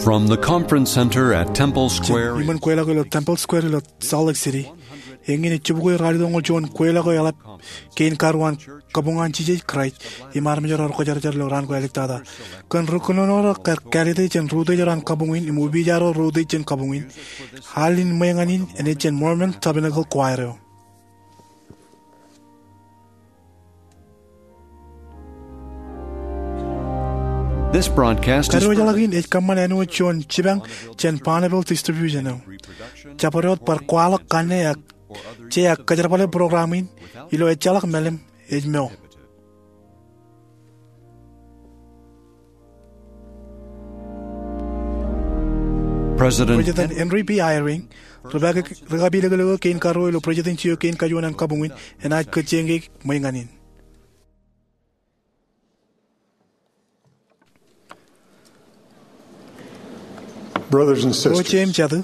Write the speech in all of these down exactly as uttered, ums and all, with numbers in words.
From the conference center at Temple Square, iṃōn kweilọk eo ilo Temple Square ilo Salt Lake City, eñin ej jibukwi ralitōñoul juon kweilọk eo eḷap kein karuo an kabuñ an Jisōs Kraist im armej ro rekwōjarjar ilo raan ko āliktata. Kōn ri kōnono ro kar kāālōt e jān ri-utiej ro an kabuñ in im opiij ro ri-utiej jān kabuñ in, al in ṃweeñān in enaaj jān Mormon Tabernacle Choir eo. This broadcast is Kadiwōjḷọk in ej kōṃṃan āinwōt juon jipañ jān Bonneville Distribution eo. Jabdewōt bar kwaḷọk kanne ak je ak kōjerbale program in ilo ejjeḷọk mālim ej mo. President President Henry B. Eyring, ri-kapilōklōk eo kein karuo ilo Presidency eo kein kajuon an kabuñ in, enaaj kōjjeñkeik ṃweeñān in. Brothers and sisters, Ro jeiū im jatū,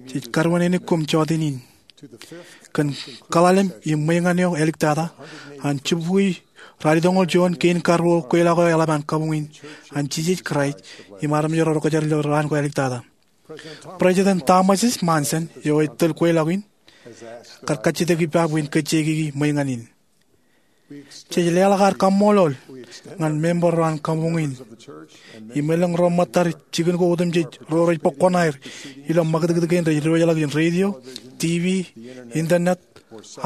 jej karuwainenik koṃ jọteen in kōn kōḷalem im ṃweeñān eo āliktata an jibukwi ralitōñoul juon kein karuo kweilọk eo eḷap an kabuñ in an Jisōs Kraist im armej ro rekwōjarjar ilo raan ko āliktata. President Thomas S. Monson, eo ej tōl kweilọk in, kar kajjitōk ippa bwe en kōjjeikiki ṃweeñān in. Jej leḷọk ad kaṃṃoolol ñan member ro an kabuñ in im elōñ ro ṃōttad jikin ko otemjej ro rej bōk kuṇaer ilo ṃakūtkūt kein rej diwōjḷọk in radio, TV, internet,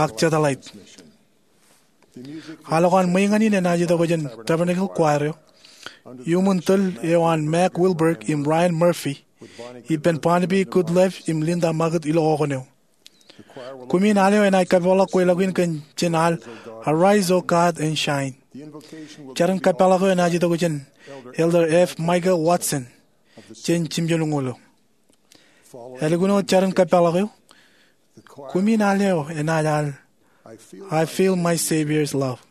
ak satellite. Al ko an ṃweeñān in enaaj itok jān Tabernacle Choir eo iuṃwin tōl eo an Mack Wilberg im Ryan Murphy ippān Barnaby Goodliffe im Linda Magid ilo okōn eo. Kumin al eo enaaj kapeḷḷọk kweilọk in kōn jān al Arise, O God, and Shine. Jarin kapeḷḷọk eo enaaj itok jān Elder F. Michael Watson jān Jimjuonñoul eo. Ālikin wōt jarin kapeḷḷọk eo, kumin al eo enaaj al I Feel My Savior's Love.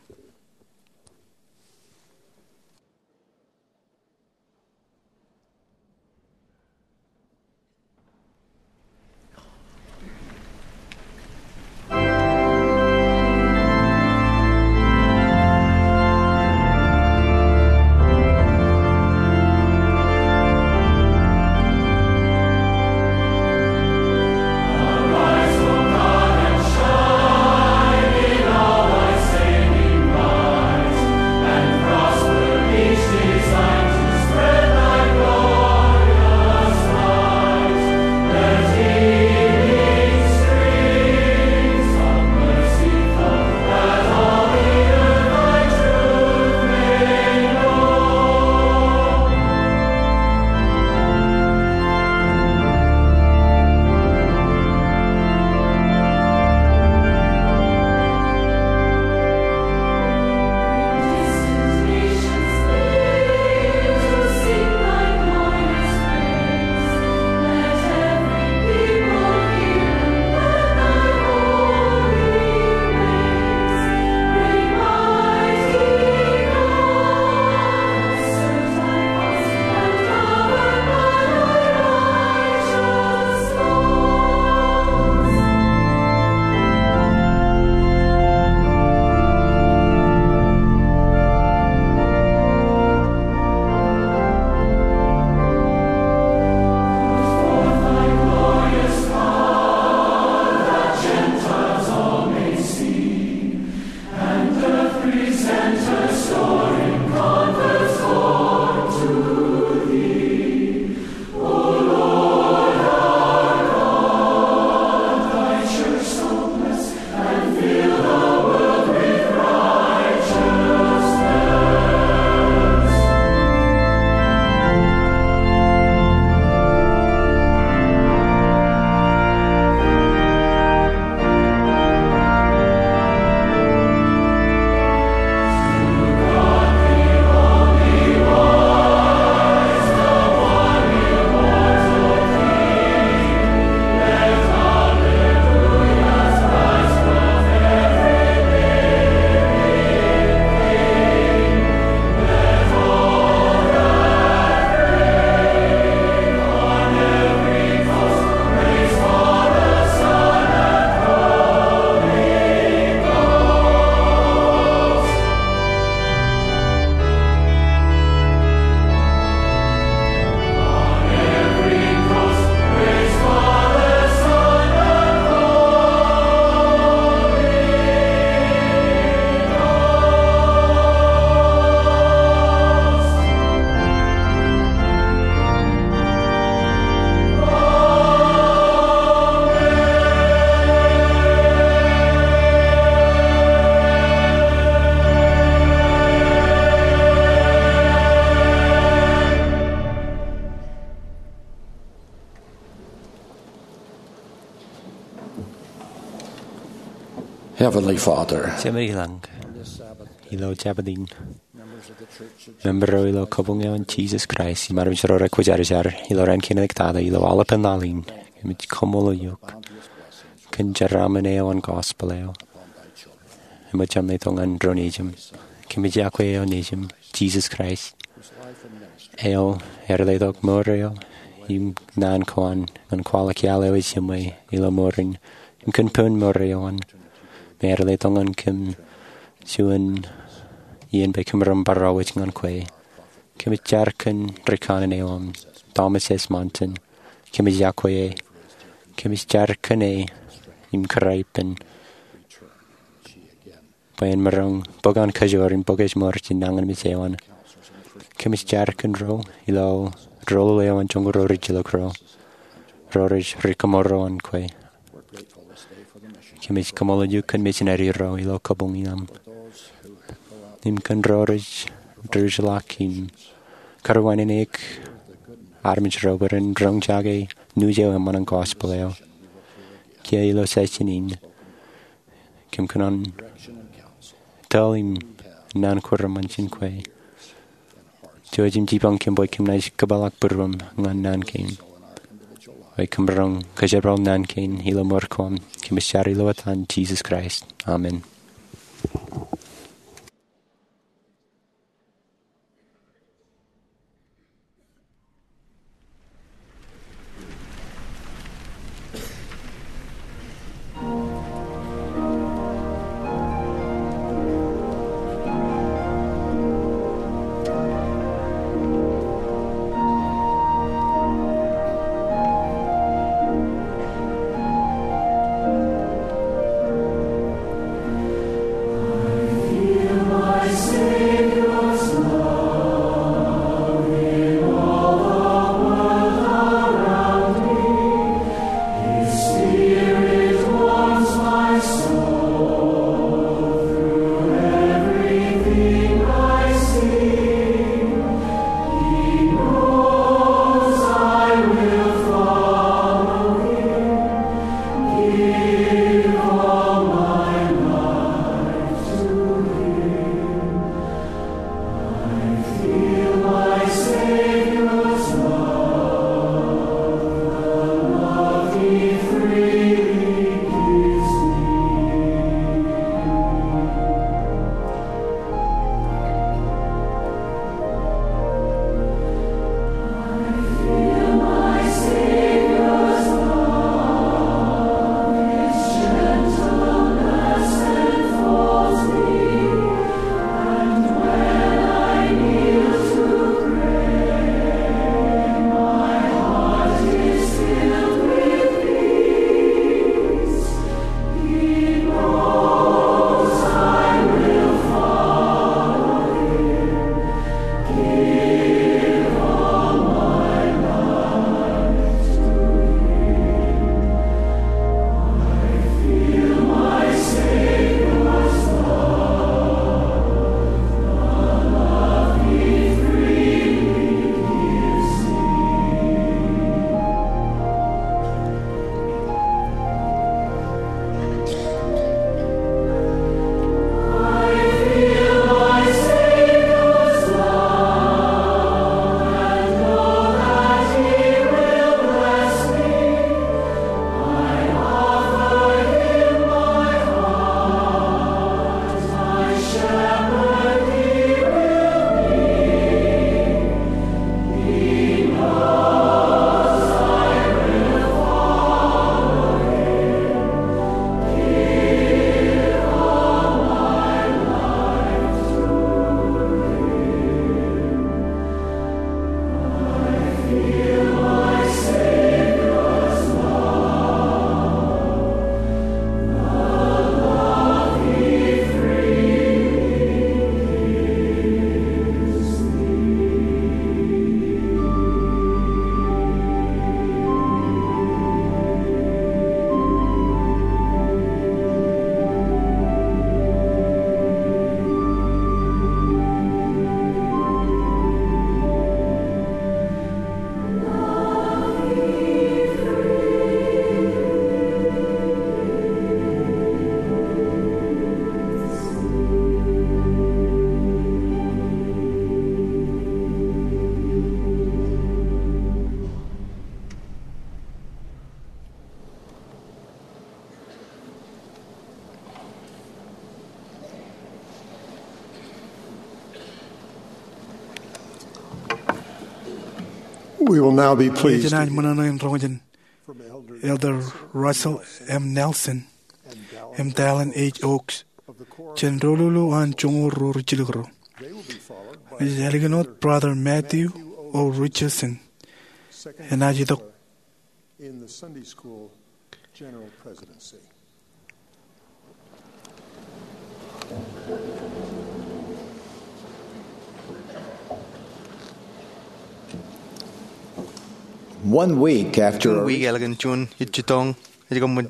Heavenly Father, Jemem ilañ, ilo Jabōt in, member ro ilo kabuñ eo an Jesus Christ im armej ro rekwōjarjar ilo raan kein eo ej tata ilo aolepān laḷ in, kōmij kaṃṃoolol eok kōn jeraaṃṃan eo an gospel eo eṃōj aṃ letok ñan ro nejūṃ. Kōmij iọkwe eo nejūṃ, Jesus Christ, eo ear letok mour eo im naan ko an ñan kwaḷọk iaḷ eo ej jiṃwe ilo mour in im kōn poun mour eo an, me ear letok ñan kōm juon iien bwe kōm ren bar wōj ñan kwe. Kōmij jar kōn ri kanaan eo aṃ, Thomas S. Monson. Kōmij iọkwe e. Kōmij jar kōn e im kōrā ippān bwe en maroñ bōk an kajoor im bōk ej mour jān nañinmej eo an. Kōmij jar kōn ro ilo roḷoḷ eo an joñoul ro rijjilōk ro, ro rej ri kōmro an kwe. Kōmij kaṃṃoolol eok kōn misineri ro ilo kabuñ in aṃ im kōn ro rej diwōjḷọk im kariwānene armej ro bwe ren roñjake news eo eṃṃan an gospel eo. Kiiō ilo session in, kōm kōṇaan tōl im naan ko reṃṃan jān kwe. Jouj im jipañ kōm bwe kōm naaj kōpeḷḷọk būruōm ñan naan kein, bwe kōm roñ kōjerbal naan kein ilo mour ko am. Kōmij jar ilo etan Jesus Christ, amen. We will now be pleased to Enaaj ṃōṇōṇō in roñjake Elder Russell M. Nelson im Dallin H. Oaks jān doulul eo an joñoul ruo rijjilōk ro. Ej ālikin wōt Brother Matthew O. Richardson enaaj itok in the Sunday School General Presidency. One week after Juun wiik ālikin juon ijjitōñ ej kōṃṃan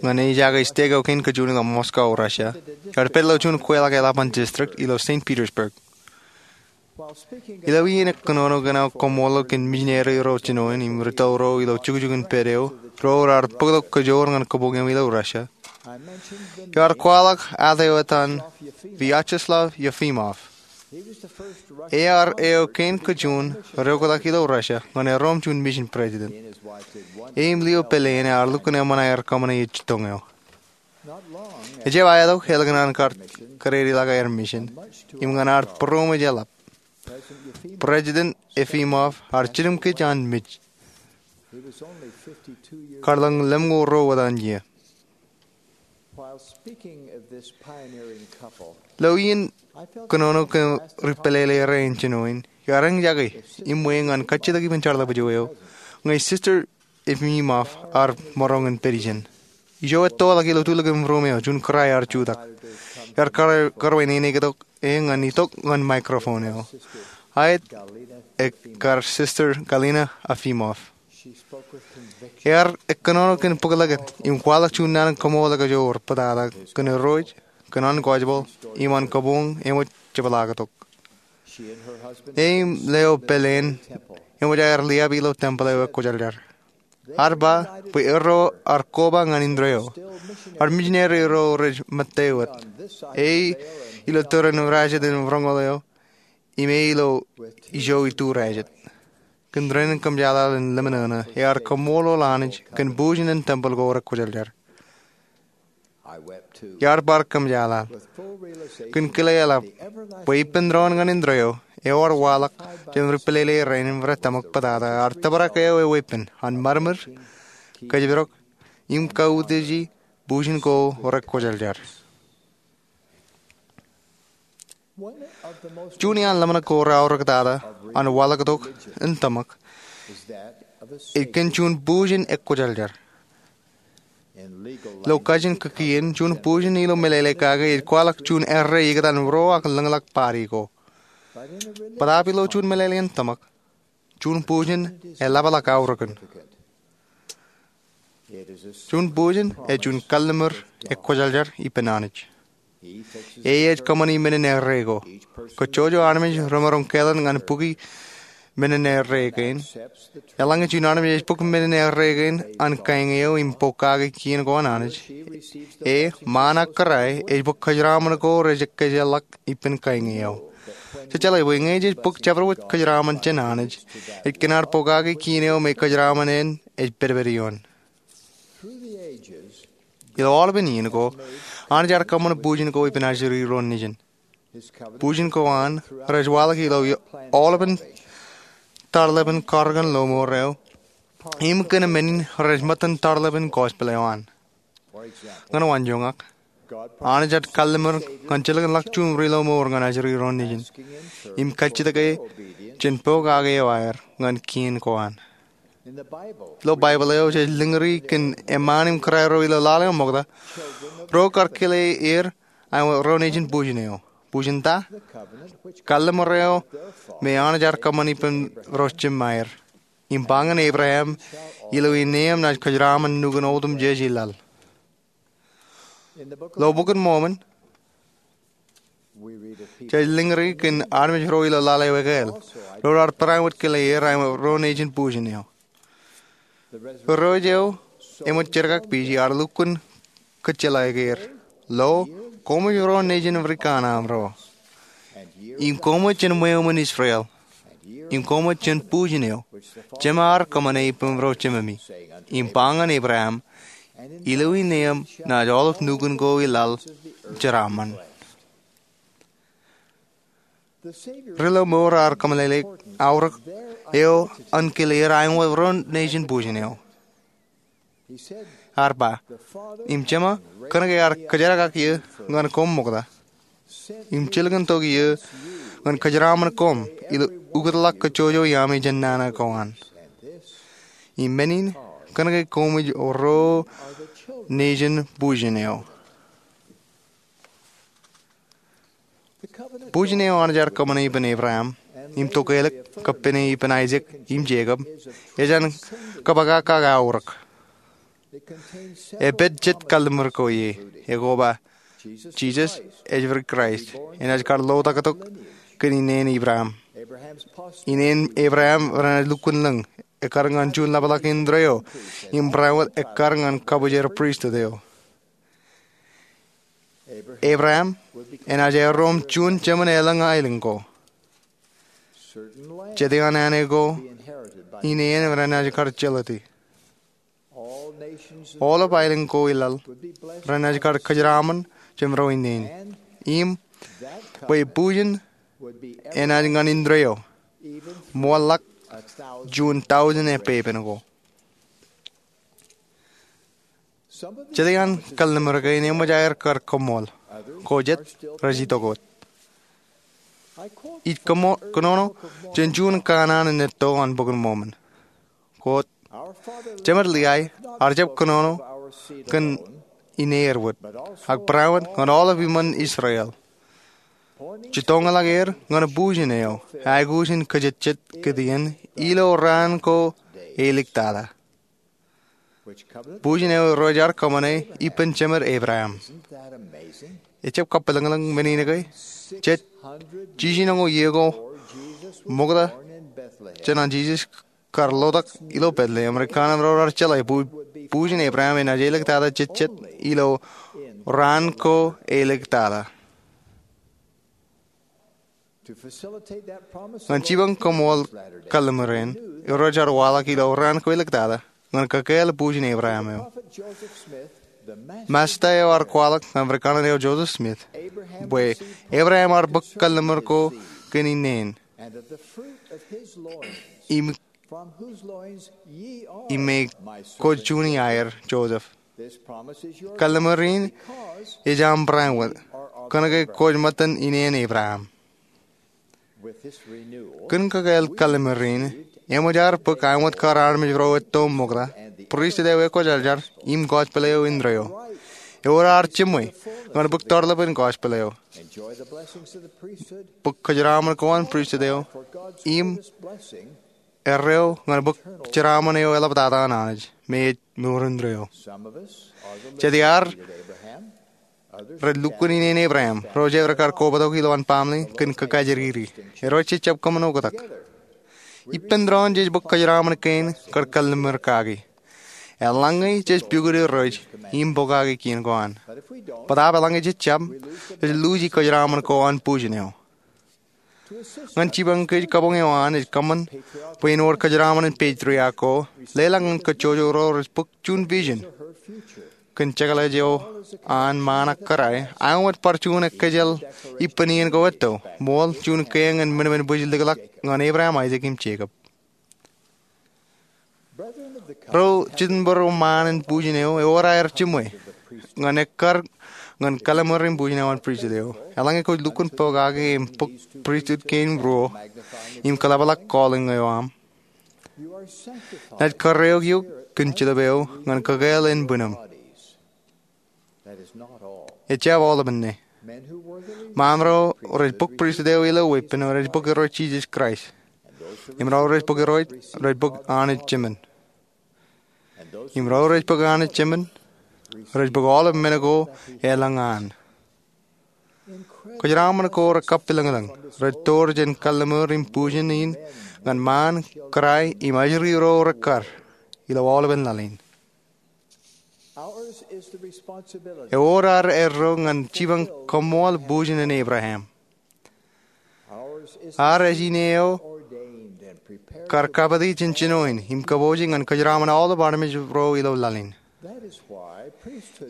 ñan ej aikuj stek eo kein kōjuon ilo Moscow, Russia, iar pād ilo juon kweilọk eḷap an district ilo Saint Petersburg. Ilo iien ekkōnono kōn aō koṃṃool kōn misineri ro jinoin im ri tōl ro ilo jukjuk in pād eo, ro raar bōktok kōjoor ñan kabuñ eo ilo Russia, iar kwaḷọk at eo etan Vyacheslav Yefimov. Ear eo kein kōjuon reoktak ilo Russia ñan erom juon misin president. E im lio pāleen ear lukkuun eṃṃan aer kōṃṃane ijjitōñ eo. Ejjab aetok ālikin an kar kōdedeḷọk aer misin im ñan ad būroṃōj eḷap, President Efimov ear jilkinḷọk an mej. Kar ḷọk lemñoul ruo wōt an iiō. Ilo iien kōnono kōn ri pālele rein jinoin, iar eñjake im ñan kajjitōk ippān jeorḷọk ijo eo ñe Sister Efimov ear maroñ in pād ijin. Ijo ettoḷọk ilo tulōk in ruum eo, juon kōrā ear jutak. Iar karwaineneik tok e ñan itok ñan microphone eo. Aet, ekkar Sister Galina Efimov. Ear ekkōnono kōn bōklōkōt im kwaḷọk juon naan in kaṃṃoolol ekajoor bōtata kōn Irooj, kōn an gospel, im an kabuñ eṃōj jepḷaaktok. E im lio pāleen eṃōj aer liab ilo tempeḷ eo ekwōjarjar. Ad ba bwe erro ar koba ñan indeeo. Ad misineri ro rej ṃōttewōt. E ilo tōre in rajet in roñoul eo, im e ilo ijo itu rajet. Kōn dān in kōmjeḷāḷ in lemñoul, ear kaṃṃoolol Anij kōn bujen in tempeḷ ko rekwōjarjar. Iar bar kōmjeḷāḷ kōn kile eḷap bwe ippān doon ñan indeeo eo ear waḷọk jān ri pālele rein im rej tōmak bōtata ear tōprak eo eweeppān an ṃadṃōd, kōjparok, im kautiej bujen ko rekwōjarjar. Juon iaan ḷōmṇak ko reaorōktata an waḷọktok in tōmak ej kōn juon bujen ekwōjarjar. Ilo kajin kōkien, juon bujen ilo meḷeḷe kake ej kwaḷọk juon erreo ikōtaan ro ak lōñḷọk party ko. Bōtaab ilo juon meḷeḷein tōmak, juon bujen eḷapḷọk aorōkin. Juon bujen ej juon kalliṃur ekwōjarjar ippān Anij. E ej kōṃṃani menin erreo ko. Kōjjojo armej remaroñ kāālōt ñan bukwi menin erreo kein. Eḷaññe juon armej ej buk menin erreo kein an kaeñ eo im pokake kien ko an Anij, e ṃaan ak kōrā ej buk kōjeraṃṃan ko rej ekkejel ḷọk ippān kaeñ eo. Jej jeḷā bwe ñe jej buk jabdewōt kōjeraṃṃan jān Anij, ej kōn ad pokake kien eo me kōjeraṃṃan en ej pedped ioon. Ilo aolepān iien ko, Anij ear kōṃṃan bujen ko ippān ajri ro nejin. Bujen ko an rej waḷọk ilo aolepān tarlepen karōk in lọmọọr eo im kōn men in rej ṃōttan tarlepen gospel eo an. Ñan waanjoñak, Anij ear kalliṃur ñan jilkinḷọk juon ri lọmọọr ñan ajri ro nejin im kajjitōk e jān pokake eo aer ñan kien ko an. Ilo Baibōḷ eo jej lōñri kōn eṃṃaan im kōrā ro ilo laḷ eo ṃokta, ro kar kile er aṃ ro nejin bujen eo. Bujen ta? Kalliṃur eo me Anij ear kōṃṃan ippān ro jemāer. Im ba ñan Ebream, ilo ineeṃ naaj kōjeraṃṃan nukun otemjej i laḷ. Ilo Bok in Mormon, jej lōñri kōn armej ro ilo laḷ eo ekāāl, ro raar barāinwōt kile er aṃ ro nejin bujen eo. Irooj eo eṃōj jerkakpeje ear lukkuun kōjjeḷāik er, lo, koṃij ro nejin Amerikan aṃro, im koṃij jān ṃweo ṃōn Israel, im koṃij jān bujen eo jema ar kōṃṃane ippān ro jememi, im ba ñan Ebream, ilo ineeṃ naaj aolep nukun ko i laḷ jeraṃṃan. Ri-lọmọọr ear kōmeḷeḷeik aorōk eo an kile er aenōṃṃan ro nejin bujen eo. Ear ba, im Jema kōnke ear kōjerakiō ñan koṃ ṃokta, im jilkintok eō ñan kōjeraaṃṃan koṃ ilo ukōtḷọk kōjjojo iaami jān nana ko an, im men in kōnke koṃij ro nejin bujen eo. Bujen eo Anij ear kōṃṃane ippān Ebream im tokālik kab pād ippān Aisak im Jekob ej an kōpakakak aorōk. Epād jet kalliṃur ko ie, ekoba Jisōs ejjab Kraist enaaj kar lotaktok kōn ineen Ebream. Ineen Ebream renaaj lukkuun lōñ ekkar ñan juon ḷapḷọk indeeo im barāinwōt ekkar ñan kabwijer pristut eo. Ebream enaaj erom juon jemān elōñ aelōñ ko. Jete an āne ko ineen renaaj kar jelōti. Aolep aelōñ ko i laḷ renaaj kar kōjeraaṃṃan jemān ro ineen, im bwe bujen enaaj ñan indeeo ṃool ḷọk juon taujin epepen ko. Jete an kalliṃur kein eṃōj aer kar kōṃṃool, ko jet rej itok wōt. Ij kōnono jān juon kanaan in etto an Bok in Mormon. Quote, Jemed Lehi ear jab kōnono kōn ineer wōt, ak barāinwōt ñan aolep iṃōn Israel, jitōñḷọk er ñan bujen eo aikuj in kōjejjet kōtien ilo raan ko eliktata. Bujen eo Irooj ear kōṃṃane ippān jemed Ebream. Ejab kapilōñlōñ men in ke? Jet jiljino iiō ko ṃokta jān an Jisōs kar lotak ilo Betlehem, ri kanaan ro raar jeḷā bwe bujen Ebream enaaj eliktata jejjet ilo raan ko eliktata. Ñan jipañ kōṃṃool kalliṃur eṇ, Irooj ear waḷọk ilo raan ko eliktata ñan kakāāl bujen Ebream eo. Masta eo ear kwaḷọk ñan ri kanaan eo Joseph Smith bwe Ebream ear bōk kalliṃur ko kōn ineen, im im me kwōj juon iaer, Joseph. Kalliṃur in ej aṃ barāinwōt, kōnke kwōj ṃōttan ineen Ebream. Kōn kakāāl kalliṃur in, eṃōj aer bōk aenwōt kar armej ro etto ṃokta, pristut eo ekwōjarjar, im gospel eo indeeo. Ewōr aer jiṃwe ñan bōk tarlepen gospel eo, bōk kōjeraaṃṃan ko an pristut eo, im erreo ñan bōk jeraaṃṃan eo eḷaptata an Anij me ej mour indeeo. Jet iaer rej lukkuun ineen Ebream, ro jab rekar kobatok ilowaan baaṃle kōn kōkajjiriri. Ro jejjab kōṃṃan oktak. Ippān doon jej bōk kōjeraaṃṃan kein kar kalliṃur kaki. Eḷaññe jej pukot Irooj im pokake kien ko an. Bōtaab eḷaññe jejjab, jej luuji kōjeraaṃṃan ko an bujen eo. Ñan jipañ kōj kabuñ eo an, ej kōṃṃan bwe en wōr kōjeraaṃṃan in patriarch ko, leḷọk ñan kōjjojo ro rej bōk juon vision kōn jekḷaj eo an ṃaan ak kōrā, aenwōt bar juon ekkejel ippān iien ko etto, ṃool juon kiiō ñan minimini bwijlikḷọk ñan Ebream, Aisak im Jekob. Ro jitōnbōro ṃaan in bujen eo, ewōr aer jiṃwe ñan ekkar ñan kalliṃur in bujen eo an pristut eo. Eḷaññe kwōj lukkuun pokake im bōk pristut kein ruo im kōḷapḷọk calling eo aṃ, naaj kōrreoik eok kōn jilep eo ñan kakāāl ānbwinnem. Ejjab aolepān ṇe. Ṃaan ro rej bōk pristut eo ilo weeppān rej bōk Irooj Jisōs Kraist. Im ro rej bōk Irooj rej bōk Anij Jemān. Im ro rej bōk Anij Jemān rej bōk aolep men ko elōñ an. Kōjeraaṃṃan ko rekapilōñlōñ, rej door jān kalliṃur in bujen in ñan ṃaan, kōrā im ajri ro rekkar ilo aolepān laḷ in. Ewōr ad erro ñan jipañ kōṃṃool bujen in Ebream. Ad ej ine eo kar kapiti jān jino in im kōpooje ñan kōjeraaṃṃan aolep armej ro ilo laḷ in.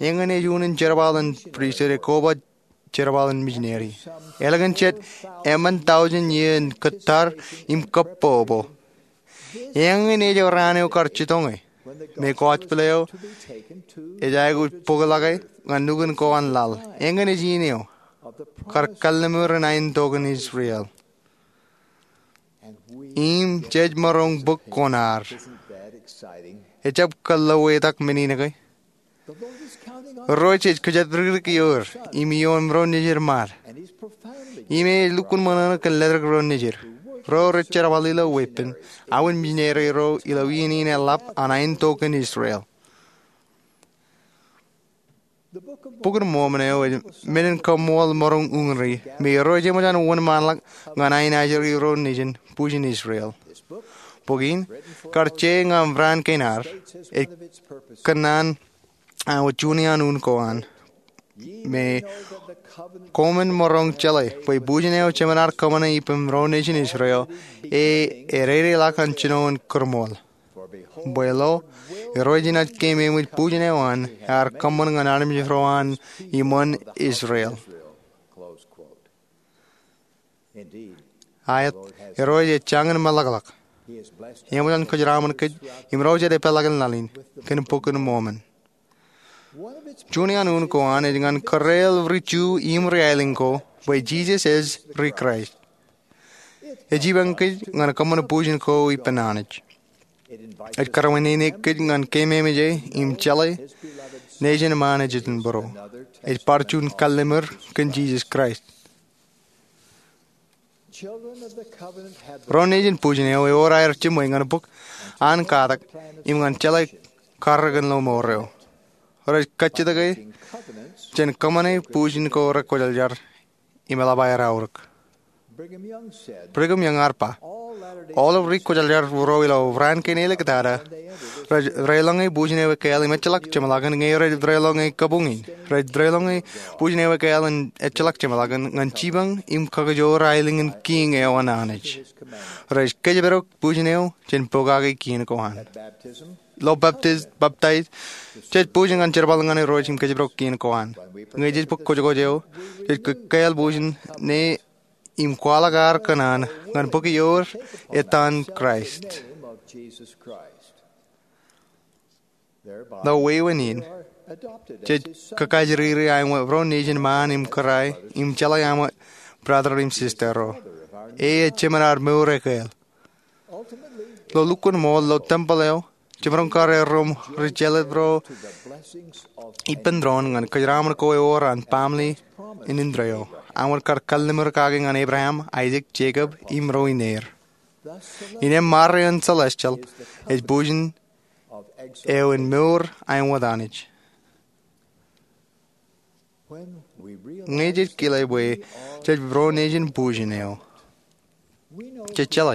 Eñin ej unin jerbal in pristut ekoba jerbal in misineri. Ālikin jet emān taujin iien kōttar im kōbbobo. Eñin ej raan eo kar jitōñe me gospel eo ej aikuj bōkḷọke ñan nukun ko an laḷ. Eñin ej in eo kar kallimur in aentok in Israel. Im jej maroñ bōk koṇaad. Ejjab kōḷḷoetak men in ke? Irooj ej kōjatdikdik ioer im ioon ro nejid ṃaad. Im ej lukkuun ṃōṇōṇō kōn ledik ro nejid, ro rej jerbal ilo weeppān, aō misineri ro ilo iien in eḷap an aentok in Israel. Bok in Mormon eo ej men in kaṃṃool maroñ uññūri me Irooj eṃōj an wōnṃaanḷọk ñan aenajri ro nejin bujen Israel. Bok in, kar je ñan raan kein ad, ej kōṇaan aō juon iaan un ko an. Me koṃwin maroñ jeḷā bwe bujen eo jeṃaan ad kōṃṃane ippān ro nejin Israel, e ededeḷọk an jino in kūrṃool. Bwe lo, Irooj enaaj keememej bujen eo an ear kōṃṃan ñan armej ro an iṃōn Israel. Aet, Irooj ej jañin meḷọkḷọk. Eṃōj an kōjeraṃōn kōj im ro jet epeḷḷọk in laḷ in kōn bok in Mormon. Juon iaan un ko an ej ñan kōreel ri Ju im ri aelōñ ko bwe Jisōs ej ri Kraist. Ej jipañ kōj ñan kōṃṃan bujen ko ippān Anij. Ej kōrā ñan kōj ñan keememej e im jeḷā nejin ṃaan ejitōnbōro. Ej bar juon kallimur kōn Jisōs Kraist. Ro nejin bujen eo ewōr aer jiṃwe ñan bōk an katak im ñan jeḷā karreoṇ ilo mour eo. Rej kajjitōk e jān kōṃṃane bujen ko rekwōjarjar im eḷap aer aorōk. Brigham Young ear ba, aolep ri kwōjarjar ro ilo raan kein āliktata rej depdepḷọk ñe bujen eo ekkāāl im ejjeḷọk jeṃḷọkin ñe rej depdepḷọk ñe kabuñ in. Rej depdepḷọk ñe bujen eo ekkāāl im ejjeḷọk jeṃḷọkin ñan jipañ im kakijoor aelōñ in kiiñ eo an Anij. Rej kōjparok bujen eo jān pokake kien ko an. Ilo baptis, baptais, jej bujen ñan jerbal ñan Irooj im kōjparok kien ko an. Ñe jej bōk kwōjkwōj eo, jej kōkkāāl bujen ne im kwaḷọk ad kōṇaan ñan bōk ioer ettaan Kraist. Ilo wāween in, jej kōkajriri aṃ wōt ro nejin ṃaan im kōrā im jeḷā aṃ wōt brother im sister ro. E ej jeṃaan ad mour ekkāāl. Ilo lukkuun ṃool ilo tempeḷ eo, jemaroñ kar erro im ri jeḷā ro ippān doon ñan kōjeraṃōn ko ewōr an baaṃle in indeeo. Aṃ wōt kar kallimur kake ñan Abraham, Aisak, Jekob, im ro ineer. Innem ṃare in celestial ej bujen eo in mour aṃ wōt Anij. Ñe jej kile bwe jej ro nejin bujen eo, jej jeḷā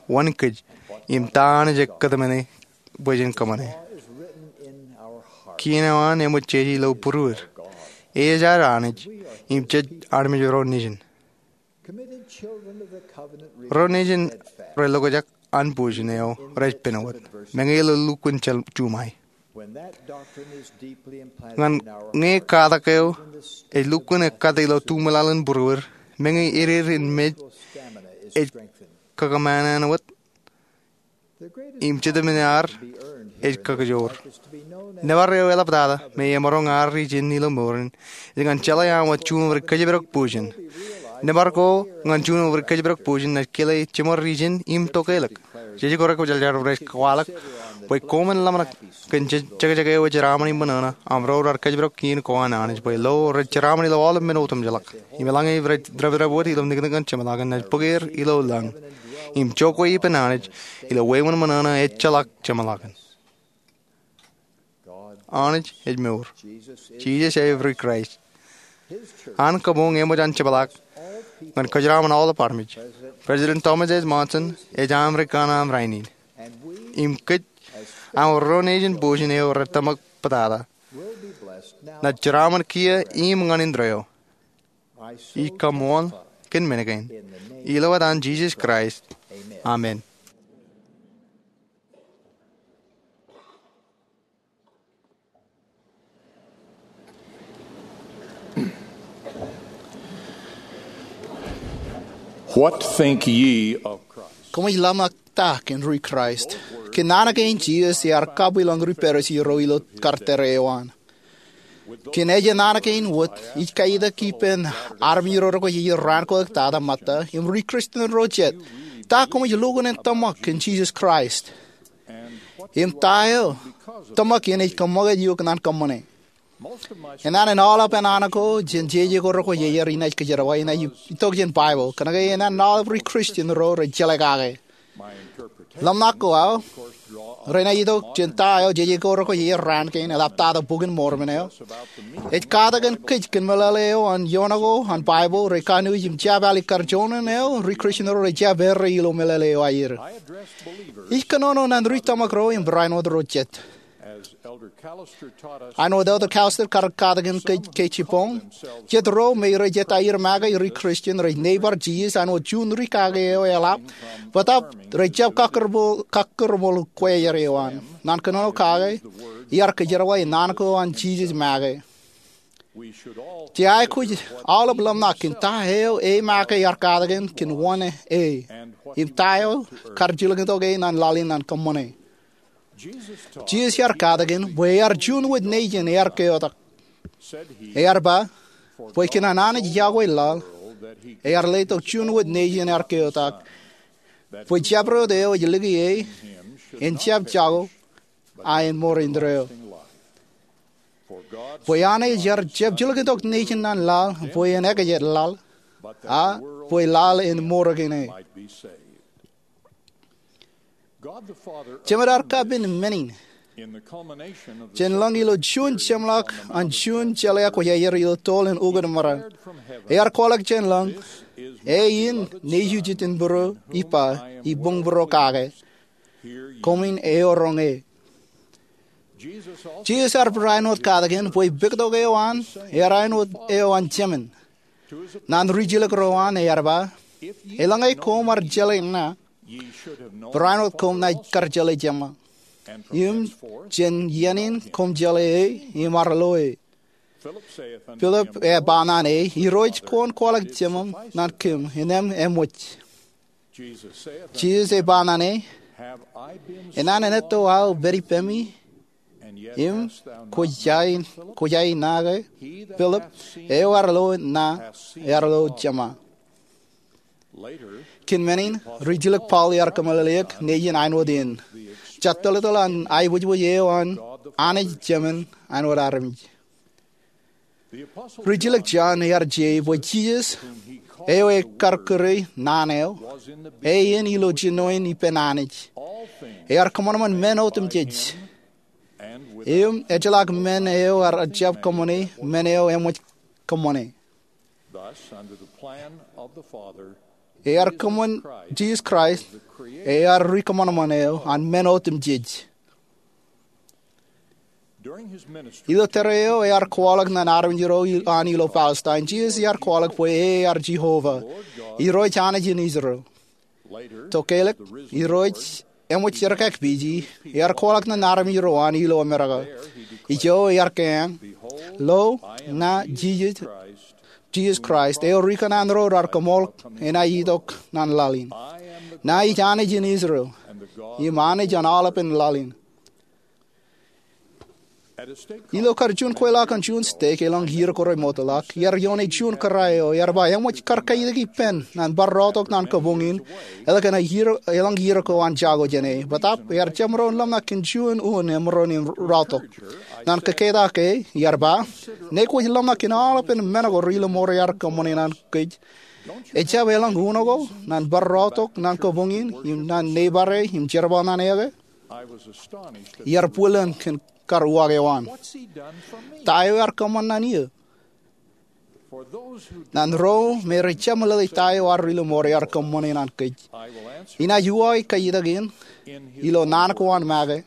wōn kōj im ta Anij ej kōtmāne bwe jen kōṃṃane. Kien eo an eṃōj jeje ilo būruod. E ej ad Anij im jej armej ro nejin. Ro nejin relukkuun an bujen eo rej pen wōt. Meñe ilo lukkuun juṃae. Ñan ñe katak eo ej lukkuun ekkate ilo tuṃwilaḷ in būruod, meñe edeed in mej ej kakōṃṃan wōt im jitōmin ad ej kakijoor. Nōbar eo eḷaptata me emaroñ ad ijin ilo mour in ej ñan jeḷā aṃ wōt juon ri kōjparok bujen. Nōbar ko ñan juon ri kōjparok bujen ej kile jiṃor ijin im tokālik. Jej kōrā kwōjarjar rej kwaḷọk bwe koṃwin ḷōmṇak kōn jekjek eo ejeraṃōn im ṃōṇōṇō aṃ ro raar kōjparok kien ko an Anij bwe lo rej jeraṃōn ilo aolep men otemjeḷọk. Im eḷaññe rej depdep wōt ilo niknik ñan jeṃḷọkin, ej bōk er ilo lañ im jokwe ippān Anij ilo wāween ṃōṇōṇō ejjeḷọk jeṃḷọkin. Anij ej mour. Jisōs ej ri Kraist. An kabuñ eṃōj an jepḷaak ñan kōjeraṃōn aolep armej. President Thomas S. Monson ej aṃ ri kanaan rainin. Im kōj aṃ ro nejin bujen eo rej tōmak bōtata, naaj jeraṃōn kiiō im ñan indeeo. Ij kaṃṃool kōn men kein ilo etan Jisōs Kraist, amen. What think ye of Christ? Koṃij ḷōmṇak ta kōn ri Kraist? Kōn naan kein Jisōs ear kabwilōñ ri Parisi ro ilo kar tōre eo an. Kōn ejān naan kein wōt, ij kaitak ippān armej ro rekwe iien raan ko ektata ṃōtta, im ri Kristian ro jet, ta koṃij lukkuun in tōmak kōn Jisōs Kraist? Im ta eo tōmak in ej kōṃṃakūt eok naan kōṃṃane? Enana in aolep ānaan ko jān jeje ko rekwe iien inaaj kōjerbal, inaaj itok jān Baibōḷ. Kōnke enana in aolep ri Kristian ro rej jeḷā kake. Ḷōmṇak ko aō renaaj itok jān ta eo jeje ko rekwe iien raan kein, eḷaptata Bok in Mormon eo. Ej katak kōn kōj kōn meḷeḷe eo an iioon ko an Baibōḷ rej kanooj im jab alikkar juon eo ri Kristian ro rej jab errā ilo meḷeḷe eo aer. Ij kōnono naan ri tōmak ro im barāinwōt ro jet. Āinwōt Elder Callister kar katak kōn kōj ke jibboñ, jet ro me rej jab aer make ri Kristian rej neighbor Jisōs āinwōt juon ri kake eo eḷap, bōtaab rej jab kakkōrmool, kakkōrmool kwe eo an. Naan kōnono kake, iar kōjerbal naan ko an Jisōs make. Jej aikuj aolep ḷōmṇak kōn ta eo e make ear katak kōn, kōn wōn e, im ta eo kar jilkintok e naan laḷ in naan kōṃṃane. Jisōs ear katak kōn bwe ear juon wōt nejin ear keotak. Ear ba, bwe kōn an Anij iọkwe laḷ, ear letok juon wōt nejin ear keotak, bwe jabdewōt eo ej lōke e en jab jako, a en ṃōreindeeo. Bwe Anij ear jab jilkintok nejin naan laḷ bwe en ekajet laḷ, a bwe laḷ en ṃōrōkin e. Jemād ear kapen men in jān lōñ ilo juon jeṃḷọk an juon jeḷā kwōj aer ilo toḷ in ukōt maroñ. Ear kwaḷọk jān lōñ, e in nejūjet in būruō, ippa, iboñbūruō kake. Koṃwin eoroñ e. Jisōs ear barāinwōt katak kōn bwe pektok eo an ear āinwōt eo an Jemān. Naan rijilōk ro an ear ba, eḷaññe koṃ ar jeḷā ña, barāinwōt koṃ naaj kar jeḷā Jema, im jān iien in koṃ jeḷā e im ar lo e. Pilip ej ba ñan e, Irooj, kwōn kwaḷọk Jemān naan kōm, innem eṃōj. Jisōs ej ba ñan e, enana in etto aō pād ippemi, im kwōj ain, kwōj ainake? Pilip, eo ear lo ña, ear lo Jema. Kōn men in, rijilōk Paul ear kōmeḷeḷeik nejin āinwōt in. Jattoḷtoḷ an aiboojoj eo an Anij Jemān āinwōt armej. Rijilōk Jon ear je bwe Jisōs, eo ekar kūr e Naan eo, e in ilo jinoin ippān Anij. Ear kōṃanṃan men otemjej. Im ejjeḷọk men eo ear jab kōṃṃane, men eo eṃōj kōṃṃane. Ear kōṃṃan Jisōs Kraist, ear ri kōṃanṃan eo an men otemjej. Ilo tōre eo ear kwaḷọk ñan armej ro an ilo Palestine, Jisōs ear kwaḷọk bwe e ear Jeova, Irooj Anij in Israel. Tokālik, Irooj eṃōj jerkakpeje, ear kwaḷọk ñan armej ro an ilo Amerika. Ijo ear keañ, Lo, ña Jisōs, Jisōs Kraist, eo ri kōṇaan ro raar kōṃṃool enaaj itok naan laḷ in. Ña ij Anij in Israel, im Anij an aolepen laḷ in. Ilo kar juon kweilọk an juon stek elōñ iiō ko remootḷọk, iar ioone juon kōrā eo ear ba eṃōj kar kaitik ippān naan bar raotok naan kabuñ in, eḷak an iiō, elōñ iiō ko an jako jān e. Bōtaab ear jab maroñ ḷōmṇak kōn juon unin emaroñ in raotok. Naan kōketak e, ear ba, ñe kwōj ḷōmṇak kōn aolepen men ko ri ilo ṃool eo ear kōṃṃane naan kōj, ejjab elōñ unin ko naan bar raotok naan kabuñ in, im naan neighbor e, im jerbal ñan e ke? Iar bwilōñ kōn kar uwaak eo an. Ta eo ear kōṃṃan ñan eō? Ñan ro me rej jab meḷeḷe ta eo an ri ilo ṃool eo ear kōṃṃane naan kōj, inaaj uwaake kaitak in ilo naan ko an make,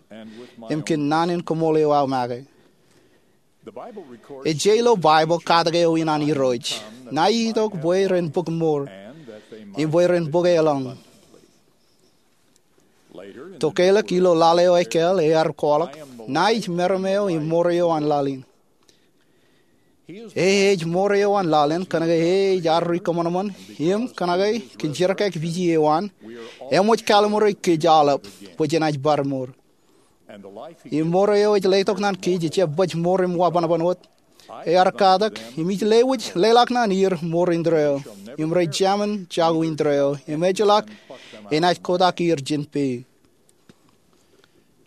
im kōn naan in koṃṃool eo aō make. Ej je ilo Baibōḷ katak eo in an Irooj, ña itok bwe ren bōk ṃool, im bwe ren bōk elōñ. Tokālik ilo laḷ eo ekāāl ear kwaḷọk, ña ij meram eo im ṃool eo an laḷ in. E ej mour eo an laḷ in, kōnke e ej ad ri kōṃanṃan im kōnke kōn jerkakpeje eo an, eṃōj kalimur kōj aolep bwe jenaaj bar mour. Im mour eo ej letok naan kōj ejjab bōk mour im wabōnbōn wōt. Ear katak, im ij lewōj leḷọk naan er mour indeeo, im rej jemān jako indeeo, im ejjeḷọk enaaj kotak er jān peiṃ.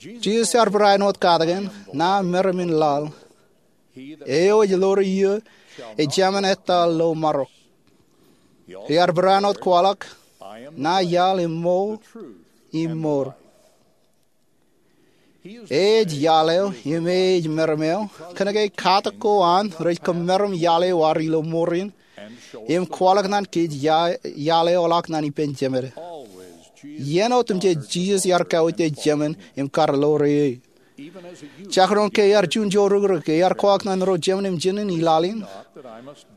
Jisōs ear barāinwōt katakin, Ña meram in laḷ. Eo ej ḷoore eō ejāmin ettā ilo marok. Ear barāinwōt kwaḷọk, Ña iaḷ im ṃool im mour. E ej iaḷ eo im e ej meram eo, kōnke katak ko an rej kōmeram iaḷ eo ad ilo mour in, im kwaḷọk naan kōj ia- iaḷ eo ḷọk naan ippān Jemād. Iien otemjej Jisōs ear kauj jāmin im kar ḷoore e. Jekdọọn ke ear juon joorūkrūk, ear kwaḷọk naan ro jemān im jinōn i laḷ in,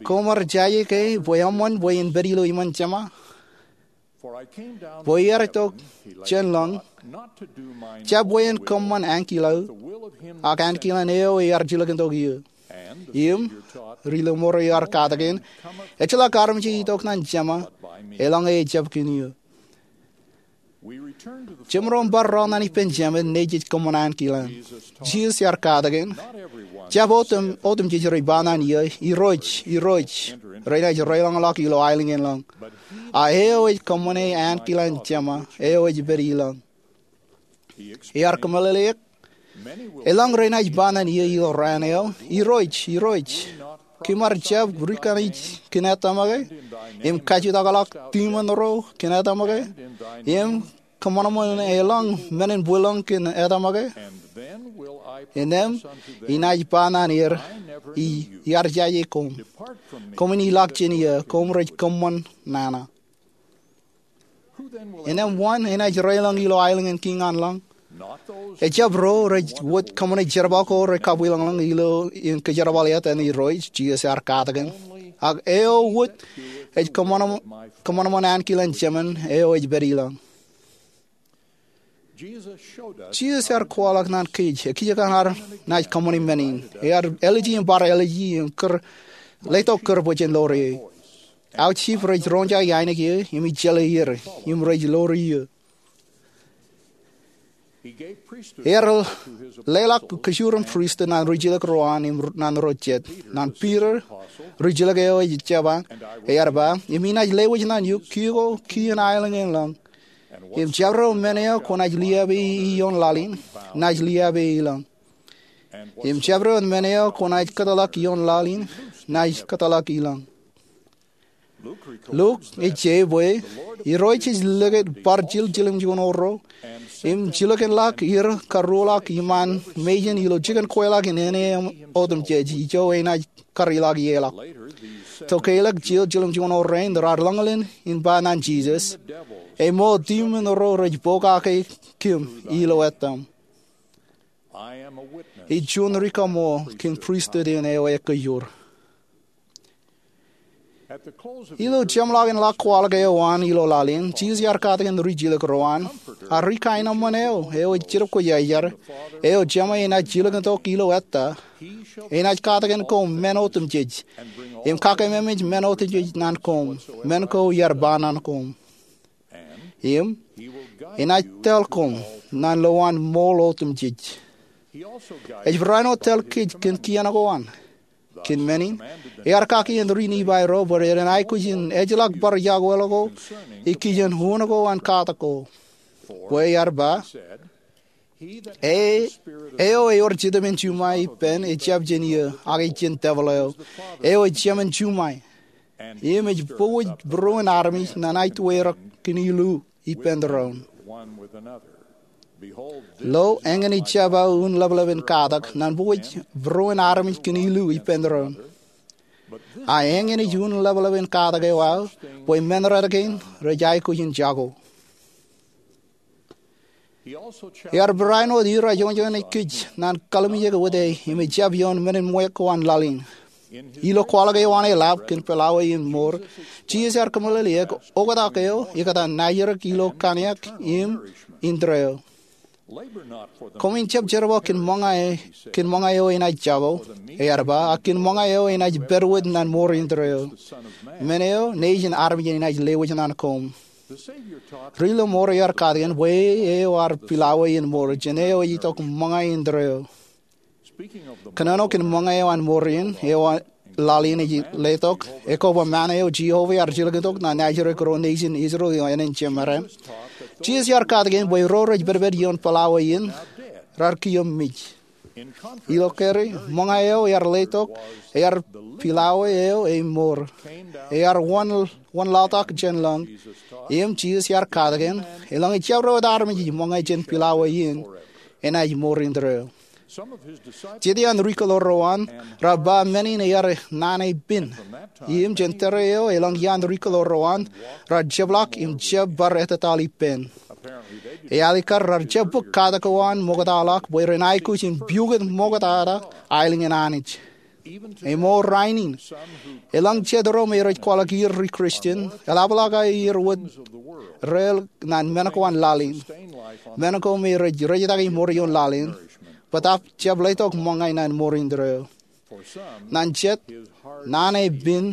Koṃ ar jaje ke bwe eṃṃan bwe in pād ilo iṃaan Jema? Bwe iar itok jān lañ, jab bwe en kōṃṃan ankilaō, ak ankilaan eo ear jilkintok eō. Im, ri ḷoore eo ear katakin, Ejjeḷọk armej ej itok naan Jema, eḷaññe ejjab kōn eō. Jemaroñ bar rọọl naan ippān Jemād, Nejū ej kōṃṃan ankilaan. Jisōs ear katakin, Jab otem- otemjej rej ba naan eō, Irooj, Irooj, renaaj reiḷọñḷọk ilo aelōñ in lañ. A eo ej kōṃṃane ankilaan Jema, eo ej pād ilañ. Ear kōmeḷeḷeik, Eḷaññe renaaj ba naan eō ilo raan eo, Irooj, Irooj, kōm ar jab ri kanij kōn etaṃ ke, im kajutọkḷọk demon ro kōn etaṃ ke, im kōṃanṃan eḷaññe men in bwilōñ kōn etaṃ ke? Innām inaaj ba naan er, Iar jaje koṃ. Koṃwin ilọk jān eō, koṃ rej kōṃṃan nana. Innām wōn enaaj reiḷọñ ilo aelōñ in kiiñ an lañ? Ejjab ro rej wōt kōṃṃane jerbal ko rej kabwilōñlōñ ilo in kōjerbal etan Irooj, Jisōs ear katakin. Ak eo wōt ej kōṃanṃan ankilaan Jemān, eo ej pād ilañ. Jisōs ear kwaḷọk naan kōj, ekkejkan ad naaj kōṃṃane men in. Ear āliji im bar āliji im kūr, letok kūr bwe jen ḷoore e. Aujjip rej roñjake ainikien, im ejjeḷọk er, im rej ḷoore eō. Ear leḷọk kōjuon pristut ñan ri jilōk ro an im ñan ro jet. Ñan Piter, ri jilōk eo ej jab an, ear ba, Im inaaj lewōj naan eok kiiō ko kiiō in aelōñ in lañ. Im jabdewōt men eo kwōnaaj liāpe ie ioon laḷ in, naaj liāpe ie ilañ. Im jabdewōt men eo kwōnaaj kōtḷọk ioon laḷ in, naaj kōtḷọk ilañ. Luk ej je bwe, Irooj ej likūt bar jil jilkinjilōk ro, im jilkinḷọk er karuoḷọk iṃaan mejān ilo jikin kweilọk in āne otemjej, ijo enaaj kar ilọk ie ḷọk. Tokālik jil jilkinjilōk rein raar lōñlōñ in ba ñan Jisōs, Emool demon ro rej pokake kōm ilo etaṃ. Ij juon ri kaṃṃool kōn pristut in eo ekkejur. Ilo jeṃḷọkin ḷọk kwaḷọk eo an ilo laḷ in, Jisōs ear katakin ri jilōk ro an, A ri kaenōṃṃan eo, eo ej jidik kōj jar, eo Jema enaaj jilkintok ilo ettā, enaaj katakin koṃ men otemjej, im kakememej men otemjej ñan koṃ, men ko iar ba ñan koṃ. Im, enaaj tōl koṃ ñan lowaan ṃool otemjej. Ej barāinwōt tōl kōj kōn kien ko an. Kōn men in, ear kaki ri Nifai ro bwe ren aikuj in ejjeḷọk bar iọkwe ḷọk ko ikijjien unin ko an katak ko. Bwe ear ba, E, eo ewōr Jetōb in Juṃae ippān ejjab jān eō, ak ej jān tebwil eo, eo ej jemān juṃae. Im ej pukot būruon armej ñan aitweirrak kōn ilu ippān tōre in. Lo, eñin ej jab aō un leplepin katak ñan pukot būruon armej kōn ilu ippān tōre in. A eñin ej un leplepin katak eo aō, bwe men rot kein rej aikuj in jako. Ear barāinwōt er ajoñjoñan kōj ñan kalimjek wōt e im ejjab ioon men in ṃweiuk ko an laḷ in. Ilo kwaḷọk eo an e lab kōn pelawe in mour, Jisōs ear kōmeḷeḷeik oktak eo ikōtaan najirak ilo kaniak im indeeo. Koṃwin jab jerbal kōn ṃōñā eo enaaj jako, ear ba, ak kōn ṃōñā eo enaaj pād wōt naan mour indeeo, men eo Nejin armej enaaj lewōj naan koṃ. Ri-lọmọọr ear katakin bwe eo ear pilawe in mour jān eo ej itok ṃōñā indeeo. Kōnono kōn ṃōñā eo an mour in, eo laḷ in ej letok, ekwe ba ṃaan eo Jeova ear jilkintok naan ajri kōn ro nejin Israel ilo ānen jemārae. Jisōs ear katakin bwe ro rej pedped ioon pilawe in raar kiiō mej. Ilo kōrā, ṃōñā eo ear letok, ear pilawe eo emour. Ear wanlaḷtak jān lañ. Im Jisōs ear katakin, eḷaññe jabdewōt armej ej ṃōñā jān pilawe in, enaaj mour indeeo. Jet iaan ri-kilōrro an raar ba men in ear naan eo pen. Im jān tōre eo eḷaññe iaan ri-kilōrro an raar jepḷaak im jab bar ettataḷ ippān. Ealikkar raar jab bōk katak ko an ṃoktaḷọk bwe ren aikuj in piukūt ṃoktata aelōñ in Anij. Im rainin, eḷaññe jet ro me rej kwaḷọk er ri-Kristian eḷapḷọk aer wōt reel naan men ko an laḷ in, men ko me rej rejtaki mour ioon laḷ in, bōtaab jab letok ṃōñā naan mour indeeo. Ñan jet, naan eo pen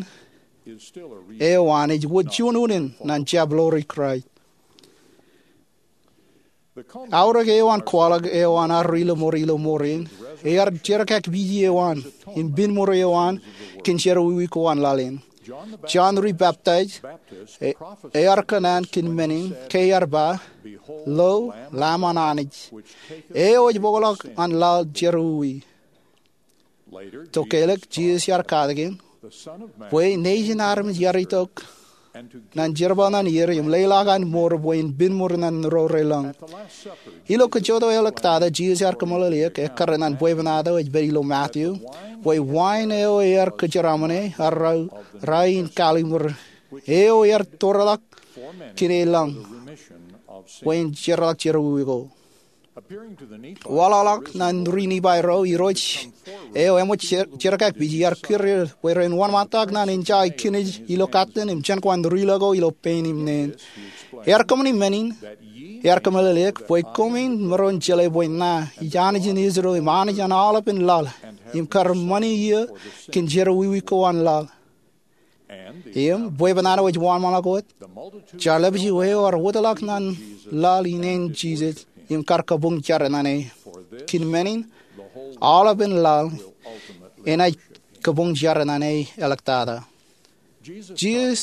eo an ej wōt juon unin naan jab lo ri-Kraist. Aorōk eo an kwaḷọk eo an ad ri-lọmọọr ilo mour in, ear jerkakpeje eo an im pen mour eo an kōn jerọwiwi ko an laḷ in. Jon Ri-peptaij ear kōṇaan kōn men in ke ear ba, Lo, Lamb an Anij, eo ej bōkḷọk an laḷ jerọwiwi. Tokālik, Jisōs ear katakin bwe Nejin armej ear itok ñan jerbal ñan er im leḷọk an mour bwe en pen mour ñan ro relōñ. Ilo kajjojo āliktata, Jisōs ear kōmeḷeḷeik ekkar ñan bwebwenato ej pād ilo Matu, bwe wain eo ear kōjeraṃōne an rainin kalimur, eo ear tōreḷọk kōn e lañ, bwe en jerḷọk jerọwiwi ko. Waḷọkḷọk ñan ri-Nifai ro, Irooj eo eṃōj jerkakpeje ear kūr er bwe ren wōnṃaantak ñan enjake kinej ilo katten im jān ko an ri-lo ko ilo pein im neen. Ear kōṃṃani men in, ear kōmeḷeḷeik bwe koṃwin maroñ jeḷā bwe ña ij Anij in Israel im Anij an aolepān laḷ, im kar ṃani eō kōn jerọwiwi ko an laḷ. Im bwebwenato ej wōnṃaanḷọk wōt, jarlepju eo ear wōtlọk ñan laḷ in āin Jisōs im kar kabuñ jar ñan e. Kōn men in, aolepān laḷ enaaj kabuñ jar ñan e āliktata. Jisōs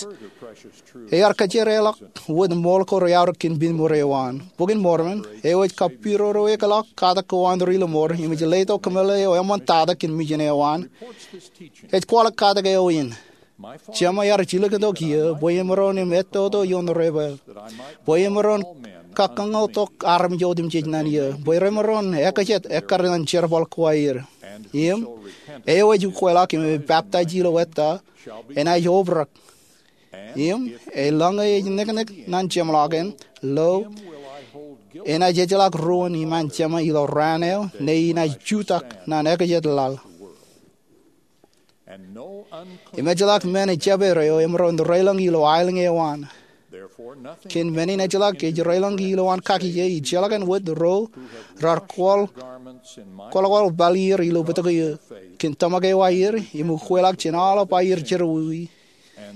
ear kōjeraḷọk wōt ṃool ko reaorōk kōn pen mour eo an. Bok in Mormon eo ej kapidodoekḷọk katak ko an ri-lọmọọr im ej letok kōmeḷeḷe eo eṃṃantata kōn mejān eo an, ej kwaḷọk katak eo in. Jema ear jilkintok eō bwe emaroñ im ettoto ioon repaak, bwe emaroñ kakōñḷọk armej otemjej ñan eō, bwe remaroñ ekajet ekkar ñan jerbal ko aer. Im eo ej ukweḷọk im ej peptaij ilo ettā enaaj obrak. Im eḷaññe ej niknik ñan jeṃḷọkin, lo, enaaj ejjeḷọk ruōn iṃaan Jema ilo raan eo ñe inaaj jutak ñan ekajet laḷ. Im ejjeḷọk men ejjab er eo emaroñ relōñ ilo aelōñ eo an. Kōn men in ejjeḷọk ej relōñ ilowaan kakije ijellọkin wōt ro raar kwaḷ kwaḷ pālle er ilo bōtōk eō kōn tōmak eo aer im ukweḷọk jān aolep aer jerọwiwi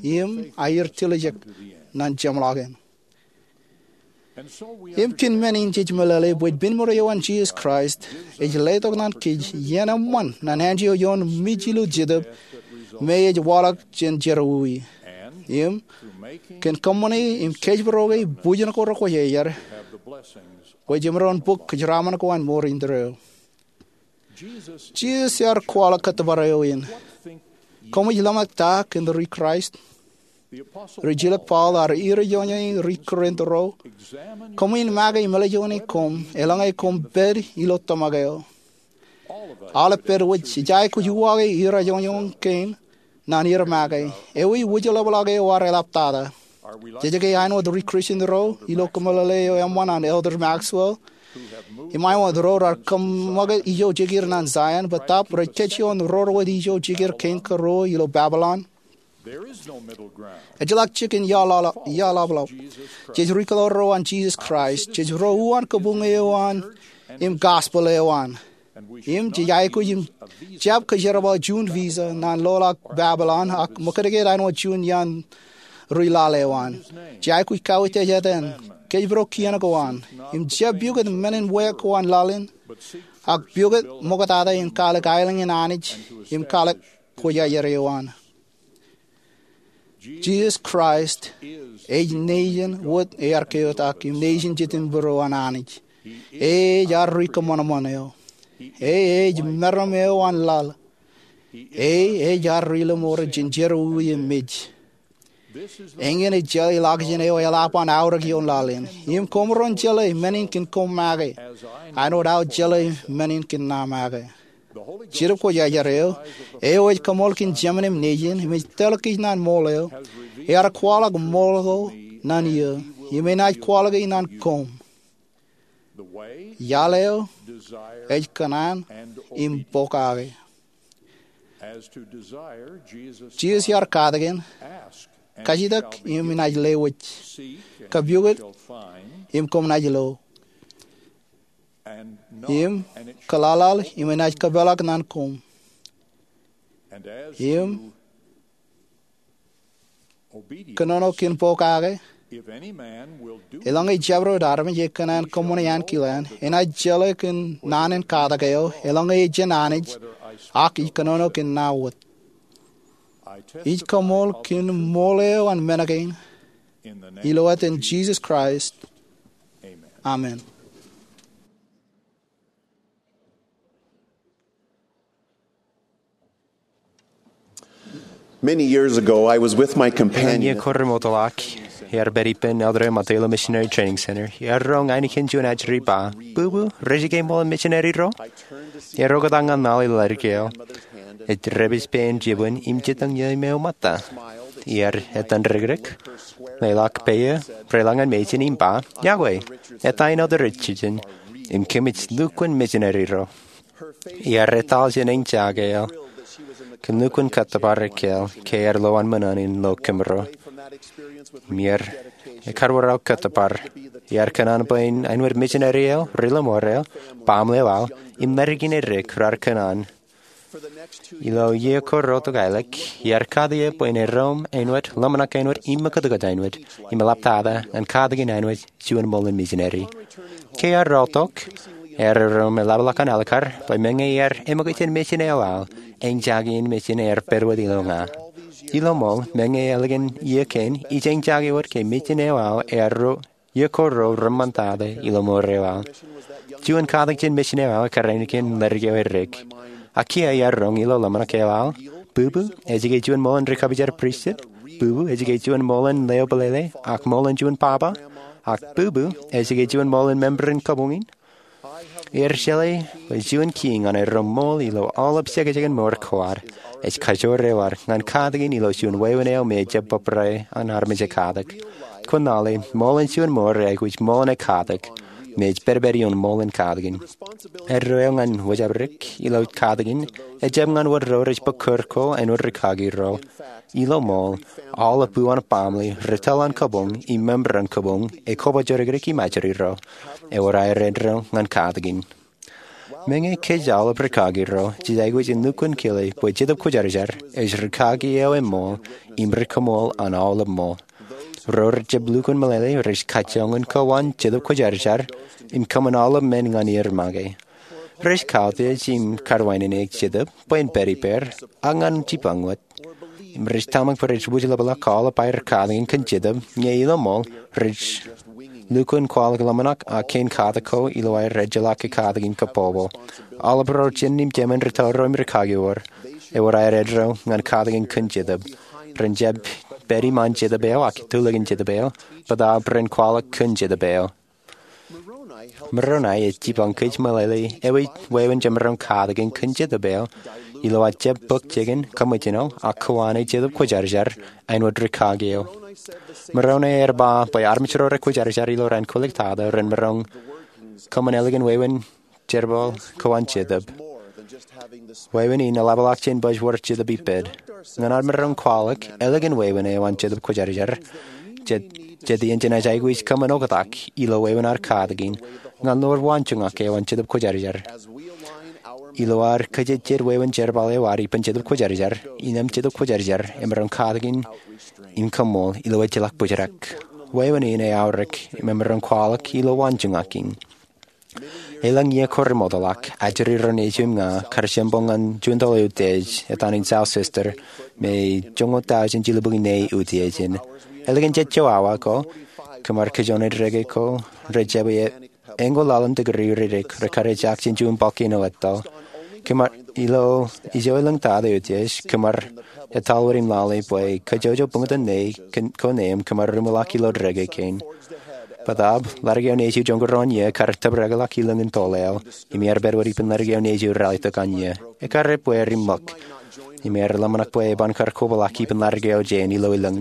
im aer tiljek ñan jeṃḷọkin. Im kōn men in jej meḷeḷe bwe pen mour eo an Jisōs Kraist ej letok ñan kōj iien eṃṃan ñan anjọ ioon mej ilo jetōb me ej waḷọk jān jerọwiwi. Im kōn kōṃṃane im kōjparok e bujin ko rekwōjarjar, bwe jemaroñ bōk kōjeraaṃṃan ko an mour indeeo. Jisōs ear kwaḷọk kōttōpar eo in. Koṃij lōṃak ta kōn ri-Kraist? Rijilōk Paul ear iroñoñe ri-Korint ro, koṃwin make im ālijoone koṃ eḷaññe koṃ pād ilo tōmak eo. Aolep pād wōj ej aikuj uwaake irajoñoñ kein ñan er make. Ewi wūjlepḷọk eo ear eḷaptata? Jej ke āinwōt ri-Kristian ro ilo kōmeḷeḷe eo eṃṃan an Elder Maxwell, im āinwōt ro raar kōṃṃakūt ijo jikier ñan Zion bōtaab rej kōjjojo rorwōt ijo jikier kein kōruo ilo Babilon? Ejjeḷọk jikin iaḷaḷap. Jej ri-kōḷaḷ ro an Jisōs Kraist. Jej ro uwaan kabuñ eo an im gospel eo an. Im jej aikuj im jab kōjerbal juon visa ñan loḷọk Babilōn ak ṃōkajjik āinwōt juon iaan ri laḷ eo an. Jej aikuj kauwōj ej etan. Kōjparok kien ko an im jab pukot men in wāween laḷ in, ak pukot ṃoktata in kwaḷọk aelōñ in Anij im kwaḷọk kwōjarjar eo an. Jisōs Kraist ej Nejin wōt ear keotak im Nejin Jetōnbōro an Anij. E ej ad ri kōṃanṃan eo. E ej meram eo an laḷ. E ej ad ri lọmọọr jān jerọwiwi im mej. Eñin ej jeḷā ḷọkjeṇ eo eḷap an aorōk ioon laḷ in. Im koṃ ren jeḷā men in kōn koṃ make, āinwōt aō jeḷā men in kōn ṇa make. Jetōb Kwōjarjar eo, eo ej kaṃool kōn Jemān im Nejin, im ej tōl kōj ñan ṃool eo, ear kwaḷọk ṃool ko ñan eō, im enaaj kwaḷọke ñan koṃ. Iaḷ eo ej kōṇaan im pokake. Jisōs ear katakin, kajitak im enaaj lewōj, kapukot im koṃ naaj lo, im kōḷaḷḷaḷ im enaaj kōpeḷḷọk ñan koṃ. Im kōnono kōn pokake, eḷaññe jabdewōt armej ekōṇaan kōṃṃane ankilaan, enaaj jeḷā kōn naan in katak eo, eḷaññe ej jān Anij, ak ij kōnono kōn ṇa wōt. Ij kaṃool kōn ṃool eo an men kein, ilo etan Jisōs Kraist. Amen. Many years ago, I was with my companion. Iiō ko remootḷọk, iar pād ippān elder eo ṃōttan ilo Missionary Training Center. Iar roñ ainikien juon ajri ba, "Bubbu, rej ke ṃool in missionary ro?" Iar oktak ñan laḷ ilo ḷadik eo. Ej dāpij pein jibwin im jitōñ iiō im eō ṃōtta. Iar etan rikrik, leḷọk peiō, reilañ ñan mejān im ba, "Yokwe, eta in Elder Richardson, im kōmij lukkuun missionary ro." Iar etal jān eñjake eo kōn lukkuun kōttōpar ekkā ke ear lo an ṃōṇōṇō in lo kōmro. Im iar ekar wōr aō kōttōpar. Iar kōṇaan bwe en āinwōt missionary eo, ri lọmọọr eo, baaṃle eo aō, im ḷaddik in errek raar kōṇaan. Ilo iiō ko ro to kaelōk, iar kate eō bwe en erom āinwōt, ḷōmṇak āinwōt, im ṃakūtkūt āinwōt, im eḷaptata ñan katakin āinwōt juon ṃool in missionary. Ke ear rọọltok, ear erom eḷapḷọk an ālikkar bwe meñe ear eṃōkaj jān mejān eo aō, eñjake in mejān ear pād wōt ilo ña. Ilo ṃool, meñe ālikin iiō kein, ij eñjake wōt ke mejān eo aō ear ro iiō ko ro reṃṃantata ilo mour eo aō. Juon katak jān mejān eo aō ekkar ainikien ḷaddik eo errek. Ak kiiō iar roñ ilo ḷōmṇak eo aō, "Bubbu, ej ke juon ṃool in ri-kōpoojar pristut? Bubbu, ej ke juon ṃool in leo bōlele ak ṃool in juon papa? Ak bubbu, ej ke juon ṃool in member in kabuñ in?" Iar jeḷā bwe juon kiiñ ñan erom ṃool ilo aolep jekjekin mour ko ad ej kajoor eo ad ñan katakin ilo juon wāween eo me ejjab bōbrae an armej ekatak. Kwōn lale, ṃool in juon mour ej aikuj ṃool in ekatak, im ej pedped ioon ṃool in katakin. Eddo eo ñan wōjabdik ilo katakin ejjab ñan wōt ro rej bōk kūr ko āinwōt rikaki ro. Ilo ṃool, aolep uwaan baaṃle, ri tōl an kabuñ im member an kabuñ, ekobojorikdik im ajri ro. Ewōr aer eddo ñan katakin. Meñe kōj aolep rikaki ro jej aikuj in lukkuun kile bwe Jetōb Kwōjarjar ej rikaki eo eṃṃool im ri-kōṃool an aolep ṃool. Ro rejjab lukkuun meḷeḷe rej kajjioñ in kowaan Jetōb Kwōjarjar im kōṃṃan aolep men ñan er make. Rej kautiej im kar wāween eok Jetōb bwe en pād ippāer ak ñan jibboñ wōt. Im rej tōmak bwe rej wūjlepḷọk aolep aer katakin kōn Jetōb, ñe ilo ṃool rej lukkuun kwaḷọk ḷōmṇak ak kein katak ko ilo aer ejjeḷọk katakin kōpopo. Aolep ro jen im jemān ri tōl ro im rikaki ewōr, ewōr aer eddo ñan katakin kōn Jetōb. Ren jab pād iṃaan Jetōb eo ak tulikin Jetōb eo, bōtaab ren kwaḷọk kōn Jetōb eo. Moroni ej jibboñ kōj meḷeḷe ewi wāween jemaroñ katakin kōn Jetōb eo ilo aō jab bōk jikin, kaṃōjṇọ, ak kōwaane Jetōb Kwōjarjar āinwōt rikaki eo. Moroni ear ba bwe armej ro rekwōjarjar ilo raan kwōlōktata ren maroñ kōṃṃan ālikin wāween jerbal kowaan Jetōb. Wāween in eḷapḷọk jān baj wōr Jetōb ippād. ñan ad maroñ kwaḷọk ālikin wāween eo an Jetōb Kwōjarjar, jet, jet iien jenaaj aikuj kōṃṃan oktak ilo wāween ad katakin ñan ḷoor waanjoñak eo an Jetōb Kwōjarjar. Ilo ad kajejjet wāween jerbal eo ad ippān Jetōb Kwōjarjar, innām Jetōb Kwōjarjar emaroñ katakin im kaṃṃool ilo ejjeḷọk bōjrak. Wāween in eaorōk im emaroñ kwaḷọk ilo waanjoñak in. Elōñ iiō ko remootḷọk, ajri ro nejiṃ im ña kar jempoñ ñan juon tōl eutiej etan in South Sister me joñoul tọujin jilubukwi ne eutiej in. Ālikin jejjo awa ko, kōmar kajjojo ri-deke ko rej jab eñoul laḷ in tikiri ridik rekar ejaak jān juon volcano etto. Kōmar, ilo ijo elōñ tata eutiej, kōmar etal wōt im lale bwe kajjojo buñtōn ne ko neeṃ kōmar ri-ṃōḷọk ilo deke kein. Bōtaab, ḷadik eo nejiṃ joñoul ruo in iiō kar tōprakḷọk ilōñ in tōl eo, im ear pād wōt ippān ḷadik eo nejiṃ ralitōk an iiō. Ekkar ebbeer im ṃōk, im ear ḷōmṇak bwe eban kar kobrak ippān ḷadik eo jān ilo ilōñ.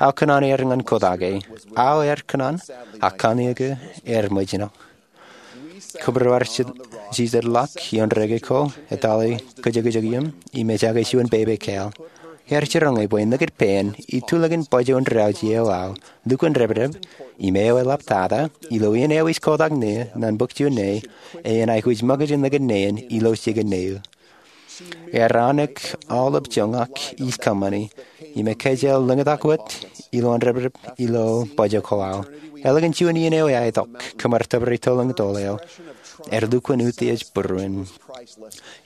Aō kōṇaan ear ñan kōtake. Aō ear kōṇaan, ak kanniōk ear ṃōjṇọ. Kōmro ar jitōñḷọk ioon deke ko, etale kōjekjek iiō, im ejaake juon pepe kāāl. Ear jiroñ bwe nikūtpein, itulōkin bajjek in rūwōj eo aō, lukkuun depdep, im eo eḷap tata, ilo iien eo ij kotak ṇe, ñan bōk juon ṇe, enaaj aikuj ṃōkaj in nikūtpein ilo jikin ṇe eō. Ear aonik aolep joñak ij kōṃṃani, im ekāāl lōñtak wōt, ilo an depdep, ilo bajjek ko aō. Ālikin juon iien eo eaitok, kōmar tōpar itolōñ tōl eo. Ear lukkuun utiej būruon.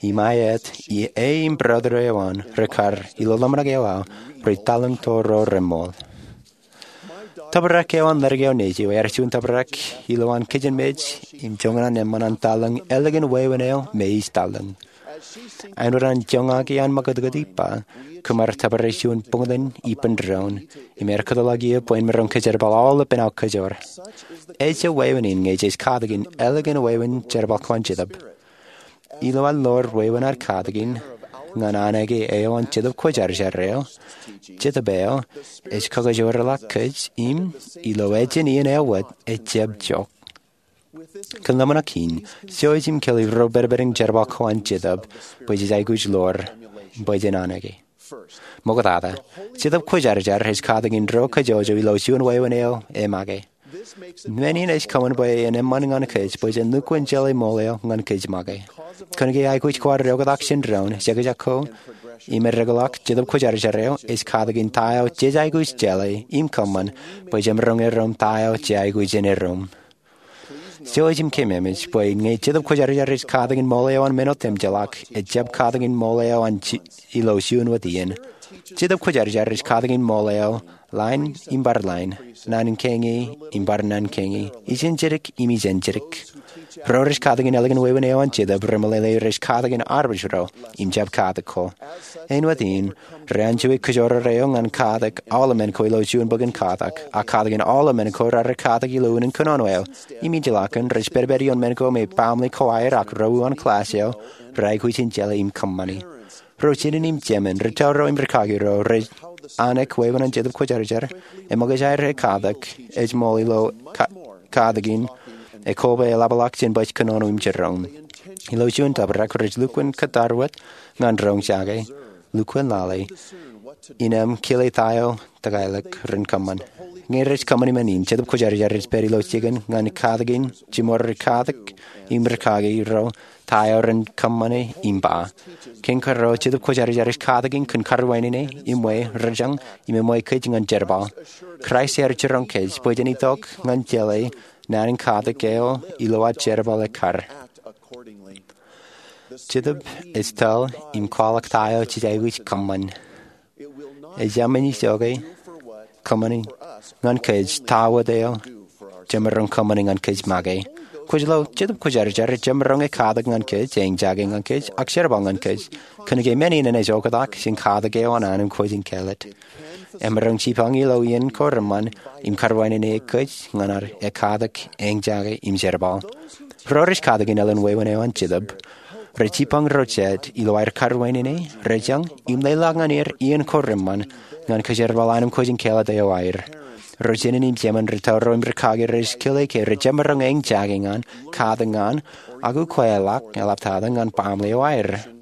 Im aet, e im brother eo an, rekar, ilo ḷōmṇak eo aō, rej talōñ to ro reṃool. Tōprak eo an ḷadik eo nejiṃ ear juon tōprak ilowaan kijenmej im joñan an eṃṃan an talōñ ālikin wāween eo me ij talōñ. Āinwōt an joñak iaan ṃakūtkūt ippa, kōmar tōpar juon buñtōn ippān doon, im ear kōtḷọk iiō bwe en maroñ kōjerbal aolepān aō kōjoor. Ejja wāween in ñe jej katakin ālikin wāween jerbal ko an Jetōb. Ilo ad ḷoor wāween ad katakin ñan anōke eo an Jetōb Kwōjarjar eo, Jetōb eo ej kakajoorḷọk kōj im ilo ejin iien eo wōt ejjab jook. Kōn ḷōmṇak in, jouj im kile ro pedped in jerbal ko an Jetōb bwe jej aikuj ḷoor, bwe jen anōke. Ṃoktata, Jetōb Kwōjarjar ej katakin ro kajjojo ilo juon wāween eo emake. Men in ej kōṃṃan bwe en eṃṃan ñan kōj bwe jen lukkuun jeḷā ṃool eo ñan kōj make. Kōnke aikuj ko ad oktak jān doon, jekjek ko im edekḷọk, Jetōb Kwōjarjar eo ej katakin ta eo jej aikuj jeḷā im kōṃṃan bwe jemaroñ erom ta eo jej aikuj in erom. Jouj im keememej bwe ñe Jetōb Kwōjarjar ej katakin ṃool eo an men otemjeḷọk, ejjab katakin ṃool eo an ilo juon wōt iien. Jetōb Kwōjarjar ej katakin ṃool eo ḷain im bar ḷain, naan kein im bar naan kein, ijenjedik im ijenjedik. Ro rej katakin ālikin wāween eo an Jetōb remeḷeḷe rej katakin armej ro im jab katak ko. Āinwōt in, reanjue kōjoror eo ñan katak aolemen ko ilo juon bok in katak, ak katakin aolemen ko raar katak ilo unin kōnono eo. Im ij ilọk kōn rej pedped ioon men ko me baaṃle ko aer ak ro uwaan kōḷaaj eo raar aikuj in jeḷā im kōṃṃani. Ro jinen im jemān, ri taurro im ri kaki ro rej anōk wāween an Jetōb Kwōjarjar, eṃōkaj aer ekatak, ej ṃool ilo katakin, ekoba eḷapḷọk jān baj kōnono im jiroñ. Ilo juon tōprak rej lukkuun kōttar wōt ñan roñjake, lukkuun lale, innām kile ta eo tōkaelōk ren kōṃṃan. Ñe rej kōṃṃani men in, Jetōb Kwōjarjar ej pād ilo jikin ñan katakin jiṃor ri katak im ri kaki ro ta eo ren kōṃṃane im ba. Kein kōrā, Jetōb Kwōjarjar ej katakin kōn karwaineneik, im we, rejañ, im eṃwe kōj ñan jerbal. Kraist ear jiroñ kōj bwe jen itok ñan jeḷā naan in katak eo ilo ad jerbal ekkar. Jetōb ej tōl im kwaḷọk ta eo jej aikuj kōṃṃan. Ejāmin ijoke kōṃṃani ñan kōj ta wōt eo jemaroñ kōṃṃani ñan kōj make. Kwōj lo, Jetōb Kwōjarjar ej jemaroñ ekatak ñan kōj, eñjake ñan kōj, ak jerbal ñan kōj. Kōnke men in enaaj oktak jān katak eo an anij kwōj in kāālōt. Emaroñ jipañ ilo iien ko reṃṃan im karwaineneik kōj ñan ad ekatak, eñjake im jerbal. Ro rej katakin ālikin wāween eo an Jetōb, rej jipañ ro jet ilo aer karwainene, rejañ, im leḷọk ñan er iien ko reṃṃan ñan kajerbal anij kwōj in kāālōt eo aer. Ro jinen im jemān, ri taurro im ri kaki rej kile ke rej jemaroñ eñjake ñan, katak ñan, ak ukweḷọk eḷaptata ñan baaṃle eo aer.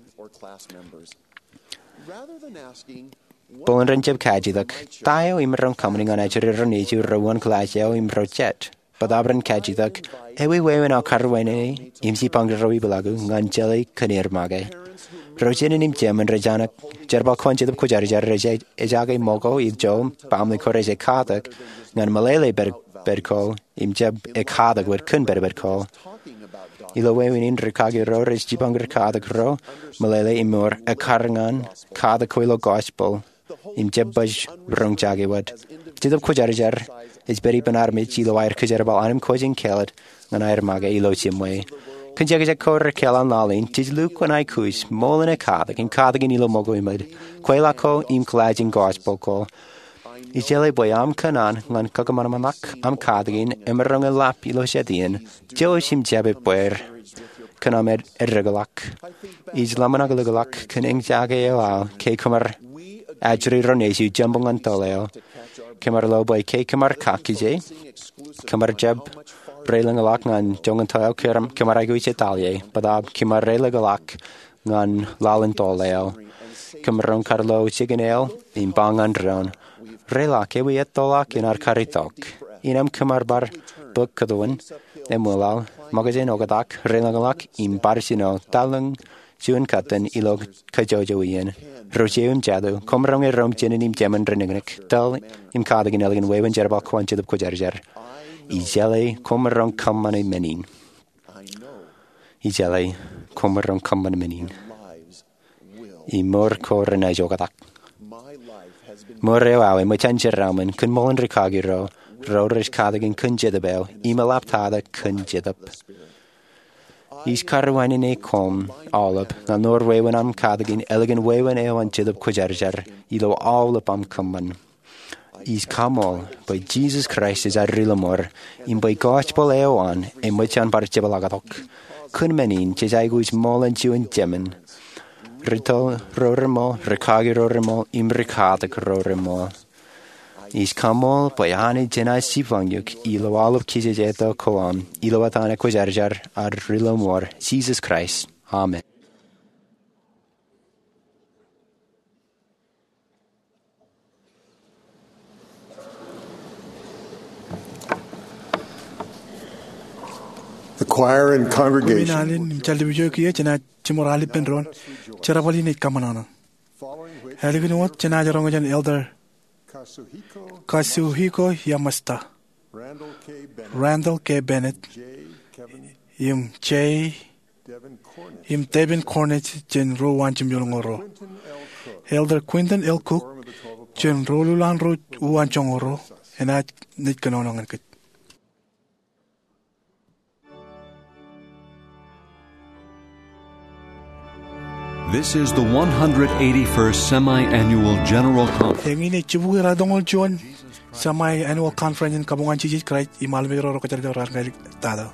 Bōlen ren jab kajjitōk, "Ta eo imaroñ kōṃṃani ñan ajri ro nejier ro uwaan kilaaj eo im ro jet?" Bōtaab ren kajjitōk, "Ewi wāween aō karuwainene im jipañ ro ipḷaak eō ñan jeḷā kōn aer make?" Ro jenān im jemān rej anak jerbal ko an Jetōb Kwōjarjar rej ejake ṃōko ijo baaṃle ko rej ekatak ñan meḷeḷe pād, pād ko im jab ekatak wōt kōn pād, pād ko. Ilo wāween in rikaki ro rej jipañ rikatak ro meḷeḷe im ewōr ekkar ñan katak ko ilo gospel im jab baj roñjake wōt. Jetōb Kwōjarjar ej pād ippān armej ilo aer kōjerbal anemkwōj in kāālōt ñan aer make ilo jiṃwe. Kōn jekjek ko rekāāl an laḷ in, jej lukkuun aikuj ṃool in ekatak im katakin ilo ṃōko eṃōj, kweilọk ko im kilaaj in gospel ko. Ijeḷā bwe aṃ kōṇaan ñan kakōṃanṃanḷọk aṃ katakin emaroñ in lap ilo jet iien, jouj im jab ebbeer kōn aṃ ed, eddeḷọk. Ij ḷōmṇak ḷọk kōn eñjake eo aō ke kōmar ajri ro nejier jempoñ ñan toḷ eo. Kōmar lo bwe ke kōmar kakkije, kōmar jab reiḷọñḷọk ñan joñan toḷ eo, kōmar, kōmar aikuj etaḷ ie, bōtaab kōmar reiḷọñḷọk ñan laḷ in toḷ eo. Kōmaroñ kar lo jikin eo im ba ñan doon, "Reiḷọk, ewi ettoḷọk in ad kar itok?" Innām kōmar bar bōk kōtwōn, eṃwilaḷ, ṃōkaj in oktak, reiḷọñḷọk im bar jino, taḷ in juon kōttan ilo kajjojo iien. Ro jeiū im jatū, koṃ roñe ro im jenān im jemān renōknōk, tōl im katakin ālikin wāween jerbal ko an Jetōb Kwōjarjar. Ijeḷā koṃ roñ kōṃṃane men in. Ijeḷā koṃ roñ kōṃṃane men in. Im mour ko renaaj oktak. Mour eo aō eṃōj an jeraaṃṃan kōn ṃool in rikaki ro, ro rej katakin kōn Jetōb eo im eḷaptata kōn Jetōb. Ij karuwainene koṃ aolep ñan mour wāween aṃ katakin ālikin wāween eo an Jetōb Kwōjarjar ilo aolep aṃ kōṃṃan. Ij kaṃool bwe Jisōs Kraist ej ad Ri-lọmọọr im bwe gospel eo an eṃōj an bar jepḷaaktok. Kōn men in jej aikuj ṃool in juon jemān, rūtto ro reṃool, rikaki ro reṃool, im rikatak ro reṃool. Ij kaṃool bwe Anij enaaj jipañ eok ilo aolep kijejeto ko am, ilo etan ekwōjarjar ad Ri-lọmọọr, Jisōs Kraist. Amen. The choir and congregation. Alen im jaljibuuj eo kiiō jenaaj jiṃor al ippān doon jerbal in ej kaṃōṇōṇō. Ālikin wōt jenaaj roñ jān Elder Kazuhiko Yamashita, Randall K. Bennett, im Jay im Devin Cornish jān ro uwaan jimjuonñoul ruo. Elder Quentin L. Cook jān ro ḷuḷaanḷọk ro uwaan joñoul ruo enaaj naaj kōnono ñan kōj. This is the one hundred eighty-first Semi-Annual General Conference. Eñin ej jibukwi raar ḷoñoul juon Semi-Annual Conference in Kabuñ an Jisōs Kraist im Armej ro Kwōjarjar raar ñan tata.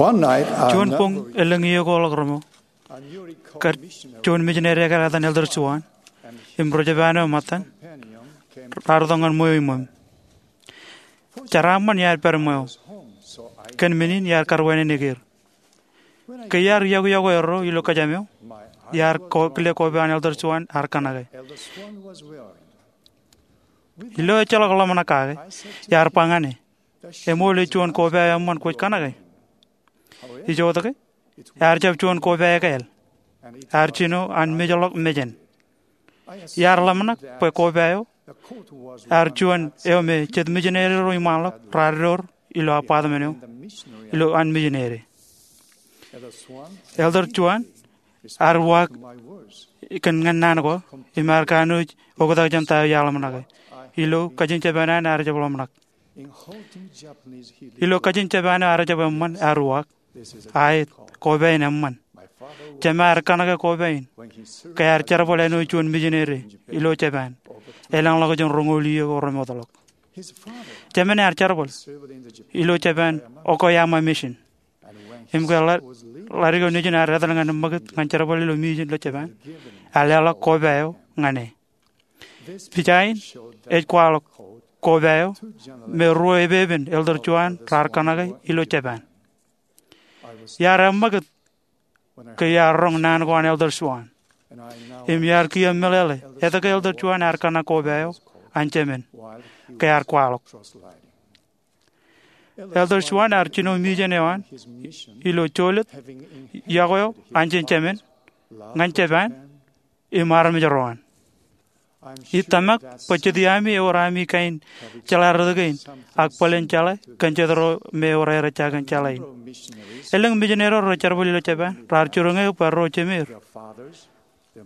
Juon boñ elōñ iiō ko ḷọk reṃo, kar juon mijineri ekar etan Elder Swan im ri-Japan eo ṃōttan raar itok ñan ṃweo iṃōm. Jeraaṃṃan iar pād ṃweo kōn men in iar kar wānōk er. Ke iar iọkwe iọkwe erro ilo kōjām eo, iar kile koba an Elder Swan ear kōṇake. Ilo ejjeḷọk ḷōmṇak kake, iar ba ñan e, eṃool ej juon koba eo eṃṃan kwōj kōṇake? Ijoke, ear jab juon koba ekāāl. Ear jino an mejḷọk mejān. Iar ḷōmṇak bwe koba eo ear juon eo me jet mijineri ro iṃaanḷọk raar door ilo apartment eo ilo an mijineri. Elder Swan ear uwaak kōn ñan naan ko im ear kanooj oktak jān ta eo iar ḷōmṇake. Ilo kajin Japan an ear jab ḷōmṇak. Ilo kajin Japan eo ear jab eṃṃan, ear uwaak, aet, koba in eṃṃan. Jema ear kōṇake koba in ke ear jerbal āinwōt juon mijineri ilo Japan elōñḷọk jān roñoul iiō ko remootḷọk. Jemān ear jerbal ilo Japan Okayama Mission. Im ke ḷa-, ḷadik eo nejin ear etal ñan ṃakūt ñan jerbal ilo mission ilo Japan, ear leḷọk koba eo ñan e. Pija in ej kwaḷọk koba eo me ruo epepen Elder Swan raar kōṇake ilo Japan. Iar eṃṃakūt ke iar roñ naan ko an Elder Swan. Im iar kiiō meḷeḷe etke Elder Swan ear kōṇak koba eo an jemān ke ear kwaḷọk. Elder Swan ear jino mission eo an ilo jolōt iọkwe eo an jān jemān ñan Japan im armej ro an. Ij tōmak bwe jet iami ewōr ami kain jeḷā rot kein ak bōlen jeḷā kōn jet ro me ewōr aer ejja kōn jeḷā in. Elōñ mijineri ro rej jerbal ilo Japan raar jiroñ eō bwe ro jemeir,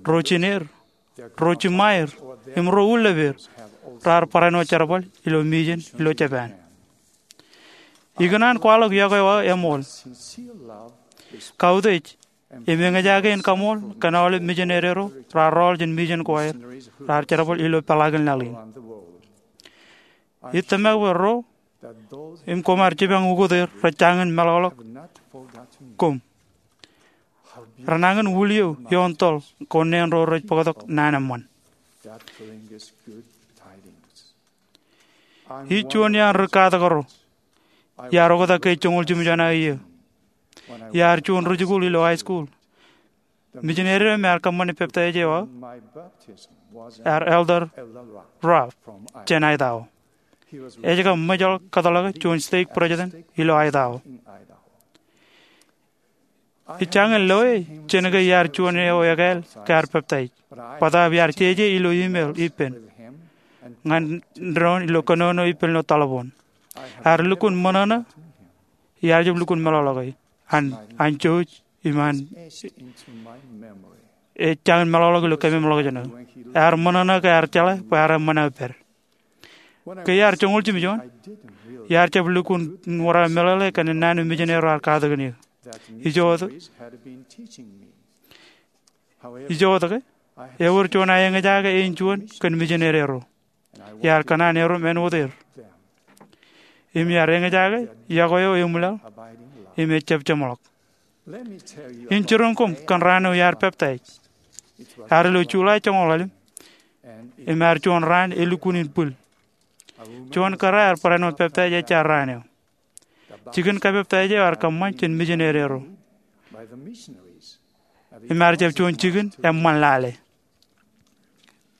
ro jineir, ro jiṃaer, im ro ullep er raar barāinwōt jerbal ilo mission ilo Japan. Ikōṇaan kwaḷọk iọkwe eo aō eṃool. Kautiej im eñjake in kaṃool kōn aolep mijineri ro raar rọọl jān mission ko aer raar jerbal ilo peḷaakin laḷ in. Ij tōmak bwe ro im koṃ ar jipañ ukōt er rej jañin meḷọkḷọk koṃ. Renañin wūliō ioon toḷ ko neen ro rej bōktok naan eṃṃan. Ij juon iaan ri-katak ro. Iar oktak ke joñoul jimjuon aō iiō. Iar juon ri-jikuuḷ ilo high school. Mijineri eo me ear kōṃṃane peptaij eo aō ear Elder Ruff jān Idaho. Ej kab ṃōjḷọk kōtḷọke juon stake president ilo Idaho. Ij jañin loe jān ke iar juon eo ekāāl ke ear peptaij, bōtaab iar jeje ilo email ippān ñan doon ilo kōnono ippān ilo taḷboon. Ear lukkuun ṃōṇōṇō, iar jab lukkuun meḷọkḷọke an, an jouj im an, ej jañin meḷọkḷọk ilo kememḷọkjeṇ eo. Ear ṃōṇōṇō ke ear jeḷā bwe ear eṃṃan aō pād. Ke iar joñoul jimjuon, iar jab lukkuun wōr aō meḷeḷe kōn naan eo mijineri ro ear katakin eō. Ijo, ijoke, ewōr juon aō eñjake āinjuon kōn mijineri ro. Iar kōṇaan erom āinwōt er. Im iar eñjake iọkwe eo eṃwilaḷ im ejab jeṃḷọk. In jiroñ koṃ kōn raan eo iar peptaij. Ear ilo July joñoul ḷalem, im ear juon raan elukkuun in bwil. Juon kōrā ear barāinwōt peptaij ejja raan eo. Jikin kapeptaij eo ear kōṃṃan jān mijineri ro. Im ear jab juon jikin eṃṃan lale.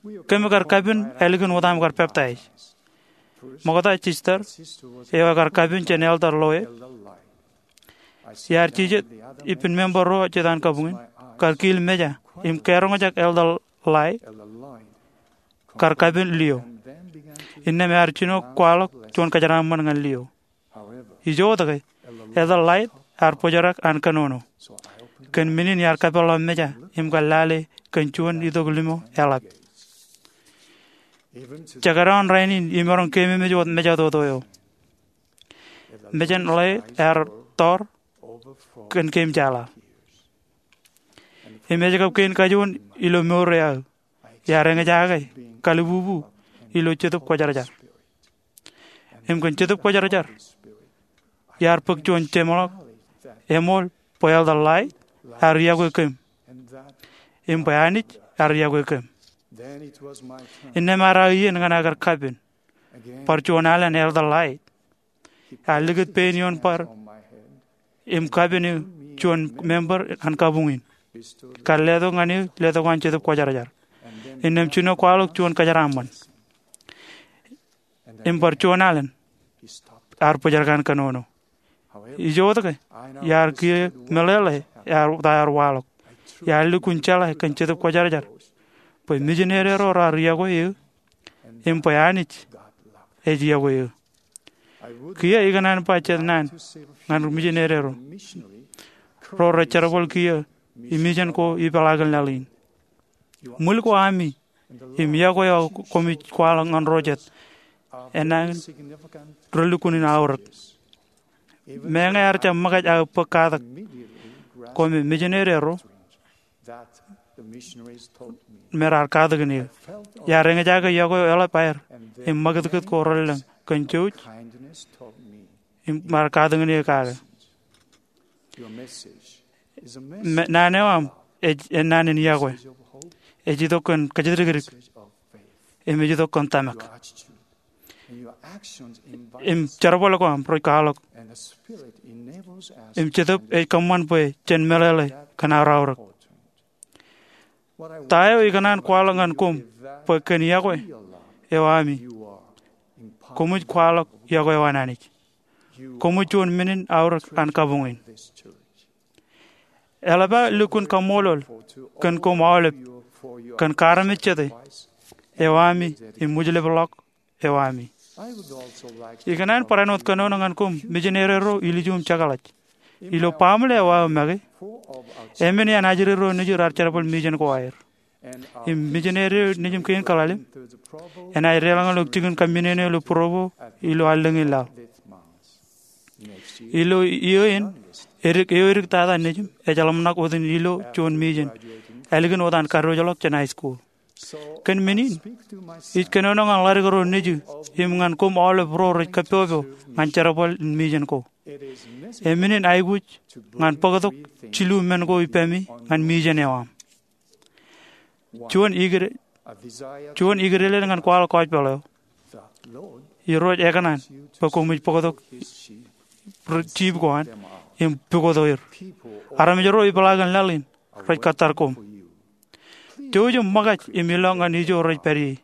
Kōm kar kapen ālikin wōt aṃ kar peptaij. Ṃokta, sister eo ekar kapen jān Elder Loy. Iar jijet ippān member ro jet an kabuñ in kar kiil meja im karoñjake Elder Loy kar kapen Leo. Innām ear jino kwaḷọk juon kōjeraaṃṃan ñan Leo. Ijoke, Elder Loy ear bōjrak an kōnono. Kōn men in iar kapeḷḷọk meja im kar lale kōn juon itok limo eḷap. Jekdọọn rainin imaroñ keememej wōt meja toto eo. Mejān Loy ear tọọr kōn keememej. Im ej kab kein kajoor ilo mour eo aō. Iar eñjake kalibubu ilo Jetōb Kwōjarjar. Im kōn Jetōb Kwōjarjar, iar bōk juon jeṃḷọk Eṃool bwe Elder Lait ear yokwe kōm im bwe Anij ear yokwe kōm. Innām ear aō iien ñan aō kar kapen bar juon alen Elder Lait. Ear likūt pein ioon bar im kapen eō juon member an kabuñ in, kar letok ñan eō letok an Jetōb Kwōjarjar, innām jino kwaḷọk juon kōjeraaṃṃan. Im bar juon alen ear bōjrak an kōnono. Ijo wōtke, iar kiiō meḷeḷe ta ear waḷọk. Iar lukkuun jeḷā kōn Jetōb Kwōjarjar bwe misineri ro raar yokwe eō im bwe Anij ej yokwe eō. Kiiō ikōṇaan ba jet naan ñan misineri ro rej jerbal kiiō imejen ko ipeḷaakin laḷ in. Ṃwil ko ami im yokwe eo koṃij kwaḷọk ñan ro jet enañin relukkuun in aorōk. Meñe ear jab ṃōkaj aō bōk katak ko me misineri ro me raar katakin eō, iar eñjake yokwe eo eḷap aer im ṃakūtkūt ko relōñ kōn jouj im raar katakin eō kake. Naan eo aṃ ej naan in yokwe. Ej itok kōn kōjatdikdik im ej itok kōn tōmak. Im jerbal ko aṃ rej kwaḷọk im Jetōb ej kōṃṃan bwe jen meḷeḷe kōn aor aorōk. Ta eo ikōṇaan kwaḷọk ñan koṃ bwe kōn yokwe eo ami, koṃij kwaḷọk yokwe eo an Anij. Koṃij juon men in aorōk an kabuñ in. Eḷap aō lukkuun kaṃṃoolol kōn koṃ aolep kōn kaarmejjete eo ami im wūjlepḷọk eo ami. Ikōṇaan barāinwōt kōnono ñan koṃ misineri ro ilju im jekḷaj ilo baaṃle eo aō make. Emān iaan ajri ro nejū raar jerbal misin ko aer. Im misineri nejūṃ kein kaḷalem enaaj deḷọñ ilo jikin kaminene ilo Provo ilo allōñ in laḷ. Ilo iiō in, edik, eo edik tata nejūṃ ej ḷōmṇak wōt in ilo juon misin ālikin wōt an kadiwōjḷọk jān high school. Kōn men in, ij kōnono ñan ḷadik ro nejū im ñan koṃ aolep ro rej kappọpọ ñan jerbal in misin ko. Emān in aikuj ñan bōktok jilu men ko ippemi ñan misin eo aṃ. Juon ikdel, juon ikdel in ñan kwaḷọk gospel eo. Irooj ekōṇaan bwe koṃij bōktok jiip ko an im pukot er. Armej ro ipeḷaakin laḷ in rej kōttar koṃ. Jouj im ṃōkaj im ilọk ñan ijo rej pād ie.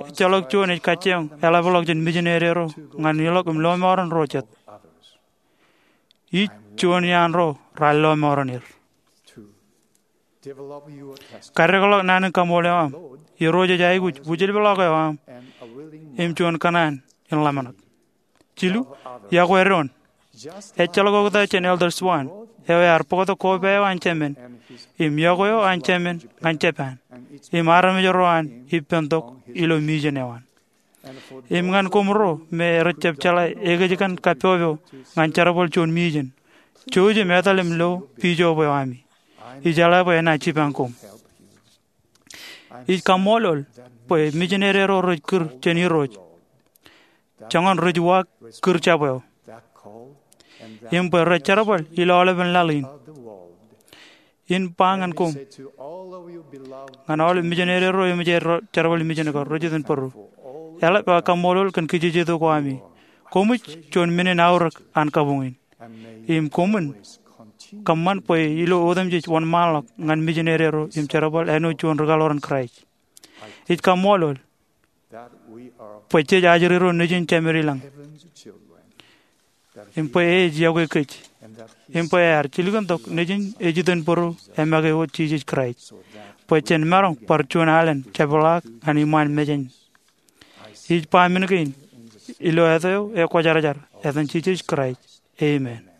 Ejjeḷọk juon ej kajjioñ eḷapḷọk jān misineri ro ñan ilọk im lọmọọren ro jet. Ij juon iaan ro raar lọmọọren er. Kaddekḷọk naan in kaṃool eo aṃ. Irooj ej aikuj wūjlepḷọk eo aṃ im juon kōṇaan in ḷōmṇak. Jilu, yokwe doon. Ejjeḷọk oktak jān Elder Swan eo ear bōktok koba eo an Jemān im yokwe eo an Jemān ñan Japan im armej ro an ippān tok ilo misin eo an. Im ñan koṃ ro me rej jab jeḷā ekōjkan kappọpọ ñan jerbal juon misin, jouj im etal im lo bishop eo ami. Ij jeḷā bwe enaaj jipañ koṃ. Ij kaṃṃoolol bwe misineri ro rej kūr jān Irooj joñan rej uwaak kūr jab eo im bwe rej jerbal ilo aolepen laḷ in. In ba ñan koṃ, ñan aolep misineri ro eṃōj aer jerbal misin ko, rej iten bōro, eḷap aō kaṃṃoolol kōn kijejeto ko ami. Koṃij juon men in aorōk an kabuñ in. Im koṃwin kōṃṃan bwe ilo otemjej wōnṃaanḷọk ñan misineri ro im jerbal āinwōt juon ri kaḷoran Kraist. Ij kaṃṃoolol bwe jej ajri ro nejin Jemān ilañ im bwe e ej yokwe kōj im bwe ear jilkintok nejin ej iten bōro emake wōt Jisōs Kraist bwe jen maroñ bar juon alen jepḷaak ñan iṃaan mejān. Ij ba men kein ilo āt eo ekwōjarjar, etan Jisōs Kraist, amen.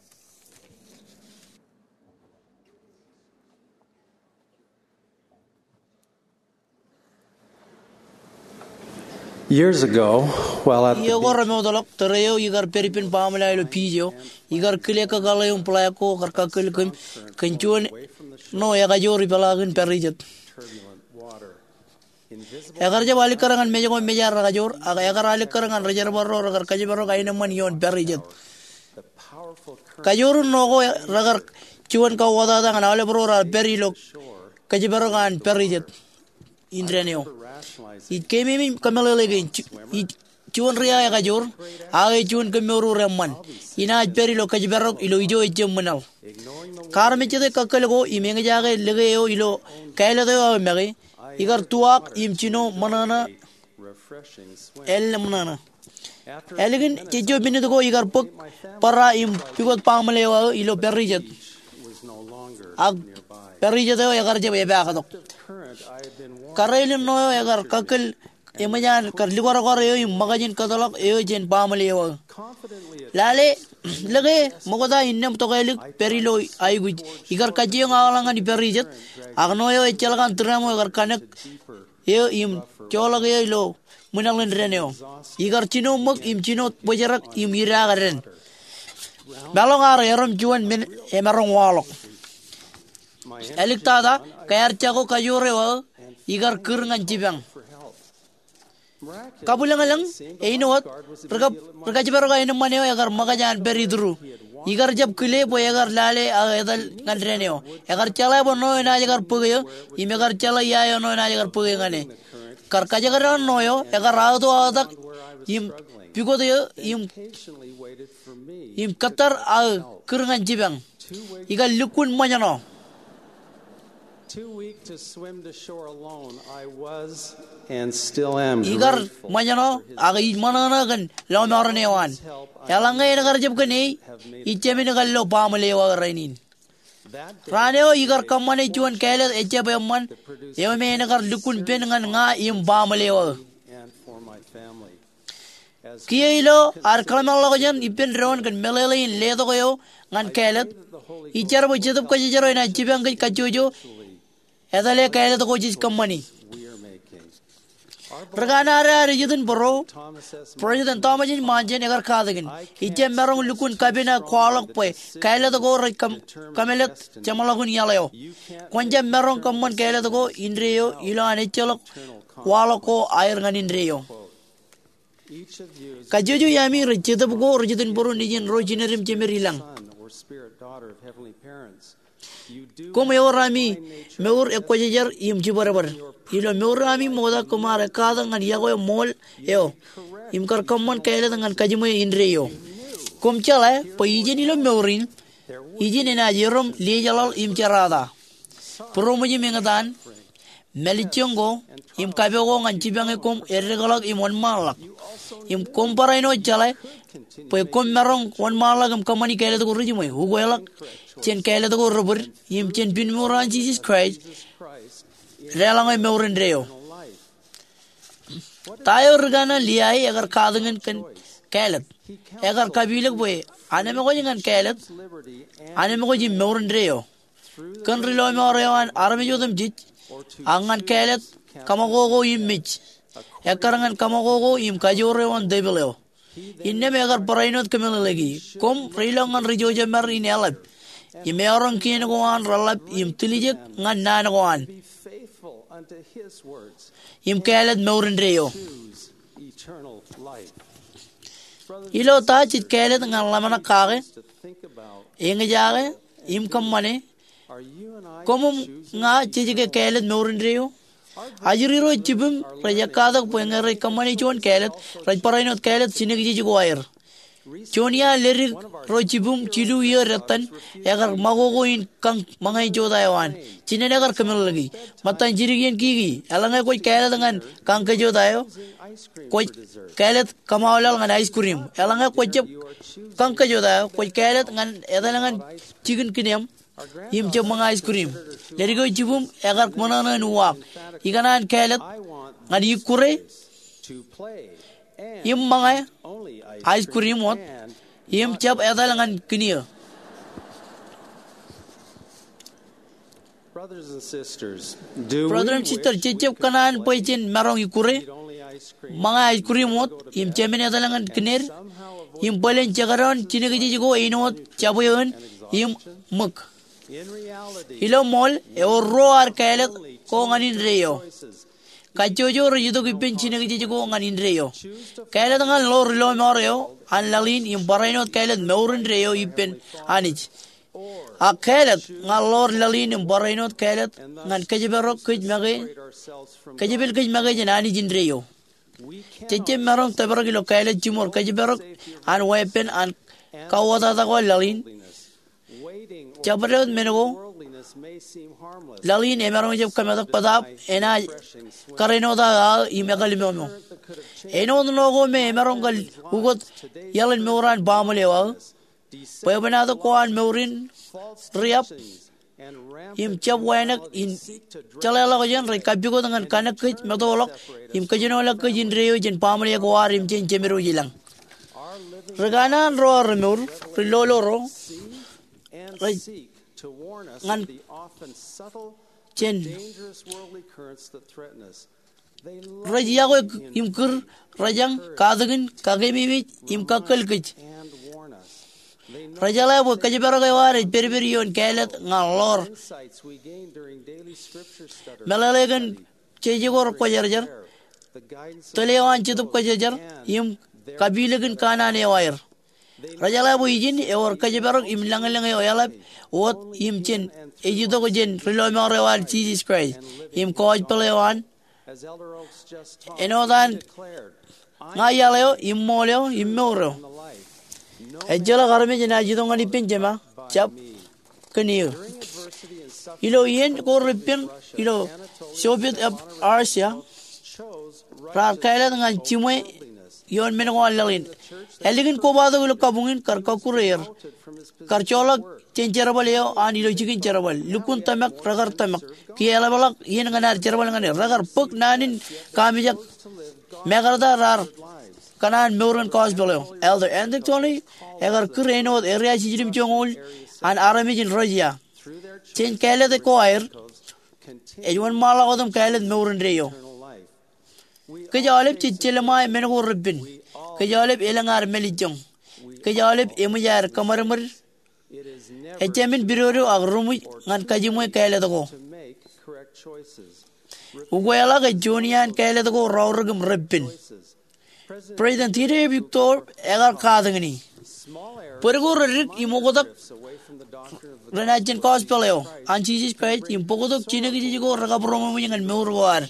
Years ago, while at the iiō ko remootḷọk, tōre eo ikar pād ippān baaṃle ilo beach eo, ikar kile kōkaḷ eo im black ko kar kakkōl kōm kōn juon ṇo ekajoor ipeḷaakin pād ijet. Ekar jab alikkar ñan mej ko mejaad rekajoor, ak ekar alikkar ñan ri jerbal ro rekar kōjparok aenōṃṃan ioon pād ijet. Kajoor in ṇo ko rekar juon kauwōtata ñan aolep ro raar pād ilo kōjparok an pārijet in dān eo. Ij keememej kōmeḷeḷe kein, ij juon ri aō ekajoor, aō ej juon kōmmour eṃṃan. Inaaj pād ilo kōjparok ilo ijo ejjab ṃwilaḷ. Kaarmejjete kakkōl ko im eñjake lōke eo ilo kāālōt eo aō make, ikar tuwaak im jino ṃōṇōṇō, ālōmṇōṇō. Ālikin jejjo minit ko ikar bōk bōrā im pukot baaṃle eo aō ilo pārijet. Ak pārijet eo ekar jab epaaktok. Kōrā in ṇo eo ekar kakkōl eṃōj an kar lukwarakwaar eo im ṃōkajin kōtḷọk eo jān baaṃle eo aō. Lale, lōke ṃokta innām tokālik pād ilo aikuj. Ikar kajjioñ aoḷọk ñan pārijet, ak ṇo eo ejjeḷọk an tūremo ekar kanōk eo im joḷọk eo ilo ṃwilaḷ in dān eo. Ikar jino ṃōk im jino bōjrak im idaak dān. Meḷọñ ear erom juon men emaroñ waḷọk. Āliktata, kaiar jako kajoor eo aō ikar kūr ñan jipañ. Kabwilōñlōñ, āinwōt, ri kab, ri kōjparok aenōṃṃan eo ekar ṃōkaj an pād itūru. Ikar jab kile bwe ekar lale aō etal ñan dān eo. Ekar jeḷā bwe ṇo eo enaaj kar bōk eō, im ekar jeḷā ia eo ṇo eo enaaj kar bōk e ñan e. Kar kajekdọọn ṇo eo, ekar aōto aōtak im pukot eō im, im kōttar aō kūr ñan jipañ. Ikar lukkuun ṃōjṇọ. Too weak to swim to shore alone, I was and still am. Ikar ṃōjṇọ, ak ij ṃōṇōṇō kōn lọmọọren eo an. Eḷaññe en kar jab kōn e, ij jāmin kar lo baaṃle eo aō rainin. Raan eo ikar kōṃṃane juon kāālōt ejjab eṃṃan, eo me en kar lukkuun pen ñan ña im baaṃle eo aō. Kiiō ilo ad kōḷmānḷọkjeṇ ippān doon kōn meḷeḷe in letok eo ñan kāālōt, ij jar bwe Jetōb Kwōjarjar eo enaaj jipañ kōj kajjojo etale kāālōt ko jej kōṃṃani. Ri kanaan ad ejitōnbōro, President Thomas S. Monson ekar katakin, ij jab maroñ lukkuun kapin aō kwaḷọk bwe kāālōt ko rej kōm-, kōmālōt jeṃḷọkin iaḷ eo. Kwōn jab maroñ kōṃṃan kāālōt ko indeeo ilo an ejjeḷọk waḷọk ko aer ñan indeeo. Kajjojo iaami rej jetōb ko rej jitōnbōro nejin ro jined im jemed ilañ. Koṃ ewōr ami mour ekwōjarjar im jibadbad. Ilo mour ami ṃokta koṃ ar ekkatak ñan yokwe ṃool eo im kar kōṃṃan kāālōt ñan kajiṃwe indeeo. Koṃ jeḷā bwe ijin ilo mour in, ijin enaaj erom liejeḷaḷ im jerata. Būroṃōj im eñtaan, mālejjoñ ko, im kapo ko ñan jipañ e koṃ eddekḷọk im wōnṃaanḷọk. Im koṃ barāinwōt jeḷā bwe koṃ maroñ wōnṃaanḷọk im kōṃṃani kāālōt ko rej jiṃwe, ukeḷọk jān kāālōt ko rebōd, im jān pinmour an Jisōs Kraist deḷọñe mour indeeo. Ta eo ri kanaan Liai ekar katakin kōn kāālōt? Ekar kapilōk bwe anemkwōj ñan kāālōt, anemkwōj im mour indeeo. Kōn ri lọmọọr eo an armej otemjej, ak ñan kāālōt kōṃakoko im mej, ekkar ñan kōṃakoko im kajoor eo an tepil eo. Innām ekar barāinwōt kōmeḷeḷeiki. Koṃ reilọk ñan ri jojemar in eḷap, im eọroñ kien ko an reḷap im tiljek ñan naan ko an, im kāālōt mour indeeo. Ilo ta jej kāālōt ñan ḷōmṇak kake, eñjake, im kōṃṃane? Koṃ im ña jej ke kāālōt mour indeeo? Ajri ro jibwim rej ekkatak bwe ñe rej kōṃṃane juon kāālōt, rej barāinwōt kāālōt jinōkjeje ko aer. Juon iaan ledik ro jibwim jilu iiō dettan ekar ṃakoko in kañ ṃōñā jota eo an. Jinen ekar kōmeḷeḷeiki. Ṃōttan jidik iien kiki, eḷaññe kwōj kāālōt ñan kañ kōjota eo, kwōj kāālōt kōṃaulaḷ ñan ice cream. Eḷaññe kwōj jab kañ kōjota eo, kwōj kāālōt ñan etal ñan jikin kiniōṃ im jab ṃōñā ice cream. Ledik eo jibwim ekar ṃōṇōṇō in uwaak. Ikōṇaan kāālōt ñan ikkure im ṃōñā ice cream wōt im jab etal ñan kiniō. Brother im sister, jej jab kōṇaan bwe jen maroñ ikkure, ṃōñā ice cream wōt, im jāmin etal ñan kined, im bōlen jekdọọn jinōkjeje ko āinwōt jabweo in im ṃōk? Ilo ṃool, ewōr ruo ad kāālōt ko ñan indeeo. kajjojo rej itok ippān jinōkjeej ko ñan indeeo. Kāālōt ñan ḷoor ri lọmọọr eo an laḷ in im barāinwōt kāālōt mour indeeo ippān Anij. Ak kāālōt ñan ḷoor laḷ in im barāinwōt kāālōt ñan kōjparok kōj make, kōjepel kōj make jān Anij indeeo. Jej jab maroñ tōprak ilo kāālōt jiṃor kōjparok an weeppān an kauwōtata ko laḷ in. Jabdewōt men ko, laḷ in emaroñ jab kōmetak bōtaab enaaj kōrā āinwōt aō aō im ekālimomo. Āinwōt ṇo ko me emaroñ kar ukōt iaḷ in mour an baaṃle eo aō, bwebwenato ko an mour in riab im jab wānōk in jeḷāḷọkjeṇ rej kappukot ñan kanōk kōj, meto ḷọk im kōjenoḷọk kōj indeeo jān baaṃle ko ad im jān Jemedwōj ilañ. Ri kanaan ro aō remour, ri lolo ro, rej ñan jān rej yokwe im kūr, rejañ, katakin, kakeememej im kakkōl kōj. Rejeḷā bwe kōjparok eo ad ej pedped ioon kāālōt ñan ḷoor meḷeḷe kōn jeje ko rekwōjarjar, tōl eo an Jetōb Kwōjarjar, im kapilikin kanaan eo aer. Rejeḷā bwe ijin ewōr kōjparok im lañlōñ eo eḷap wōt im jān ej itok jān ri lọmọọr eo ad Jisōs Kraist im gospel eo an. Āinwōt an ña iaḷ eo im ṃool eo im mour eo. Ejjeḷọk armej enaaj itok ñan ippān Jema, jab kōn eō. Ilo iien ko repen ilo Soviet of Russia, raar kāālōt ñan jiṃwe ioon men ko an laḷ in. Ālikin kobatok ilo kabuñ in kar kọkkure er, kar joḷọk jān jerbal eo an ilo jikin jerbal. Lukkuun tōmak rekar tōmak. Kiiō eḷapḷọk iien ñan ad jerbal ñan er. Rekar bōk naan in kaamijak. Mekarta raar kōṇaan mour in gospel eo. Elder Anthony Tolly ekar kūr āinwōt area jiljilimjuonñoul an armej in Russia. Jān kāālōt ko aer, ej wōnṃaanḷọk wōt im kāālōt mour indeeo. Kōj aolep jej jelṃae men ko repen. Kōj aolep elōñ ad mālejjoñ. Kōj aolep eṃōj aer kōṃadṃōd. Ejāmin pidodo ak ruṃwij ñan kajiṃwe kāālōt ko. Ukeḷọk ej juon iaan kāālōt ko raorōk im repen. President Dieter Uchtdorf ekar katakin e. Bōd ko reddik im oktak renaaj jān gospel eo an Jisōs Kraist im bōktok jinōkjeej ko rekabūroṃōj ñan mour ko ad.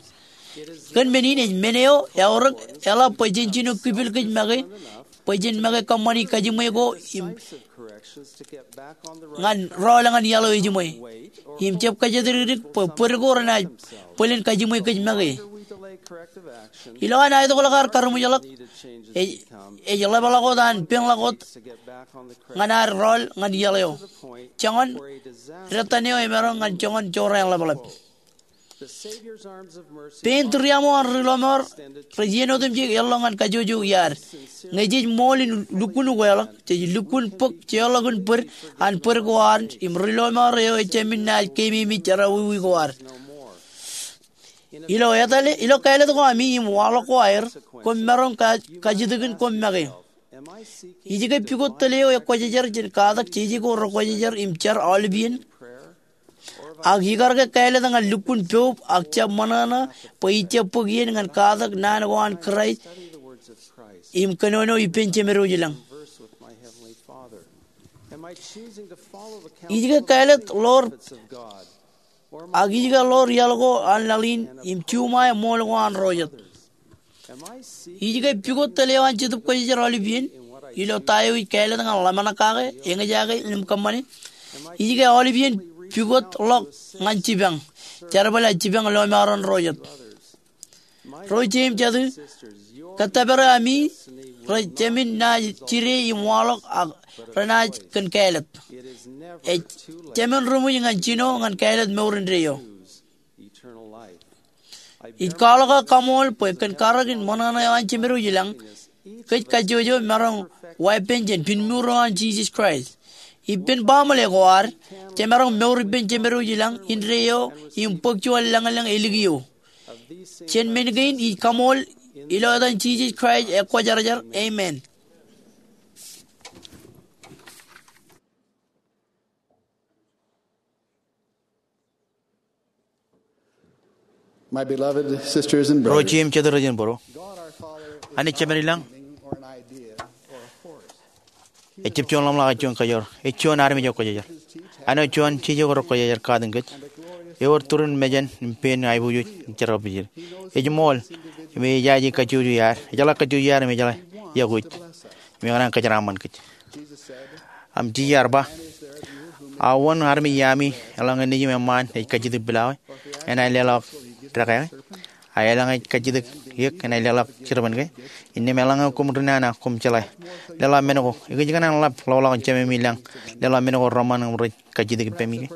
Kōn men in ej men eo eaorōk eḷap bwe jen jino kipel kōj make, bwe jen make kōṃṃani kajiṃwe ko im ñan rọọl ñan iaḷ eo ejiṃwe. Im jab kōjatdikdik bwe bōd ko renaaj bōlen kajiṃwe kōj make. Ilo an aetokḷọk ad karuṃwijḷọk, ej, ej ḷapḷọk wōt an peñḷọk wōt ñan ad rọọl ñan iaḷ eo. Joñan dettan eo emaroñ ñan joñan jorrāān ḷapḷap. Pein tūriaṃo an ri lọmọọr rej iien otemjej eḷḷọk ñan kajjojo iaad. Ñe jej ṃool in lukkuun ukeḷọk, jej lukkuun bōk jeorḷọkin bōd an bōd ko ad im ri lọmọọr eo ejāmin naaj keememej jerọwiwi ko ad. Ilo etale, ilo kāālōt ko ami im waḷọk ko aer, koṃ maroñ ka-, kajjitōkin koṃ make. Ij ke pukot tōl eo ekwōjarjar jān katak jeje ko rekwōjarjar im jar aolep iien? Ak ikar ke kāālōt ñan lukkuun poub ak jab ṃōṇōṇō bwe ij jab bōk iien ñan katak naan ko an Kraist im kōnono ippān Jemedwōj ilañ? Ij ke kāālōt ḷoor, ak ij ke ḷoor iaḷ ko an laḷ in im juṃae ṃool ko an ro jet? Ij ke pukot tōl eo an Jetōb Kwōjarjar aolep iien ilo ta eo ij kāālōt ñan ḷōmṇak kake, eñjake im kōṃṃane? Ij ke aolep iien pukotḷọk ñan jipañ, jerbal aō jipañ lọmọọren ro jet? Ro ije im jatū, kōttōpar ami rej jāmin naaj jide im waḷọk ak renaaj kōn kāālōt. Ej jāmin ruṃwij ñan jino ñan kāālōt mour indeeo. Ij kwaḷọk aō kaṃool bwe kōn karōk in ṃōṇōṇō eo an Jemedwōj ilañ, kōj kajjojo maroñ weeppān jān pinmuur eo an Jisōs Kraist. Ippān baaṃle ko ad, jemaroñ mour ippān Jemedwōj ilañ indeeo im bōk juon lañlōñ ālikiō. Jān men kein ij kaṃool ilo etan Jisōs Kraist ekwōjarjar, amen. My beloved sisters and brothers, Ro jeiū im jatū rej jen būro, God our Father Anij Jemedlañ ejjab juon ḷōmṇak, ej juon kōjro, ej juon armej eo kwōjarjar. Āinwōt juon jiljek eo rej kwōjarjar katak kōj, ewōr turin mejān im pein aiboojoj im jerbal. Ej ṃool im ejaje kajjojo iaad, ejeḷā kajjojo iaad im ejeḷā iọkwe eo im ekōṇaan kōjeraaṃṃan kōj. Im Jisōs ear ba, a wōn armej iaami eḷaññe nejiṃ eṃṃaan ej kajjitōk pilawā enaaj leḷọk dekā ke? A eḷaññe ej kajjitōk eō enaaj leḷọk jirbal ke? Innām eḷaññe koṃ ri nana, koṃ jeḷā, leḷọk men ko. Ekōjkan an ḷap ḷọkḷọk in Jememi ilañ, leḷọk men ko reṃṃan im rej kajjitōk ippemi ke?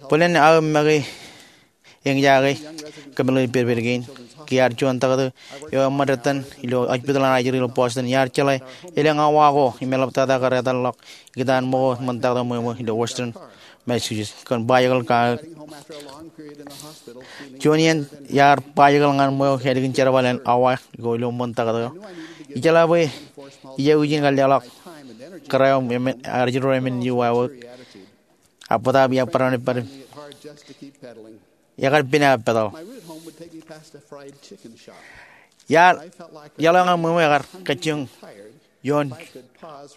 Bōlen aō make eñjake kōmeḷeḷein pedped kein. Ke iar juon taktō eo eṃṃan dettan ilo hospital an ajri ilo Boston, iar jeḷā elōñ awa ko im eḷaptata kar etal ḷọk ikōtaan ṃōko ṃōn taktō ṃweo ṃweo ilo Western Massachusetts kōn bajjek ḷọk. Juon iien iar bajjek ḷọk ñan ṃweo ālikin jerbal an awa ko ilo ṃōn taktō eo, ijeḷā bwe ij aikuj in kar leḷọk kōrā eo im arjero emān iju wāween. A bōtaab iar barāinwōt pād im ekar pina petal. Iar iaḷ eo ñan ṃweo ṃweo ekar kajjioñ ioon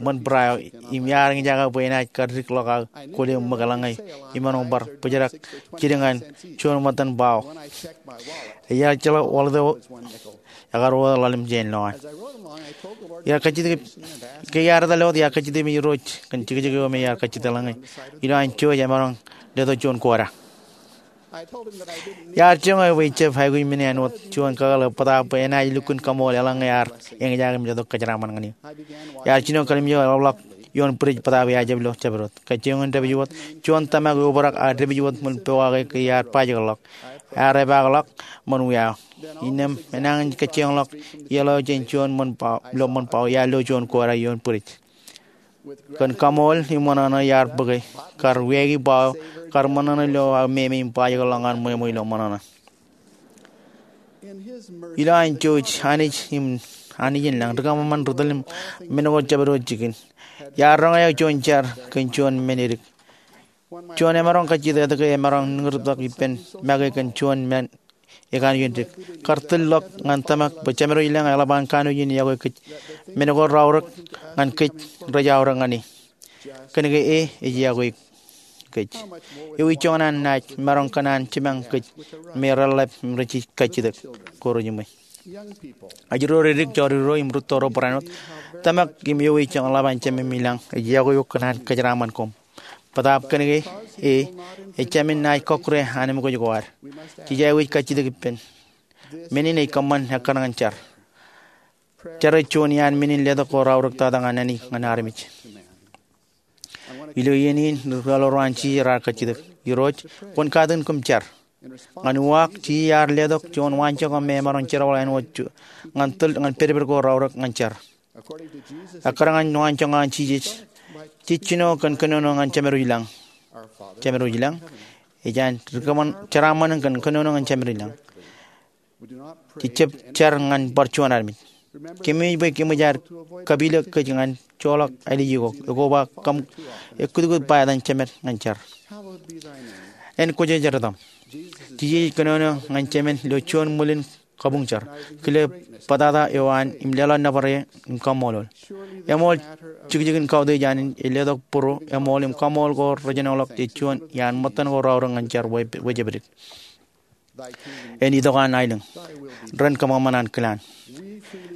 ṃōn bōra eo im iar eñjake bwe enaaj kar dik ḷọk aō kwōle ṃōk eḷaññe imaroñ bar bōjrak jidik ñan juon ṃōttan bao. Iar jeḷā wallet eo ekar wōt ḷalem jān lowaan. Iar kajjitōk, ke iar etal wōt, iar kajjitōk im Irooj kōn jekjek eo me iar kajjitōk eḷaññe ilo an jouj emaroñ letok juon kōrā. Iar jiroñ eō bwe ijab aikuj men āinwōt juon kakōḷḷe bōtaab bwe enaaj lukkuun kaṃool eḷaññe ear eñjake im letok kōjeraaṃṃan ñan eō. Iar jino kalimjek ḷapḷọk ioon bwidej bōtaab iar jab lo jabdewōt. Kajjioñ in dāpij wōt, juon tōmak eobrak ear dāpij wōt ṃōn pokake ke iar bajjek ḷọk. Ear epaak ḷọk ṃōn wia eo. Innām enañin kajjioñ ḷọk iaḷ eo jān juon ṃōn bao, ilo ṃōn bao, iar lo juon kōrā ioon bwidej. Kōn kaṃool im ṃōṇōṇō iar bōke kar wiaiki bao eo, kar ṃōṇōṇō ilo aō meme im bajjek ḷọk ñan ṃweo ṃweo ilo ṃōṇōṇō. Ilo an jouj, Anij im Anij in lañ, rikōṃanṃan ri tōl im men ko jabdewōt jikin. Iar roñjake juon jar kōn juon men edik. Juon emaroñ kajjitōk etke emaroñ niñurtok ippān make kōn juon men ekanooj in dik. Kar tōl ḷọk ñan tōmak bwe Jemedwōj ilañ eḷap an kanooj in iọkwe kōj. Men ko raorōk ñan kōj rej aorōk ñan e. Kōnke e ej iọkwe kōj. Ewi joñan an naaj maroñ kōṇaan jipañ kōj me reḷḷap im rej kajjitōk ko rejiṃwe? Ajri ro, ri dik, jọri ro im rūtto ro barāinwōt, tōmak im ewi joñan ḷap an Jememi ilañ ej iọkwe eok kōṇaan kōjeraaṃṃan koṃ. Bōtaab kōnke e, ejāmin naaj kọkkure anemkwōj ko ad. Jej aikuj kajjitōk ippān. Men in ej kōṃṃan ekkar ñan jar. Jar ej juon iaan men in letok ko raorōk tata ñan naan ñan armej. Ilo iien in, ri kwaḷọk ro an Jisōs raar kajjitōk, Irooj, kwōn katakin kōm jar. Ñan uwaak, Jisōs ear letok juon waanjoñak me emaroñ jerbal āinwōt juon ñan tōl ñan pedped ko raorōk ñan jar. Ekkar ñan waanjoñak an Jisōs, jej jino kōn kōnono ñan Jemedwōj ilañ. Jemedwōj ilañ, ej an rikōṃan jeraaṃṃan kōn kōnono ñan Jemedwōj ilañ. Jej jab jar ñan bar juon armej. Kōmij bwe kōmij aer kapilōk kōj ñan joḷọk āliji ko, ekoba kōm, ekkutkut ba etan Jemed ñan jar. En kwōjarjar etaṃ. Jisōs ej kōnono ñan Jemed ilo juon ṃwilin kabuñ jar, kile bōtata eo an im leḷọk nōbar e im kaṃṃoolol. Eṃool jikjikin kautiej an ej letok būruo, eṃool im kaṃṃool ko rejenoḷọk jej juon iaan ṃōttan ko raorōk ñan jar wejepdik. En itok an aelōñ. Ren kōṃanṃan ankilaan.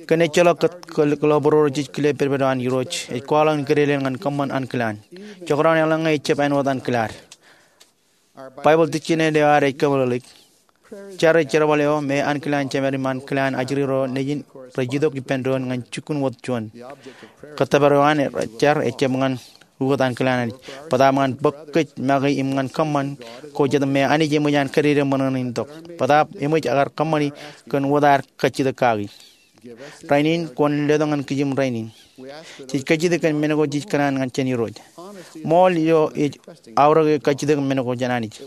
Kōn ejjeḷọk kōtḷọk būruo rej kile pedped eo an Irooj, ej kwaḷọk in kōdedel ñan kōṃṃan ankilaan. Jekdọọn eḷaññe ejjab āinwōt ankilaad. Baibōḷ tikjān eo ad ej kōmeḷeḷeik. Jar ej jerbal eo me ankilaan jemed im ankilaan ajri ro nejin rej itok ippān doon ñan jukkuun wōt juon. Kōttōpar eo an jar ejjab ñan ukōt ankilaan Anij, bōtaab ñan bōk kōj make im ñan kōṃṃan ko jet me Anij eṃōj an kōdede ṃōṇōṇō in tok. Bōtaab eṃōj kar kōṃṃani kōn wōt ad kajjitōk kaki. Rainin kwōn letok ñan kijem rainin. Jej kajjitōk kōn men ko jej kōṇaan ñan jān Irooj. Ṃool eo ej aorōk e kajjitōk men ko jān Anij.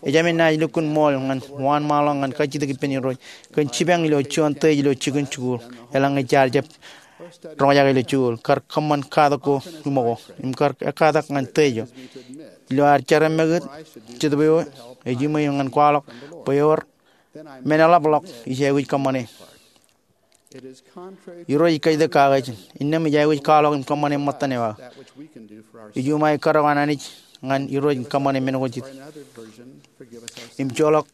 Ejāmin naaj lukkuun ṃool ñan waan ṃaanḷọk ñan kajjitōk ippān Irooj kōn jipañ ilo juon tōj ilo jikin jikuuḷ eḷaññe jaar jab roñjake ilo jikuuḷ, kar kōṃṃan katak ko iṃōko im kar ekkatak ñan tōj eo. Ilo ad jar emmekūt, Jetōb eo ej iṃō ñan kwaḷọk bwe ewōr Men eḷapḷọk ij aikuj kōṃṃane. Irooj ej kajjitōk kake ijin. Innām ij aikuj kwaḷọk im kōṃṃane ṃōttan eo aō. Ij umae katok an Anij ñan Irooj in kōṃṃane men ko jet. Im joḷọk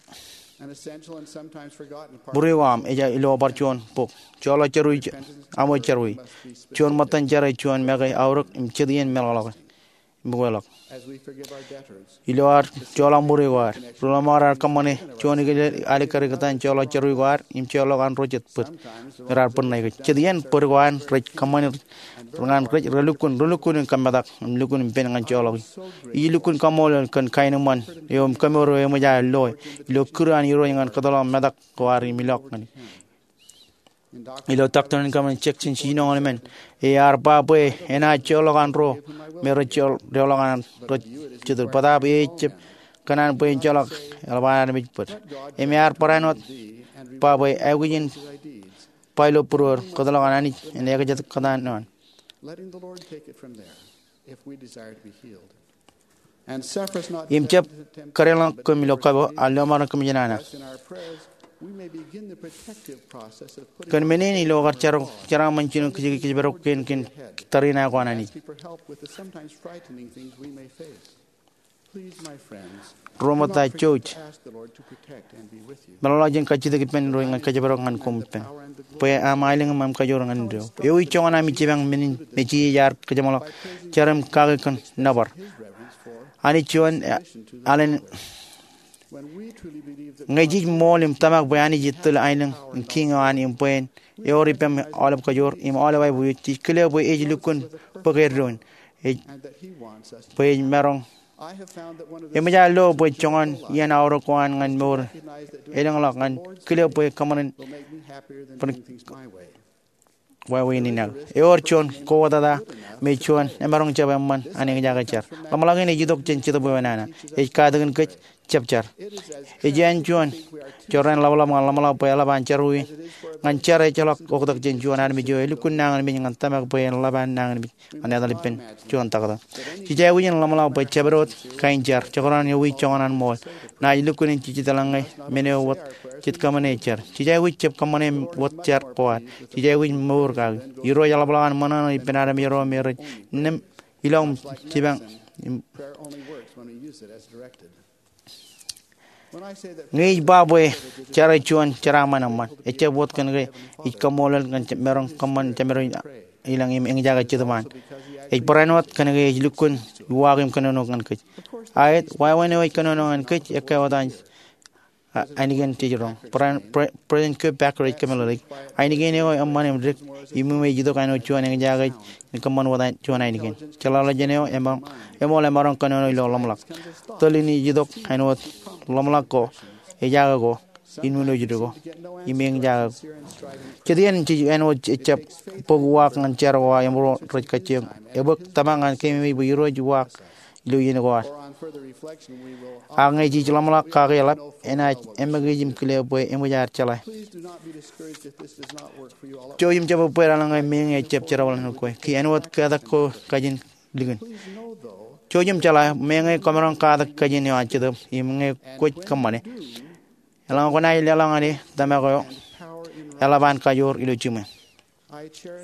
būruō ko aṃ, ej ilo bar juon bok. Joḷọk jerui aṃo jerui. Juon ṃōttan jar ej juon make aorōk im jet iien meḷọkḷọk. Im bōkḷọk ilo ad joḷọk būruō ko ad. Ri ḷōṃaro raar kōṃṃane juon ikijjien alikkar ikōtaan joḷọk jerui ko ad im joḷọk an ro jet bōd. Raar bōd ṇa ikōj. Jet iien bōd ko an rej kōṃṃane ñan rej relukkuun, relukkuun in kōmmetak im lukkuun ippān ñan joḷọk. Ij lukkuun kaṃṃoolol kōn kaenōṃṃan eo im kōmour eo eṃōj aō loe ilo kūr an Irooj ñan kōtḷọk metak ko ad im ilọk ñan Ilo Doctrine and Covenants section jiljinoñoul emān, ear ba bwe enaaj joḷọk an ro me rej joḷọk an ro jet bōd. Bōtaab ej jab kōṇaan bwe en joḷọk eḷap an armej bōd. Im ear barāinwōt ba bwe aikuj in ba ilo būruōd, kōtḷọk an Anij en ekjān kōtaan eo an. Im jab kadeḷọñ kōm ilo kapo, a lọmọọren kōmij nana. Kōn men in ilo kar jeraaṃṃan jino kōjparok kein kōn tariṇae ko an Anij. Ro ṃōtta, jouj. Meḷọkḷọk jān kajjitōk ippān Irooj ñan kōjparok ñan koṃ ippān bwe aṃ aelōñ im aṃ kajoor ñan indeeo. Ewi joñan ami jipañ men in Messiah ear kōjeṃḷọk jar im kake kōn nōbar? Anij juon alen. Ñe jej ṃool im tōmak bwe Anij ej tōl aelōñ im kiiñ eo an im bwe en ewōr ippām aolep kajoor im aolep aiboojoj, jej kile bwe ej lukkuun bōk eddoin, bwe ej maroñ. Eṃōj aō lo bwe joñan iien aorōk ko an ñan mour elōñḷọk ñan kile bwe kōṃṃan bwe wāween in aō. Ewōr juon kowōtata me juon emaroñ jab eṃṃan an eñjake jar. Ḷōmṇak in ej itok jān Jetōb Weewa nana. Ej katakin kōj jab jar. Ej āinjuon jorrāān ḷapḷap ñan ḷōmṇak bwe eḷap an jerọwiwi. Ñan jar ejjeḷọk oktak jān juon armej eo elukkuun nañinmej ñan tōmak bwe en ḷap an nañinmej ñan etal ippān juon taktō. Jej aikuj in ḷōmṇak bwe jabdewōt kain jar, jekdọọn ewi joñan an ṃool, naaj lukkuun in jejjet eḷaññe men eo wōt jet kōṃṃane jar. Jej aikuj jab kōṃṃane wōt jar ko ad. Jej aikuj mour kaki. Irooj eḷapḷọk an ṃōṇōṇō ippān armej ro me rej innām ilọk im jipañ im Ñe ij ba bwe jar ej juon jeraaṃṃan eṃṃan, ejjab wōt kōn ke ij kaṃṃoolol ñan maroñ kōṃṃan jemād ilañ im eñjake Jetōb an. Ej barāinwōt kōn ke ej lukkuun uwaak im kōnono ñan kōj. Aet, wāween eo ej kōnono ñan kōj ekkā wōt an ainikien jej roñ. President Kurt Packer ej kōmeḷeḷeik, ainikien eo eṃṃan im dik, im ij itok āinwōt juon eñjake in kōṃṃan wōt juon ainikien. Jeḷāḷọkjeṇ eo eṃool emaroñ kōnono ilo ḷōmṇak. Tōl in ij itok āinwōt ḷōmṇak ko, ejaake ko, in wūnooj dik ko, im eñjake ko. Jet iien jej āinwōt ejjab bōk uwaak ñan jar ko aō im ro rej kajjioñ. Ebōk tōmak ñan keememej bwe Irooj uwaak ilo iien ko ad. Ak ñe jej ḷōmṇak kake eḷap, enaaj eṃōkaj im kile bwe eṃōj ad jeḷā. Jouj im jab bōbbeer eḷaññe meñe ejjab jerbal ñan kwe. Ki āinwōt katak ko kajin likin. Jouj im jeḷā, meñe kwōmaroñ katak kajin eo an Jetōb, im ñe kwōj kōṃṃane, eḷaññe kwōnaaj leḷọk ñan e tōmak eo, eḷap an kajoor ilo jiṃwe.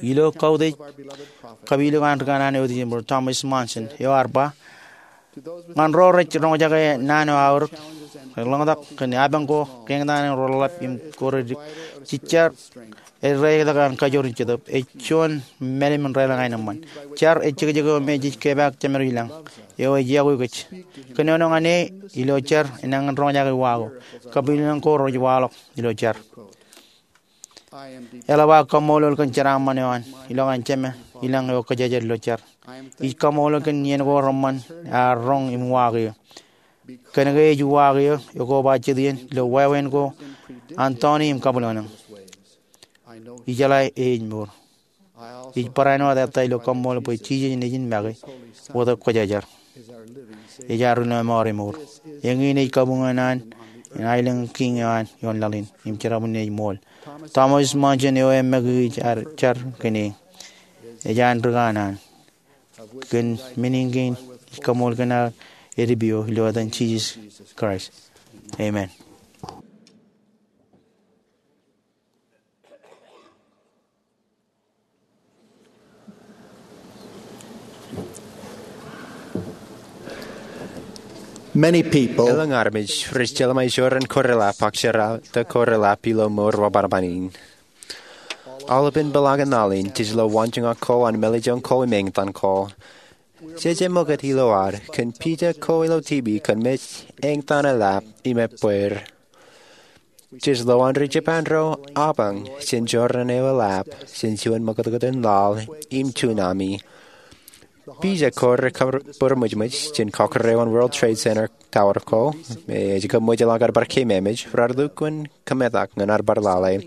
Ilo kautiej kapilik an ri kanaan eo Thomas Monson eo ear ba, ñan ro rej roñjake naan eo aorōk, rej ḷōñtak kōn apañ ko, kein eo ro ḷap im ko rej dik, jej jar ej raetak an kajoor in Jetōb, ej juon mālim in raelōñ aenōṃṃan. Jar ej jekjek eo me jej kepaak jemād ilañ, eo ej iọkwe kōj. Kōnono ñan e ilo jar, enañin roñjake uwaak eo. Kapilōñ ko rej waḷọk ilo jar. Eḷap aō kaṃṃoolol kōn jeraaṃṃan eo an ilọk an jemād ilañ eo kōjejād ilo jar. Ij kaṃṃoolol kōn iien ko reṃṃan ear roñ im uwaak eō. Kōn ke ej uwaak eō, ekoba jet iien ilo wāween ko an tọni im kabwilōñlōñ. Ijeḷā e ej mour. Ij barāinwōt ettā ilo kaṃṃoolol bwe Jisōs nejin make wōt ekwōjarjar. Ej ad ri lọmọọr emour. Eñin ej kabuñ eo an, im aelōñ kiiñ eo an ioon laḷ in, im jerọwiwi in ej ṃool. Thomas Monson eo eṃōkaj jar kōn e, ej an ri kanaan. Kōn men in kein ij kaṃool kōn aō edipeo ilo etan Jisōs Kraist. Amen. Many people Elōñ armej rej jelṃae jorrāān ko reḷap ak jerata ko reḷap ilo mour wōnṃaanṃaan in. Aolepān peḷaakin laḷ in jej lo waanjoñak ko an mālejjoñ ko im eñtaan ko. Jej ṃokta ilo ad kōn pija ko ilo TV kōn mej eñtaan eḷap im ebbweer. Jej lo an ri Japan ro apañ jān jorrāān eo eḷap jān juon ṃakūtkūt in laḷ im tsunami. Pija ko rej kab būrmōjmōj jān kọkkure eo an World Trade Center Tower ko, im ej kab ṃōjḷọk ad bar keememej, raar lukkuun kōmetak ñan ad bar lale.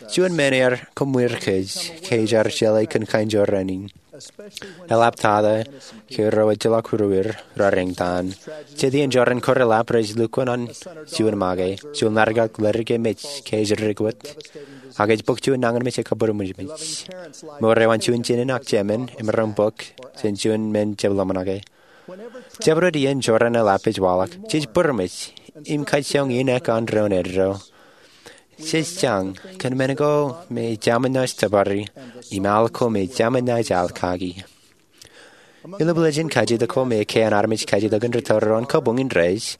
Juon men ear kōṃṃur kōj ke ej jar jeḷā kōn kain jorrāān in. Eḷaptata ke ro ejjeḷọk ruur raar eñtaan. Jet iien jorrāān ko reḷap rej lukkuun an juon make, juon ḷaddik ak ḷaddik emej ke ej dik wōt, ak ej bōk juon nañinmej im kab būrmōjmōj. Mour eo an juon jinōn ak jemān emaroñ bōk jān juon men jab ḷōmṇake. Jabdewōt iien jorrāān eḷap ej waḷọk, jej būrmōj im kajjioñ in ekan doon eddo. Jej jañ kōn men ko me jemān naaj tōpari im al ko me jemān naaj al kaki. Ilo bwilōñ in kajjitōk ko me ekkā an armej kajjitōk in rūtto ro an kabuñ in rej,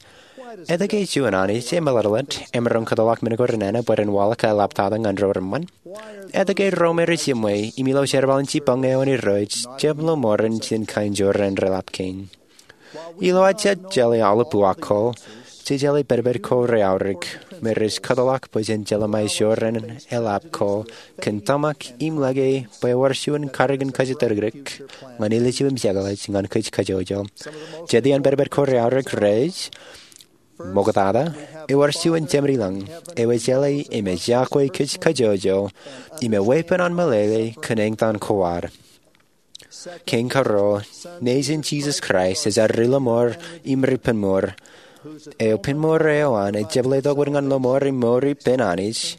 etke juon Anij emeḷeḷe emaroñ kōtḷọk men ko renana bwe ren waḷọk eḷaptata ñan ro reṃṃan? Etke ro me rej jiṃwe im ilo jerbal in jipañ eo an Irooj jab lo ṃoran jān kain jorrāān reḷap kein? Ilo ad jab jeḷā aolep uwaak ko, jej jeḷā pedped ko reaorōk me rej kōtḷọk bwe jen jelṃae jorrāān eḷap ko kōn tōmak im lōke bwe ewōr juon karōk in kajjitōktok ñan ilju im jekḷaj ñan kōj kajjojo. Jet iien pedped ko reaorōk rej ṃoktata, ewōr juon jemed ilañ eo ej jeḷā im ej iọkwe kōj kajjojo im eweeppān an meḷeḷe kōn eñtaan ko ad. Kein karuo, Nejin Jisōs Kraist ej ad Ri-lọmọọr im Ri-penmour, eo penmour eo an ej jab letok wōt ñan lọmọọr im mour ippān Anij,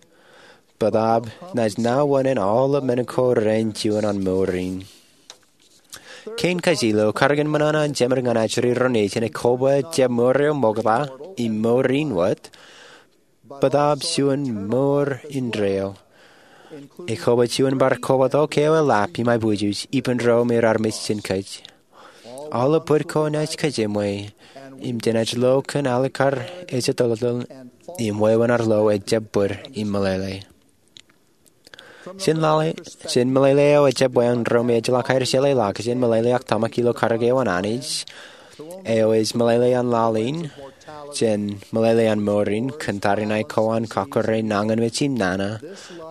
bōtaab naaj nā wōṇāān aolep men ko rein juon an mour in. Kein kajjilōk, karōk in ṃōṇōṇō an jemed ñan ajri ro nejin ekobba jab mour eo ṃokta im mour in wōt, bōtaab juon mour indeeo, ekobba juon bar kobatok eo eḷap im aiboojoj ippān ro me raar mej jān kōj. Aolep bōd ko naaj kōjeṃṃwe im jenaaj lo kōn alikkar ejjeḷọk im wāween ad lo ejjab bōd im meḷeḷe. Jān meḷeḷe eo ejjab wā an ro me ejjeḷọk aer jeḷā ḷọk jān meḷeḷe ak tōmak ilo karōk eo an Anij eo ej meḷeḷe an laḷ in jān meḷeḷe an mour in kōn tariṇae ko an kọkkure, nañinmej im nana,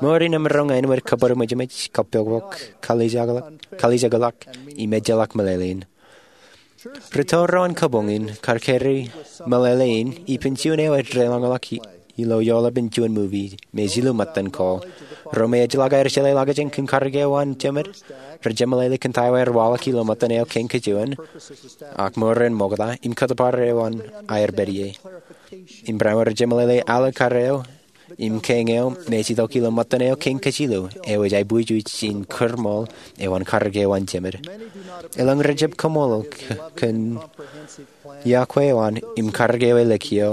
mour in emaroñ āinwōt kabūrmōjmōj, kapokpok, kalijekḷọk, im ejjeḷọk meḷeḷein. Rūtto ro an kabuñ in kar carry meḷeḷe in ippān juon eo ej deḷọñḷọk ilo eoḷapān juon movie me ej illu ṃōttan ko. Ro me ejjeḷọk aer jeḷā ḷọk jān kōn karōk eo an jemed, rej jemeḷeḷe kōn ta eo aer waḷọk ilo ṃōttan eo kein kajuon, ak mour in ṃokta im kōtōpar eo an aer pād ie. Im barāinwōt rej jemeḷeḷe alikkar eo im kein eo me ej itok ilo ṃōttan eo kein kajilu eo ej aiboojoj in kūrṃool eo an karōk eo an jemed. Elōñ rej jab kaṃṃoolol kōn iọkwe eo an im karōk eo ej likio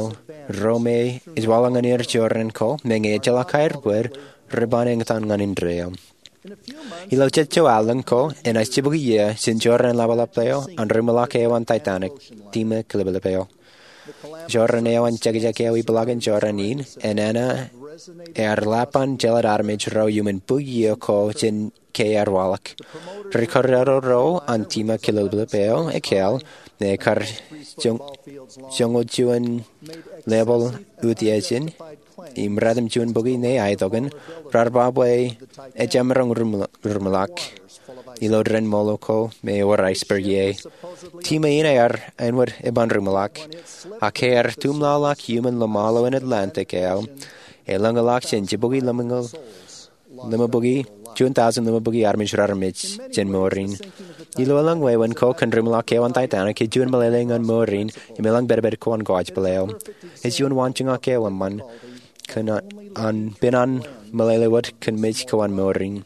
ro me ej waḷọk ñan er jorrāān ko, meñe ejjeḷọk aer bōd, rej ban eñtaan ñan indeeo. Ilo jejjo allōñ ko enaaj jibukwi iiō jān jorrāān ḷapḷap eo an ri-ṃōḷaak eo an Titanic, tima kilōplōp eo. Jorrāān eo an jekjek eo ipḷaakin jorrāān in enana ear ḷap an jeḷād armej ro iuṃwin bukwi iiō ko jān ke ear waḷọk. Ri-kōjro ro an tima kilōplōp eo ekkāāl, ñe kar joñoul juon level utiejin im ratimjuon bukwi ñe aetokan, raar ba bwe ejjab maroñ ri-ṃōḷaak ilo dān ṃool ko me ewōr iceberg ie. Tima in ear āinwōt eban ri-ṃōḷaak, ak ke ear tumḷọk iuṃwin ḷōṃaro in Atlantic eo, elōñḷọk jān jibukwi ḷimabukwi, juon tọujin ḷimabukwi armej raar mej jān mour in. Ilo elōñ wāween ko kōn ri-ṃōḷaak eo an Titanic, ej juon meḷeḷe ñan mour in im elōñ pedped ko an kōjpel eo. Ej juon waanjoñak eo eṃṃan kōn an pen an meḷeḷe wōt kōn mej ko an mour in.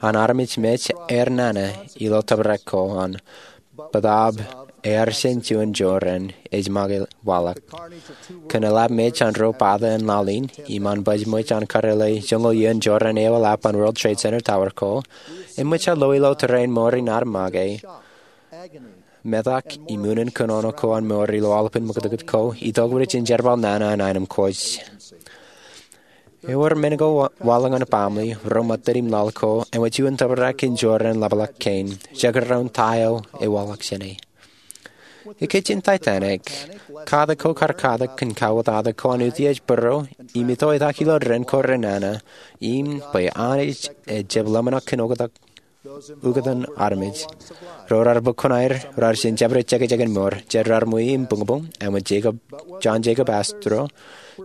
An armej mej ear nana ilo tōprak ko an, bōtaab ear jān juon jorrāān ej make waḷọk. Kōn eḷap mej an ro pata in laḷ in im an bajjek mej an karreoḷe joñoul iiō in jorrāān eo eḷap an World Trade Center Tower ko, eṃōj ad lo ilo tōre in mour in ad make metak im unin kōnono ko an mour ilo aolepān ṃōkōtōkōt ko itok rej jerbal nana an aenōṃ kōj. Ewōr men ko waḷọk ñan baaṃle ro ṃōttan im laḷ ko ewōr juon tōprak in jorrāān ḷapḷọk kein, jekdọọn ta eo ewaḷọk jāne. Ikijjeen Titanic, katak ko kar katak kōn kauwōtata ko an utiej būruo im itoitak ilo ren ko renana im bwe Anij ejjab ḷōmṇak kōn ukōtan armej. Ro raar bōk kuṇaō er raar jen jabdewōt jekjek in mour, jet raar ṃwiin im buñbuñ, āinwōt Jacob, John Jacob Astor,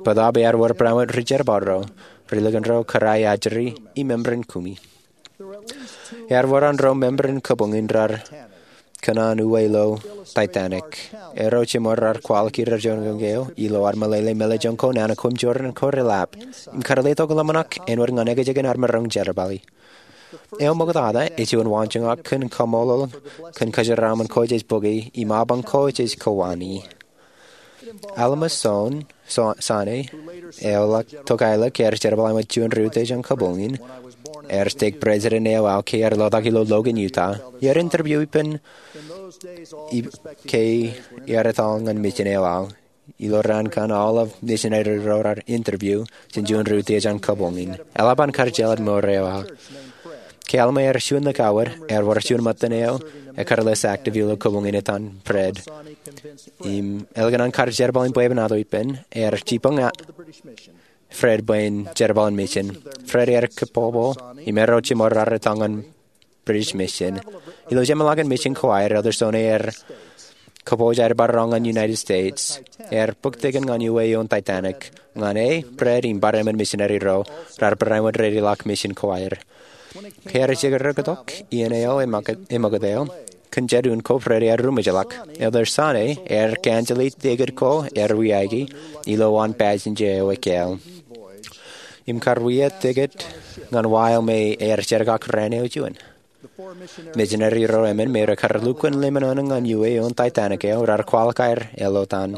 bōtaab ear wōr barāinwōt ri jerbal ro, ri likin ro kōrā ajri, im member in kumi. Ear wōr an ro member in kōbuñ in raar kōṇaan uwe ilo Titanic. Ero jeṃor raar kwaḷọk iar juon kōn ke eo ilo ad meḷeḷe meḷejoñ ko nana ko im jorrāān ko reḷap im kar letok ḷōmṇak āinwōt ñan ekjek in ad maroñ jerbali. Eo ṃoktata ej juon waanjoñak kōn kaṃṃoolol kōn kōjeraaṃṃan ko jej bōki im apañ ko jej kowani. Alma Sane, eo tok aelōñ ear jerbal āinwōt juon ri utiej an kōbuñ in, ear stake president eo aō ke ear leḷọk ilo Logan, Utah. Ear interview ippān ke ear etal ñan mission eo aō. Ilo raan kaṇ aolep misineri ro raar interview jān juon ri utiej an kōbuñ in. Eḷap an kar jeḷā mour eo aō. Ke Alma ear juon likao wōt, ear wōr juon ṃōttan eo ekar list active ilo kōbuñ in etan Fred. Im ālikin an kar jerbal in bwebwenato ippān, ear jipañ Fred bwe en jerbal in mission. Fred ear kōpopo im ero jeṃor raar etal ñan British mission. Ilo jeṃḷọkin mission ko aer, Elder Sane ear kōpooj aer bar roñ ñan United States. Ear bōk tikin ñan uwe ioon Titanic. Ñan e, Fred im bar emān misineri ro raar barāinwōt reilọk mission ko aer. Ke ear jekdọọn tok iien eo eṃōkōt eo kōn jet un ko, Fred ear ruṃwijḷọk. Elder Sane ear cancel e ticket ko ear wiaiki ilo waan passenger eo ekāāl im kar wia ticket ñan wa eo me ear jerkakrak raan eo juon. Misineri ro emān me rekar lukkuun ḷōmṇak ñan uwe ioon Titanic eo raar kwaḷọk aer eḷotan.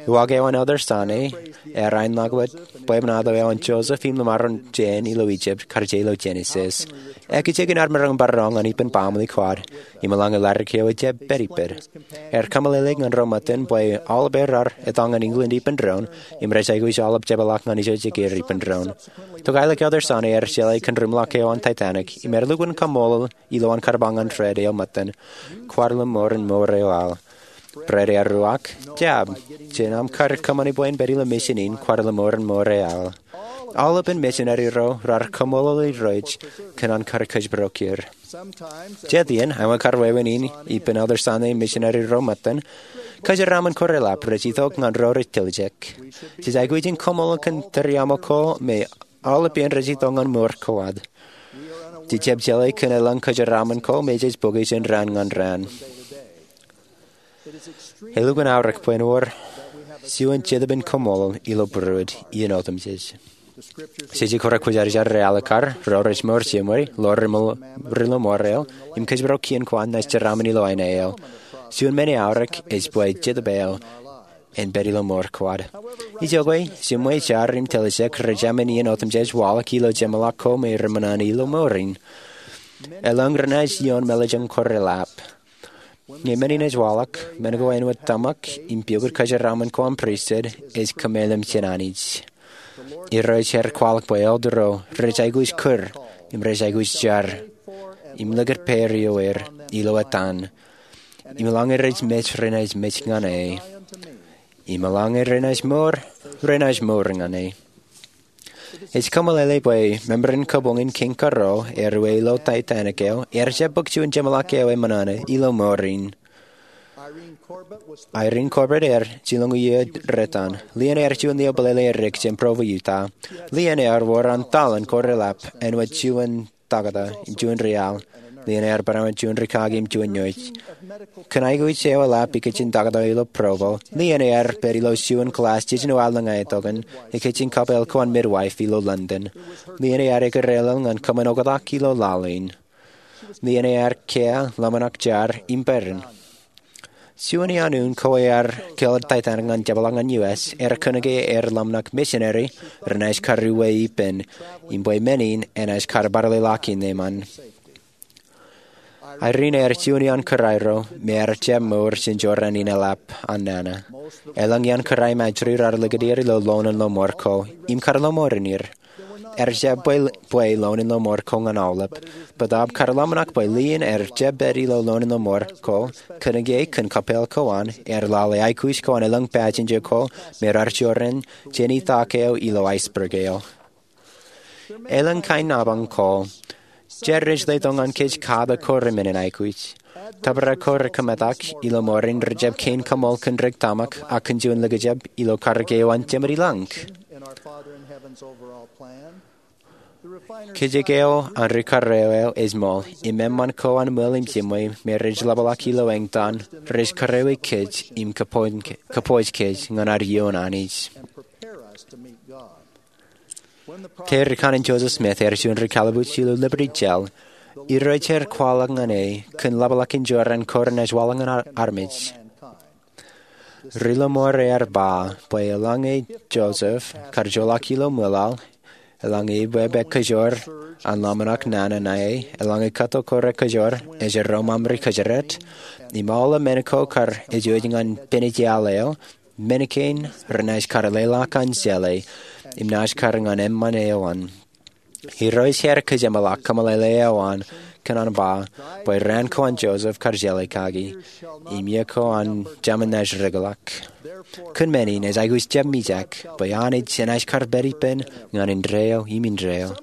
Uwaak eo an Elder Sane ear aenḷọk wōt bwebwenato eo an Joseph im ḷōṃaro jān ilo Egypt kar je ilo Genesis. Ekjek in ad maroñ bar roñ ñan ippān baaṃle ko ad im eḷaññe ladik eo ejjab pād ippād. Ear kōmeḷeḷe ñan ro ṃōttan bwe aolep er raar etal ñan England ippān doon im rej aikuj aolep jepḷaak ñan ijo jikier ippān doon. Tok aelōñ Elder Sane ear jeḷā kōn ri ṃḷọk eo an Titanic im ear lukkuun kaṃṃoolol ilowaan kar ba ñan Fred eo ṃōttan, kwaar ḷōṃoor in mour eo aō. Fred ear uwaak, jab, jen aṃ kar kōṃṃani bwe en pād ilo mission in, kwaar ḷōṃoor in mour eo aō. Aolepān misineri ro raar kaṃṃoolol Irooj kōn an kar kōjparok er. Jet iien, āinwōt kar wāween in ippān Elder Sane im misineri ro ṃōttan, kōjeraaṃṃan ko reḷap rej itok ñan ro rej tiljek. Jej aikuj in kaṃṃoolol kōn tūriaṃo ko me aolep iien rej itok ñan mour ko ad. Jej jab jeḷā kōn elōñ kōjeraaṃṃan ko me jej bōke jān raan ñan raan. Elukkuun aorōk bwe en wōr juon jetōb in kaṃṃoolol ilo būruod iien otemjej. Jeje kōrā kwōjarjar ri alikkar ro rej mour jeṃwe, ḷoor ri ḷōṃour eo, im kōjparok kien ko an naaj jeraaṃṃan ilo aenō eo. Juon men eaorōk ej bwe jetōb eo en pād ilo mour ko ad. Ijoke, jeṃwe, jar im tiljek rej emān iien otemjej waḷọk ilo jeṃḷọk ko me reṃōṇōṇō ilo mour in. Elōñ renaaj ioon meḷejoñ ko reḷap. Ñe men in ej waḷọk, men ko āinwōt tōmak im piukūt kōjeraaṃṃan ko an pristut ej kōmeḷeḷe jān Anij. Irooj ear kwaḷọk bwe elder ro rej aikuj kūr im rej aikuj jar im likūt pād ioer ilo etan im eḷaññe rej mej renaaj mej ñan e. Im eḷaññe renaaj mour renaaj mour ñan e. Ej kōmeḷeḷe bwe member in kōbuñ in kein kōrā eo ear uwe ilo Titanic eo ear jab bōk juon jeṃḷọk eo eṃōṇōṇō ilo mour in. Irene Corbett ear jilñuul iiō rej etan. Lien ear juon lio bōlele erik jān Provo, Utah. Lien ear wōr an taḷen ko reḷap āinwōt juon taktō im juon ri al. Lien ear barāinwōt juon rikaki im juon iooj. Kōn aikuj eo eḷap ikijjeen taktō ilo Provo, Lien ear pād ilo juon kōḷaas jiljino aelōñ etokan ikijjeen kapeel ko an midwife ilo London. Lien ear ekōt aelōñ ñan kōṃṃan oktak ilo laḷ in. Lien ear kiiō ḷōmṇak jar im peran. Juon iaan un ko ear kōḷḷā Titanic ñan jepḷaak ñan U S ear kōnke ear ḷōmṇak misineri renaaj kar uwe ippān im bwe men in enaaj kar bar lelọk in eṃṃan. Irene ear juon iaan kōrā ro me ear jab mour jān jorrāān in eḷap an nana. Elōñ iaan kōrā im ajri raar likūt er ilo loon in lọmọọr ko im kar lọmọọren er. Ear jab bwe loon in lọmọọr ko ñan aolep, bōtab kar ḷōmṇak bwe lien ear jab pād ilo loon in lọmọọr ko, kōnke kōn kapeel ko an ear lale aikuj ko an elōñ passenger ko me raar jorrāān jān itak eo ilo iceberg eo. Elōñ kain apañ ko rej letok ñan kōj katak ko remenin aikuj. Tōprak ko rekōmetak ilo mour in rejjab kein kaṃool kōn ri tōmak ak kōn juon likjab ilo karōk eo an Jemān ilañ. Kajjitōk eo an ri karreo eo ej ṃool im eṃṃan ko an ṃweo im jiṃwe me rej ḷapḷọk ilo eñtaan rej karreoiki kōj im kōpooj kōj ñan ad iioon Anij. Ke ri kanin Joseph Smith ear juon ri kallibwij ilo Liberty Jail, Irooj ear kwaḷọk ñan e kōn ḷapḷọk in jorrāān ko renaaj waḷọk ñan armej. Ri lọmọọr ear ba bwe eḷaññe Joseph kar joḷọk ilo ṃwilaḷ, eḷaññe ebbeek kōjwōr an ḷōmṇak nana ṇae, eḷaññe kōtto ko rekōjwōr ej erro ṃaṃri kōjdat, im aolep men ko kar ej wōj ñan peniteal eo, men kein renaaj kar leḷọk an jeḷā im naaj kar ñan eṃṃan eo an. Irooj ear kōjeṃḷọk kōmeḷeḷe eo an kōn an ba bwe raan ko an Joseph kar jeḷā kaki, im iiō ko an Jemān naaj rikḷọk. Kōn men in ej aikuj jab mijak bwe Anij enaaj kar pād ippān ñan indeeo im indeeo.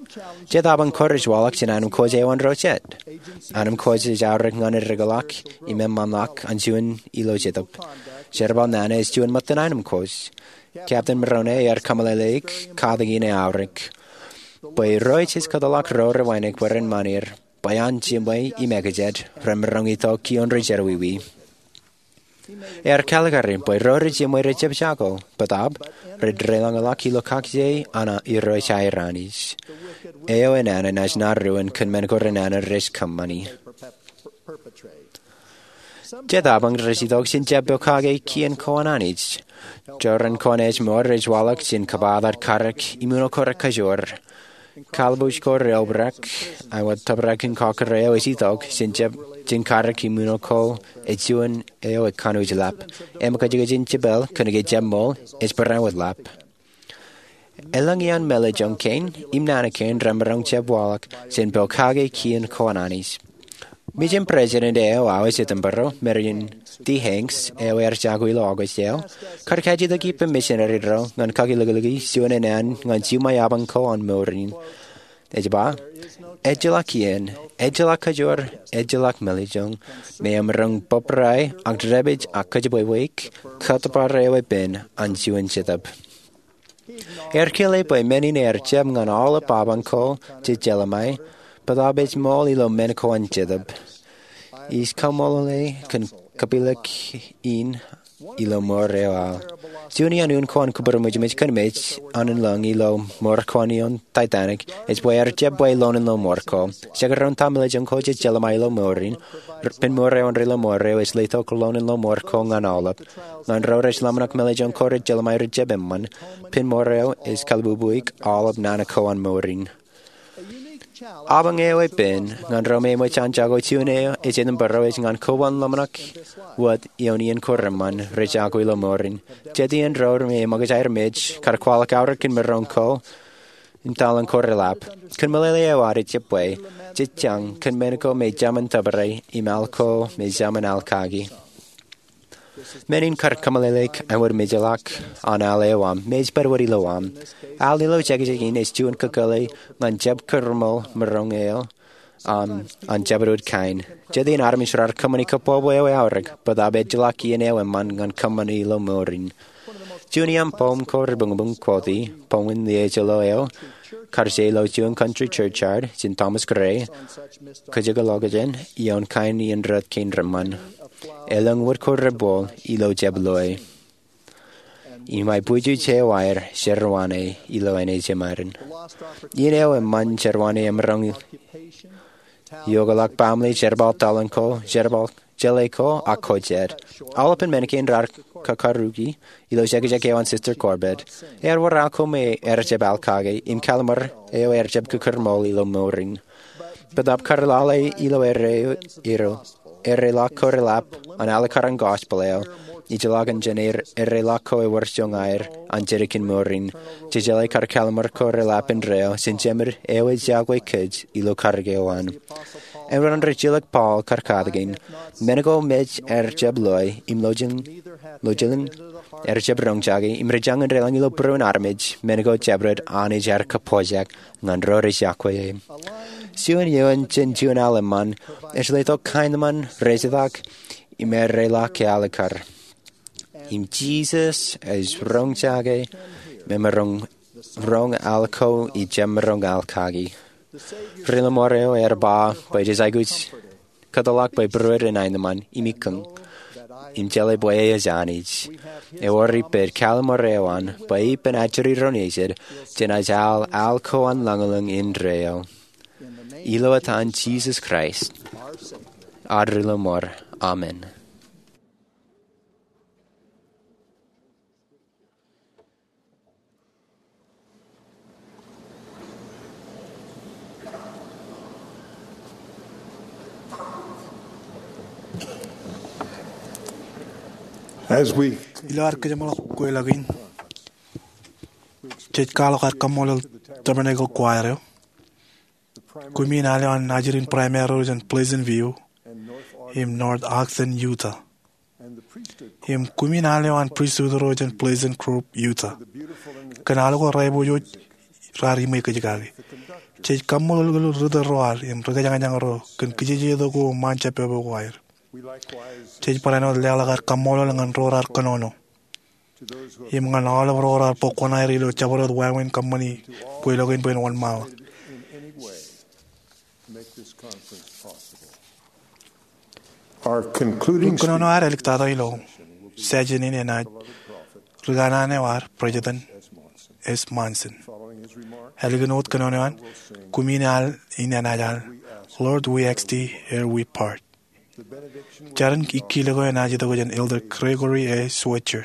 Jet apañ ko rej waḷọk jān anemkwōj eo an ro jet. Anemkwōj ej aorōk ñan rikḷọk im eṃṃanḷọk an juon ilo jetōb. Jerbal nana ej juon ṃōttan anemkwōj. Captain Mulroney ear kōmeḷeḷeik katakin e aorōk bwe Irooj ej kōtḷọk ro re wānōk bwe ren ṃanir bwe an jiṃwe im ekajet remaroñ itok kioon ri jerọwiwi. Ear kalikari bwe ro re jiṃwe rejjab jako, bōtab rej deḷọñḷọk ilo kakije an Irooj aer Anij. Eo enana naaj ṇa ruōn kōn men ko renana rej kōṃṃani. Jet apañ rej itok jān jab pokake kien ko an Anij. Jorrāān ko an ājmour rej waḷọk jān kōbatok karōk im uno ko rekōjwōr. Kallibwij ko reobrak, āinwōt tōprak in kọkkure eo ej itok jān karōk im uno ko ej juon eo ekanooj ḷap. Im kajjitōk in jepel kōnke jab ṃool ej barāinwōt ḷap. Elōñ iaan mālejjoñ kein im nana kein remaroñ jab waḷọk jān pokake kien ko an Anij. Mejān president eo aō ej Edinburgh, Marion D. Hanks, eo ear jako ilo August eo, kar kajjitōk ippān misineri ro ñan kakilikliki juon āne ñan jiṃwe apañ ko an mour in. Ej ba, ejjeḷọk iien, ejjeḷọk kōjwōr, ejjeḷọk mālejjoñ me emaroñ bōbrae ak dāpij ak kōjepwebweik kōttōpar eo epen an juon jetōb. Ear kile bwe men in ear jab ñan aolep apañ ko jej jeḷā ṃae, bōtab ej ṃool ilo men ko an jetōb. Ij kaṃṃoolol e kōn kapilōk in ilo mour eo aō. Juon iaan un ko an kōpūrmwijmwij kōn mej an in lōñ ilo mour ko an iioon Titanic ej bwe ear jab bwe loon in lọmọọr ko. Jekdọọn ta mālejjoñ ko jej jeḷā ṃae ilo mour in, pen mour eo an ri lọmọọr eo ej letok loon in lọmọọr ko ñan aolep. Ñan ro rej ḷōmṇak mālejjoñ ko rej jeḷā ṃae rej jab eṃṃan, pen mour eo ej kalbubuik aolep nana ko an mour in. Apañ eo epen ñan ro me eṃōj an jako juon eo ej Edinburgh ej ñan koban ḷōmṇak wōt ioon iien ko reṃṃan rej jako ilo mour in. Jet iien ro me eṃōkaj aer mej kar kwaḷọk aorōk kōn maroñ ko im taḷañ ko reḷap. Kōn meḷeḷe eo ad ej jab bwe, jej jañ kōn men ko me jemān tōpare im al ko me jemān al kaki. Men in kar kōmeḷeḷeik āinwōt mejḷọk an al eo aṃ me ej pād wōt ilo aṃ. Al ilo jekjek in ej juon kōkōḷḷe ñan jab kūrṃool maroñ eo aṃ an jabdewōt kain. Jet iien armej raar kōṃṃani kōbwebwe eo eaorōk, bōtab ejjeḷọk iien eo eṃṃan ñan kōṃṃani ilo mour in. Juon iaan poem ko rebuñbuñ quotee, poem in lieejeḷo eo, kar je ilo juon country churchyard jān Thomas Gray, kajjitōk ḷọkjeṇ ioon kain iien rot kein reṃṃan. Elōñ wōt ko rebboḷ ilo jab loe. Im aebwijej eo aer jerwāne ilo āne jemārin. Iien eo eṃṃan jerwāne emaroñ iokḷọk baaṃle, jerbal taḷañ ko, jerbal jeḷā ko, ak ko jet. Aolepān men kein raar kakaruki ilo jekjek eo an Sister Corbett. Ear wōr al ko me ear jab al kake, im kallim̧ur eo ear jab kūrṃool ilo mour in. Bōtaab kar lale ilo erreo, erreḷọk ko reḷap an alekar an gospel eo, ejjeḷọkin jān erreḷọk ko ewōr joñaer an jedik in mour in, jejeḷā kar kalimur ko reḷap indeeo jān Jemed eo ej iọkwe kōj ilo karōk eo an. Āinwōt an rijilōk Paul kar katakin, men ko mej aer jab loe im lojilñin aer jab roñjake, im rijañin deḷọñ ilo būruon armej men ko jabdewōt Anij ear kōpooj ñan ro rej iọkwe e. Juon eoon jān juon al eṃṃan ej letok kaenōṃṃan, rejetak, im erreḷọk ke alekar. Im Jisōs ej roñjake memaroñ roñ al ko ijjab maroñ al kaki. Ri-lọmọọr eo ear ba bwe jej aikuj kōtḷọk bwe būruod enaaj eṃṃan im ikkōñ im jeḷā bwe e ej Anij. Ewōr ippān kalimur eo an bwe ippān ajri ro nejid jenaaj al al ko an lañlōñ indeeo. Ilo etan Jisōs Kraist, ad Ri-lọmọọr, amen. Ilo ad kōjeṃḷọk kweilọk in, jej kwaḷọk ad kaṃṃoolol Tabernacle Choir eo, kumi in al eo an ajri in primary ro jān Pleasant View im North Ogden, Utah, im kumi in al eo an pristut ro jān Pleasant Grove, Utah, kōn al ko raepojoj raar iṃwe kōj kaki. Jej kaṃṃoolol ri-tōl ro ad im ri-kōjañjañ ro kōn kijejeto ko ṃaan jab pepe ko aer. Jej barāinwōt leḷọk ad kaṃṃoolol ñan ro raar kōnono im ñan aolep ro raar bōk kuṇaer ilo jabdewōt wāween kōṃṃani kweilọk in bwe en wōnṃaanḷọk. Ri-kōnono ad āliktata ilo session in enaaj ri-kanaan eo ad, President S. Monson. Ālikin wōt kōnono eo an, kumi in al in enaaj al, Lord, we ask thee ere we part. Jarin ikkilōk eo enaaj itok jān Elder Gregory A. Switzer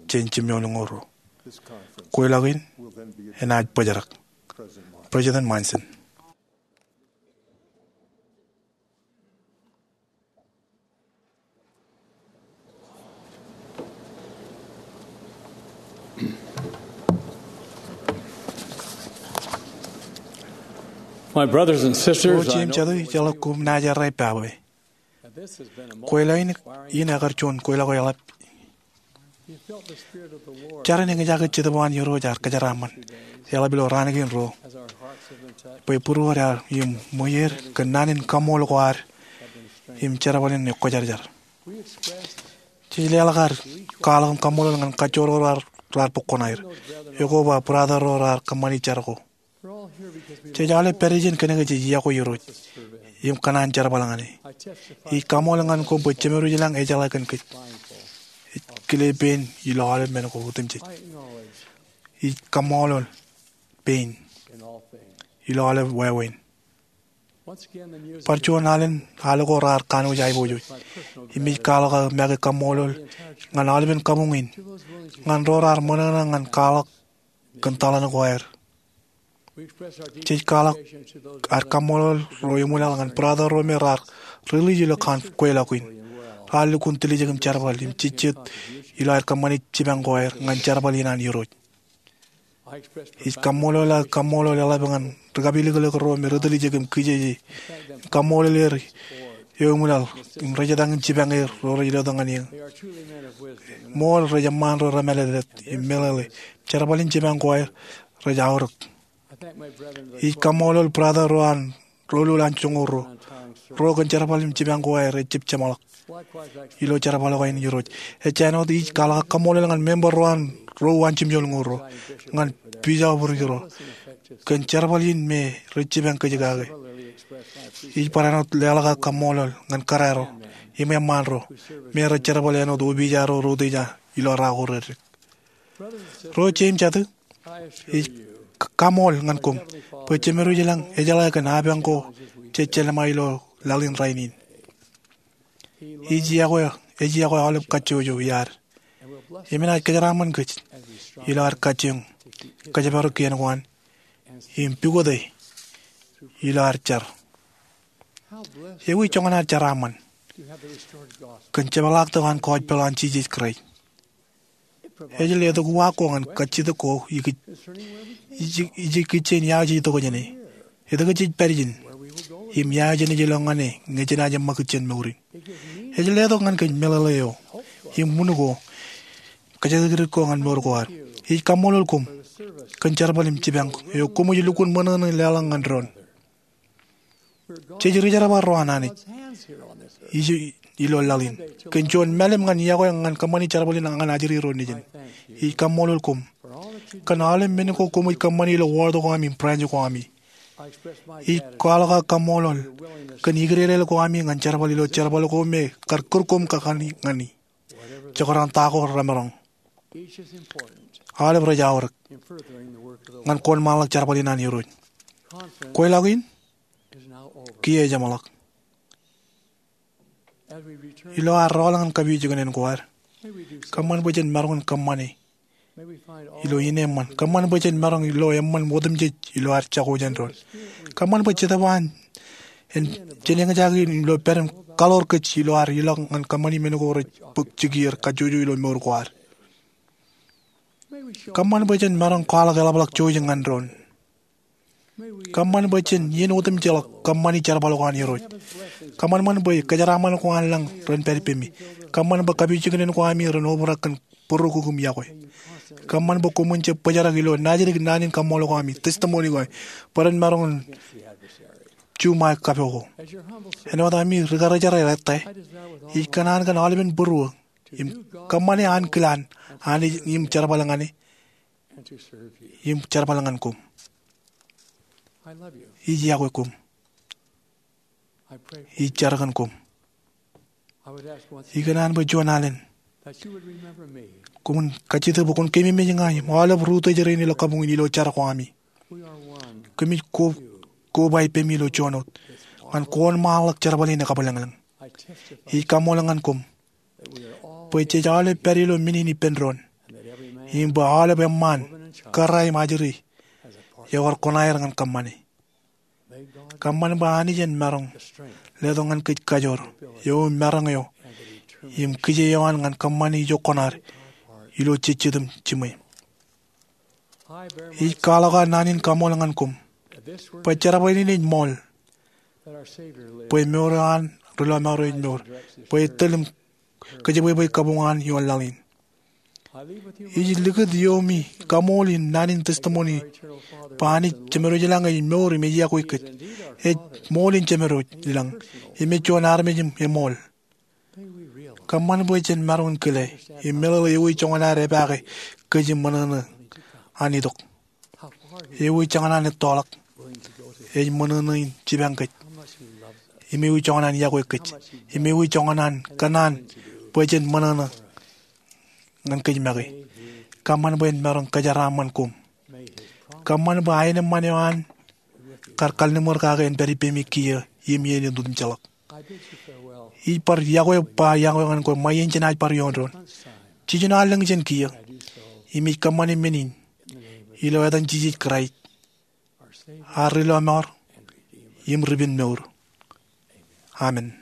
jān jimjuonñoul ruo. Kweilọk in enaaj bōjrak. President Monson. My brothers and sisters, ro jeiū im jatū, ijeḷā koṃ naaj errā ippa bwe kweilọk in, in ekar juon kweilọk eḷap. Jar in eñjake Jetōb an Irooj ear kōjeraaṃṃan eḷap ilo raan kein ruo bwe būruod ear im ṃweieer kōn naan in kaṃṃoolol ko ad im jerbal in ekwōjarjar. Jej leḷọk ad kwaḷọk im kaṃṃoolol ñan kajjojo ro raar bōk kuṇaer, ekwe ba brother ro raar kōṃṃani jar ko. Jej aolep pād ijin kōnke jej iọkwe Irooj im kōṇaan jerbal ñan e. Ij kaṃṃoolol ñan koṃ bwe Jemedwōj ilañ ejeḷā kōn kōj. Ej kile pein ilo aolep men ko otemjej. Ij kaṃṃoolol pein ilo aolep wāween. Bar juon alen al ko raar kanooj aiboojoj. Im ij kwaḷọk aō make kaṃṃoolol ñan aolepen kabuñ in, ñan ro raar ṃōṇōṇō ñan kwaḷọk kōn taḷan ko aer. Jej kwaḷọk ad kaṃṃoolol ro eṃwilaḷ ñan brother ro me raar release ilo kweilọk in. Raar lukkuun tiljek im jerbal im jejjet ilo aer kōṃṃani jipañ ko aer ñan jerbal in an Irooj. Ij kaṃṃoolol aō kaṃṃoolol eḷap ñan ri-kapilōklōk ro me ri-tiljek im kijeje im kaṃṃoolol er eo eṃwilaḷ im rejetakin jipañ er ro rej letok ñan eō. Ṃool rej eṃṃaan ro remālōtlōt im meḷeḷe. Jerbal in jipañ ko aer rej aorōk. Ij kaṃṃoolol brother ro an Roḷoḷ an joñoul ruo, ro kōn jerbal im jipañ ko aer ejjab jeṃḷọk ilo jerbal ko an Irooj. Ej āinwōt ij kwaḷọk kaṃṃoolol ñan member ro an Roḷoḷ an jimjuonñoul ruo ñan bisoprik ro kōn jerbal in me rej jipañ kōj kake. Ij barāinwōt leḷọk kaṃṃoolol ñan kōrā ro im eṃṃaan ro me rej jerbal āinwōt opija ro rej utiej ilo raan ko reddik. Ro jeiū im jatū, ij kaṃool ñan koṃ bwe Jemedwōj ilañ ejeḷā kōn apañ ko jej jelṃae ilo laḷ in rainin. Ej iọkwe, ej iọkwe aolep kajjojo iaad im enaaj kōjeraaṃṃan kōj ilo ad kajjioñ kōjparok kien ko an im pukot e ilo ad jar. Ewi joñan ad jeraaṃṃan kōn jepḷaaktok an gospel an Jisōs Kraist? Ej letok uwaak ko ñan kajjitōk ko ikōj, ij, ij ikijjien ia jej itok jāne, etke jej pād ijin, im ia jenaaj ilọk ñan e ñe jenaaj eṃṃakūt jān mour in. Ej letok ñan kōj meḷeḷe eo im wūn ko, kōjatdikdik ko ñan mour ko ad. Ij kaṃṃoolol koṃ kōn jerbal im jipañ eo koṃij lukkuun ṃōṇōṇō leḷọk ñan doon. Jej rijerbal ro an Anij ij ilo laḷ in kōn juon mālim ñan iọkwe ñan kōṃṃani jerbal in ñan ajri ro nejin. Ij kaṃṃoolol koṃ kōn aolep men ko koṃij kōṃṃani ilo wōt ko ami im branch ko ami. Ij kwaḷọk aō kaṃṃoolol kōn ikdedeḷọk ko ami ñan jerbal ilo jerbal ko me kar kūr koṃ kakaṇe ñani, jekdọọn ta ko remaroñ. Aolep rej aorōk ñan kōnṃaanḷọk jerbal in an Irooj. Kweilọk in kiiō ejeṃḷọk. Ilo ad rọọl ñan kapijuknen ko ad, kōṃṃan bwe jen maroñ in kōṃṃane ilo ineeṃṃan. Kōṃṃan bwe jen maroñ ilo eṃṃan otemjej ilo ad jako jān doon. Kōṃṃan bwe Jetōb an en jen eñjake in ilo pād im kaḷoor kōj ilo ad ilọk ñan kōṃṃani men ko rej bōk jikier kajjojo ilo mour ko ad. Kōṃṃan bwe jen maroñ kwaḷọk eḷapḷọk jouj ñan doon. Kōṃṃan bwe jen iien otemjeḷọk kōṃṃani jerbal ko an Irooj. Kōṃanṃan bwe kōjeraaṃṃan ko an lañ ren pād ippemi. Kōṃṃan bwe kapijuknen ko ami ren obrak kōn bōro kukū im iọkwe. Kōṃṃan bwe koṃwin jab bōjrak ilo najidik naan in kaṃṃoolol ko ami, testimony ko ami, bwe ren maroñ in juṃae kapo ko. Āinwōt ami ri-karijer ettā, ij kōṇaan kōn aolepen būruō im kōṃṃane ankilaan Anij im jerbal ñan e im jerbal ñan koṃ. Ij iọkwe koṃ. Ij jar kōn koṃ. Ikōṇaan bwe juon alen koṃwin kajjitōk bwe kwōn keememej ña im aolep ri-utōj rein ilo kabuñ in ilo jar ko ami. Kōmij ko, koba ippemi ilo juon wōt ñan kōnṃaanḷọk jerbal in ekabwilōñlōñ. Ij kaṃṃoolol ñan koṃ bwe jej aolep pād ilo men in ippān doon, im bwe aolep eṃṃaan, kōrā im ajri, ewōr koṇaer ñan kōṃṃane. Kōṃṃan bwe Anij en maroñ letok ñan kōj kajoor eo im maroñ eo im kije eo an ñan kōṃṃane ijo koṇaad ilo jejjet im jiṃwe. Ij kwaḷọk aō naan in kaṃool ñan koṃ bwe jerbal in ej ṃool, bwe mour eo an ri-lọmọọr eo ej mour, bwe etōl im kōjebwebwe kabuñ an ioon laḷ in. Ij likūt iomi kaṃool in naan in testimony bwe Anij Jemedwōj ilañ ej mour im ej iọkwe kōj. Ej ṃool in Jemedwōj ilañ im ej juon armej im eṃool. Kōṃṃan bwe jen maroñ in kile im meḷeḷe ewi joñan ad epaake kōj im ṃōṇōṇō an itok. Ewi joñan an ettoḷọk ej ṃōṇōṇō in jipañ kōj, im ewi joñan an iọkwe kōj, im ewi joñan an kōṇaan bwe jen ṃōṇōṇō ñan kōj make. Kōṃṃan bwe en maroñ kōjeraaṃṃan koṃ. Kōṃṃan bwe aenōṃṃan eo an kar kalliṃur kake en pād ippemi kiiō im iien en otemjeḷọk. Ij bar iọkwe, ba iọkwe ñan kwe ṃae in jenaaj bar ioon doon. Jiljino allōñ jān kiiō, im ij kōṃṃane men in ilo etan Jisōs Kraist, ad ri-lọmọọr im ri-penmour. Amen.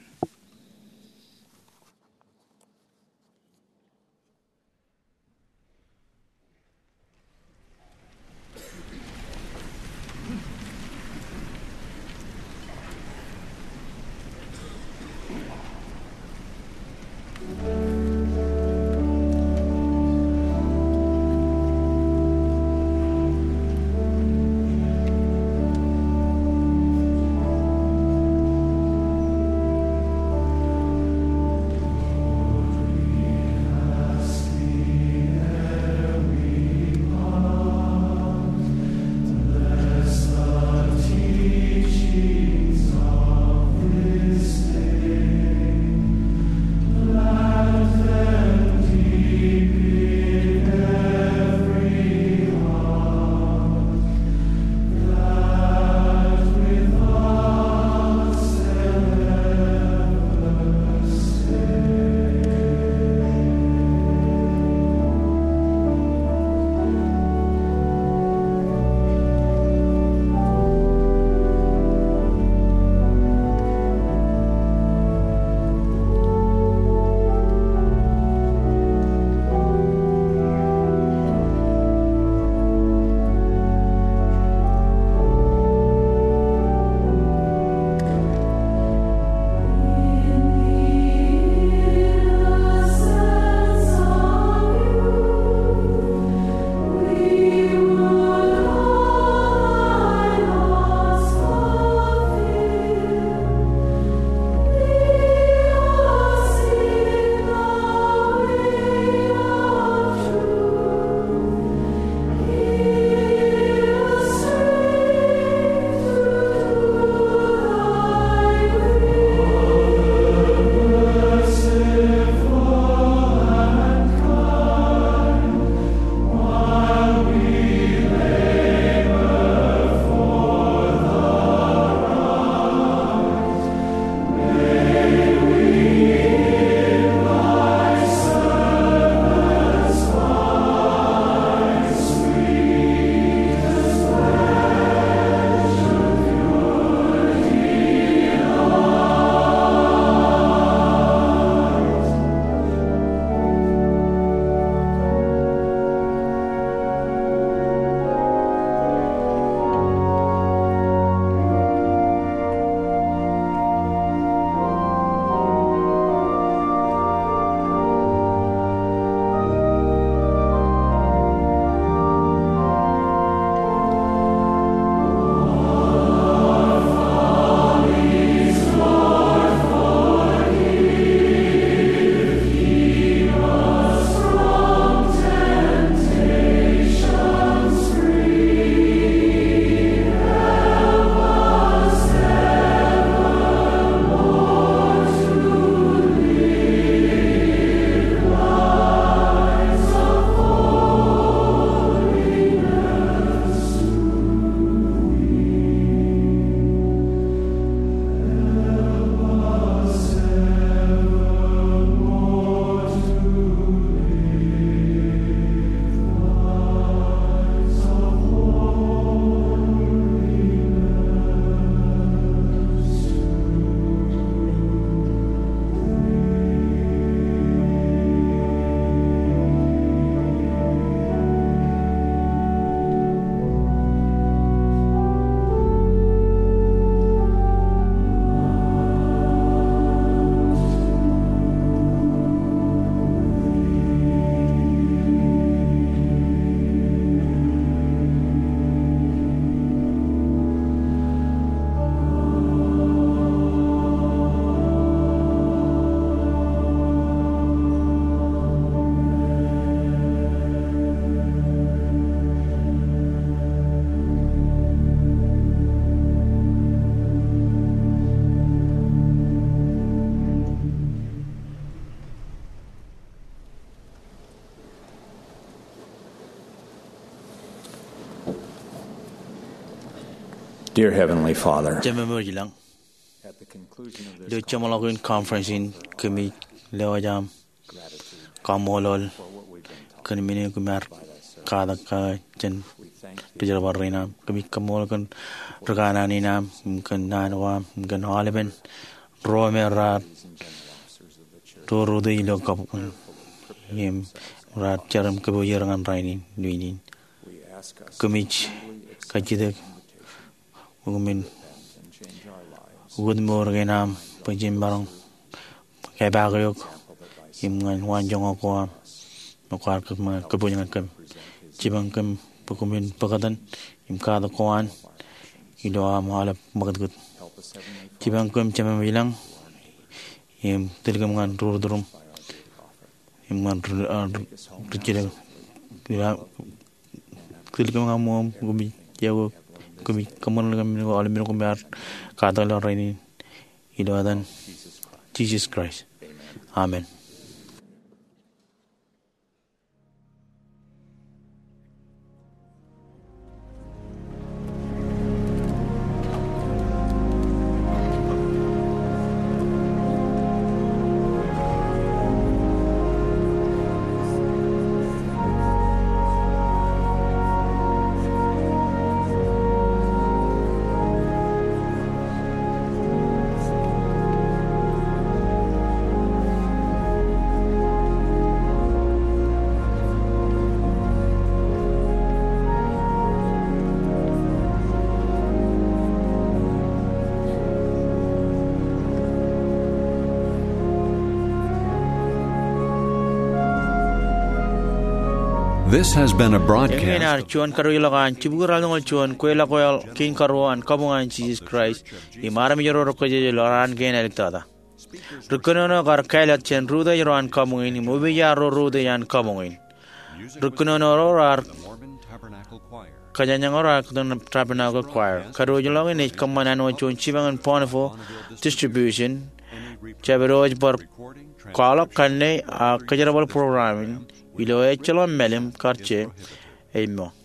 Dear Heavenly Father, Jemem eo ilañ, ilo jeṃḷọkin conference in kōmij lewōj aṃ kaṃṃoolol kōn men eo kōm ar katak kake jān ri jerbal rein aṃ. Kōmij kaṃṃoolol kōn ri kanaan in aṃ im kōn naan ko aṃ im kōn aolepen ro me raar rūtto ilo kabuñ im raar jar im kōpooj er ñan rainin, lewin in. Kōmij kajjitōk bwe kōmin wōt mour kein am bwe jen maroñ epaak eok im ñan waanjoñak ko am me kwaar kōpooj ñan kōm. Jipañ kōm bwe kōmin bōktan im katak ko an ilo am aolep ṃakūtkūt. Jipañ kōm Jemem ilañ im tōl kōm ñan ri wōt ro im ñan ri, ri, ri jidōk. Tōl kōm ñan ṃōṃ, kōmij, kōmij kōṃṃan kōm men ko, aolep men ko kōm ar katak ilo rainin, ilo etan Jisōs Kraist. Amen. This has been a broadcast. Eñin ear juon kadiwōjḷọk an jibukwi ralitōñoul juon kweilọk wal kein karuo an kabuñ an Jisōs Kraist im armej ro rej kōjjej ilo raan kein āliktata. Ri kōnono kar kāālōt jān rūtto ro an kabuñ in im opija ro rūtto an kabuñ in. Ri kōnono ro raar kōjañjañ ro raar kōtōn Tabernacle Choir. Kadiwōjḷọk in ej kōṃṃan anwōj juon jipañ in bountiful distribution. Jabdewōj bar kwaḷọk kanne ak kōjerbal program in ilo ejjeḷọk mālim kar jeiū eo.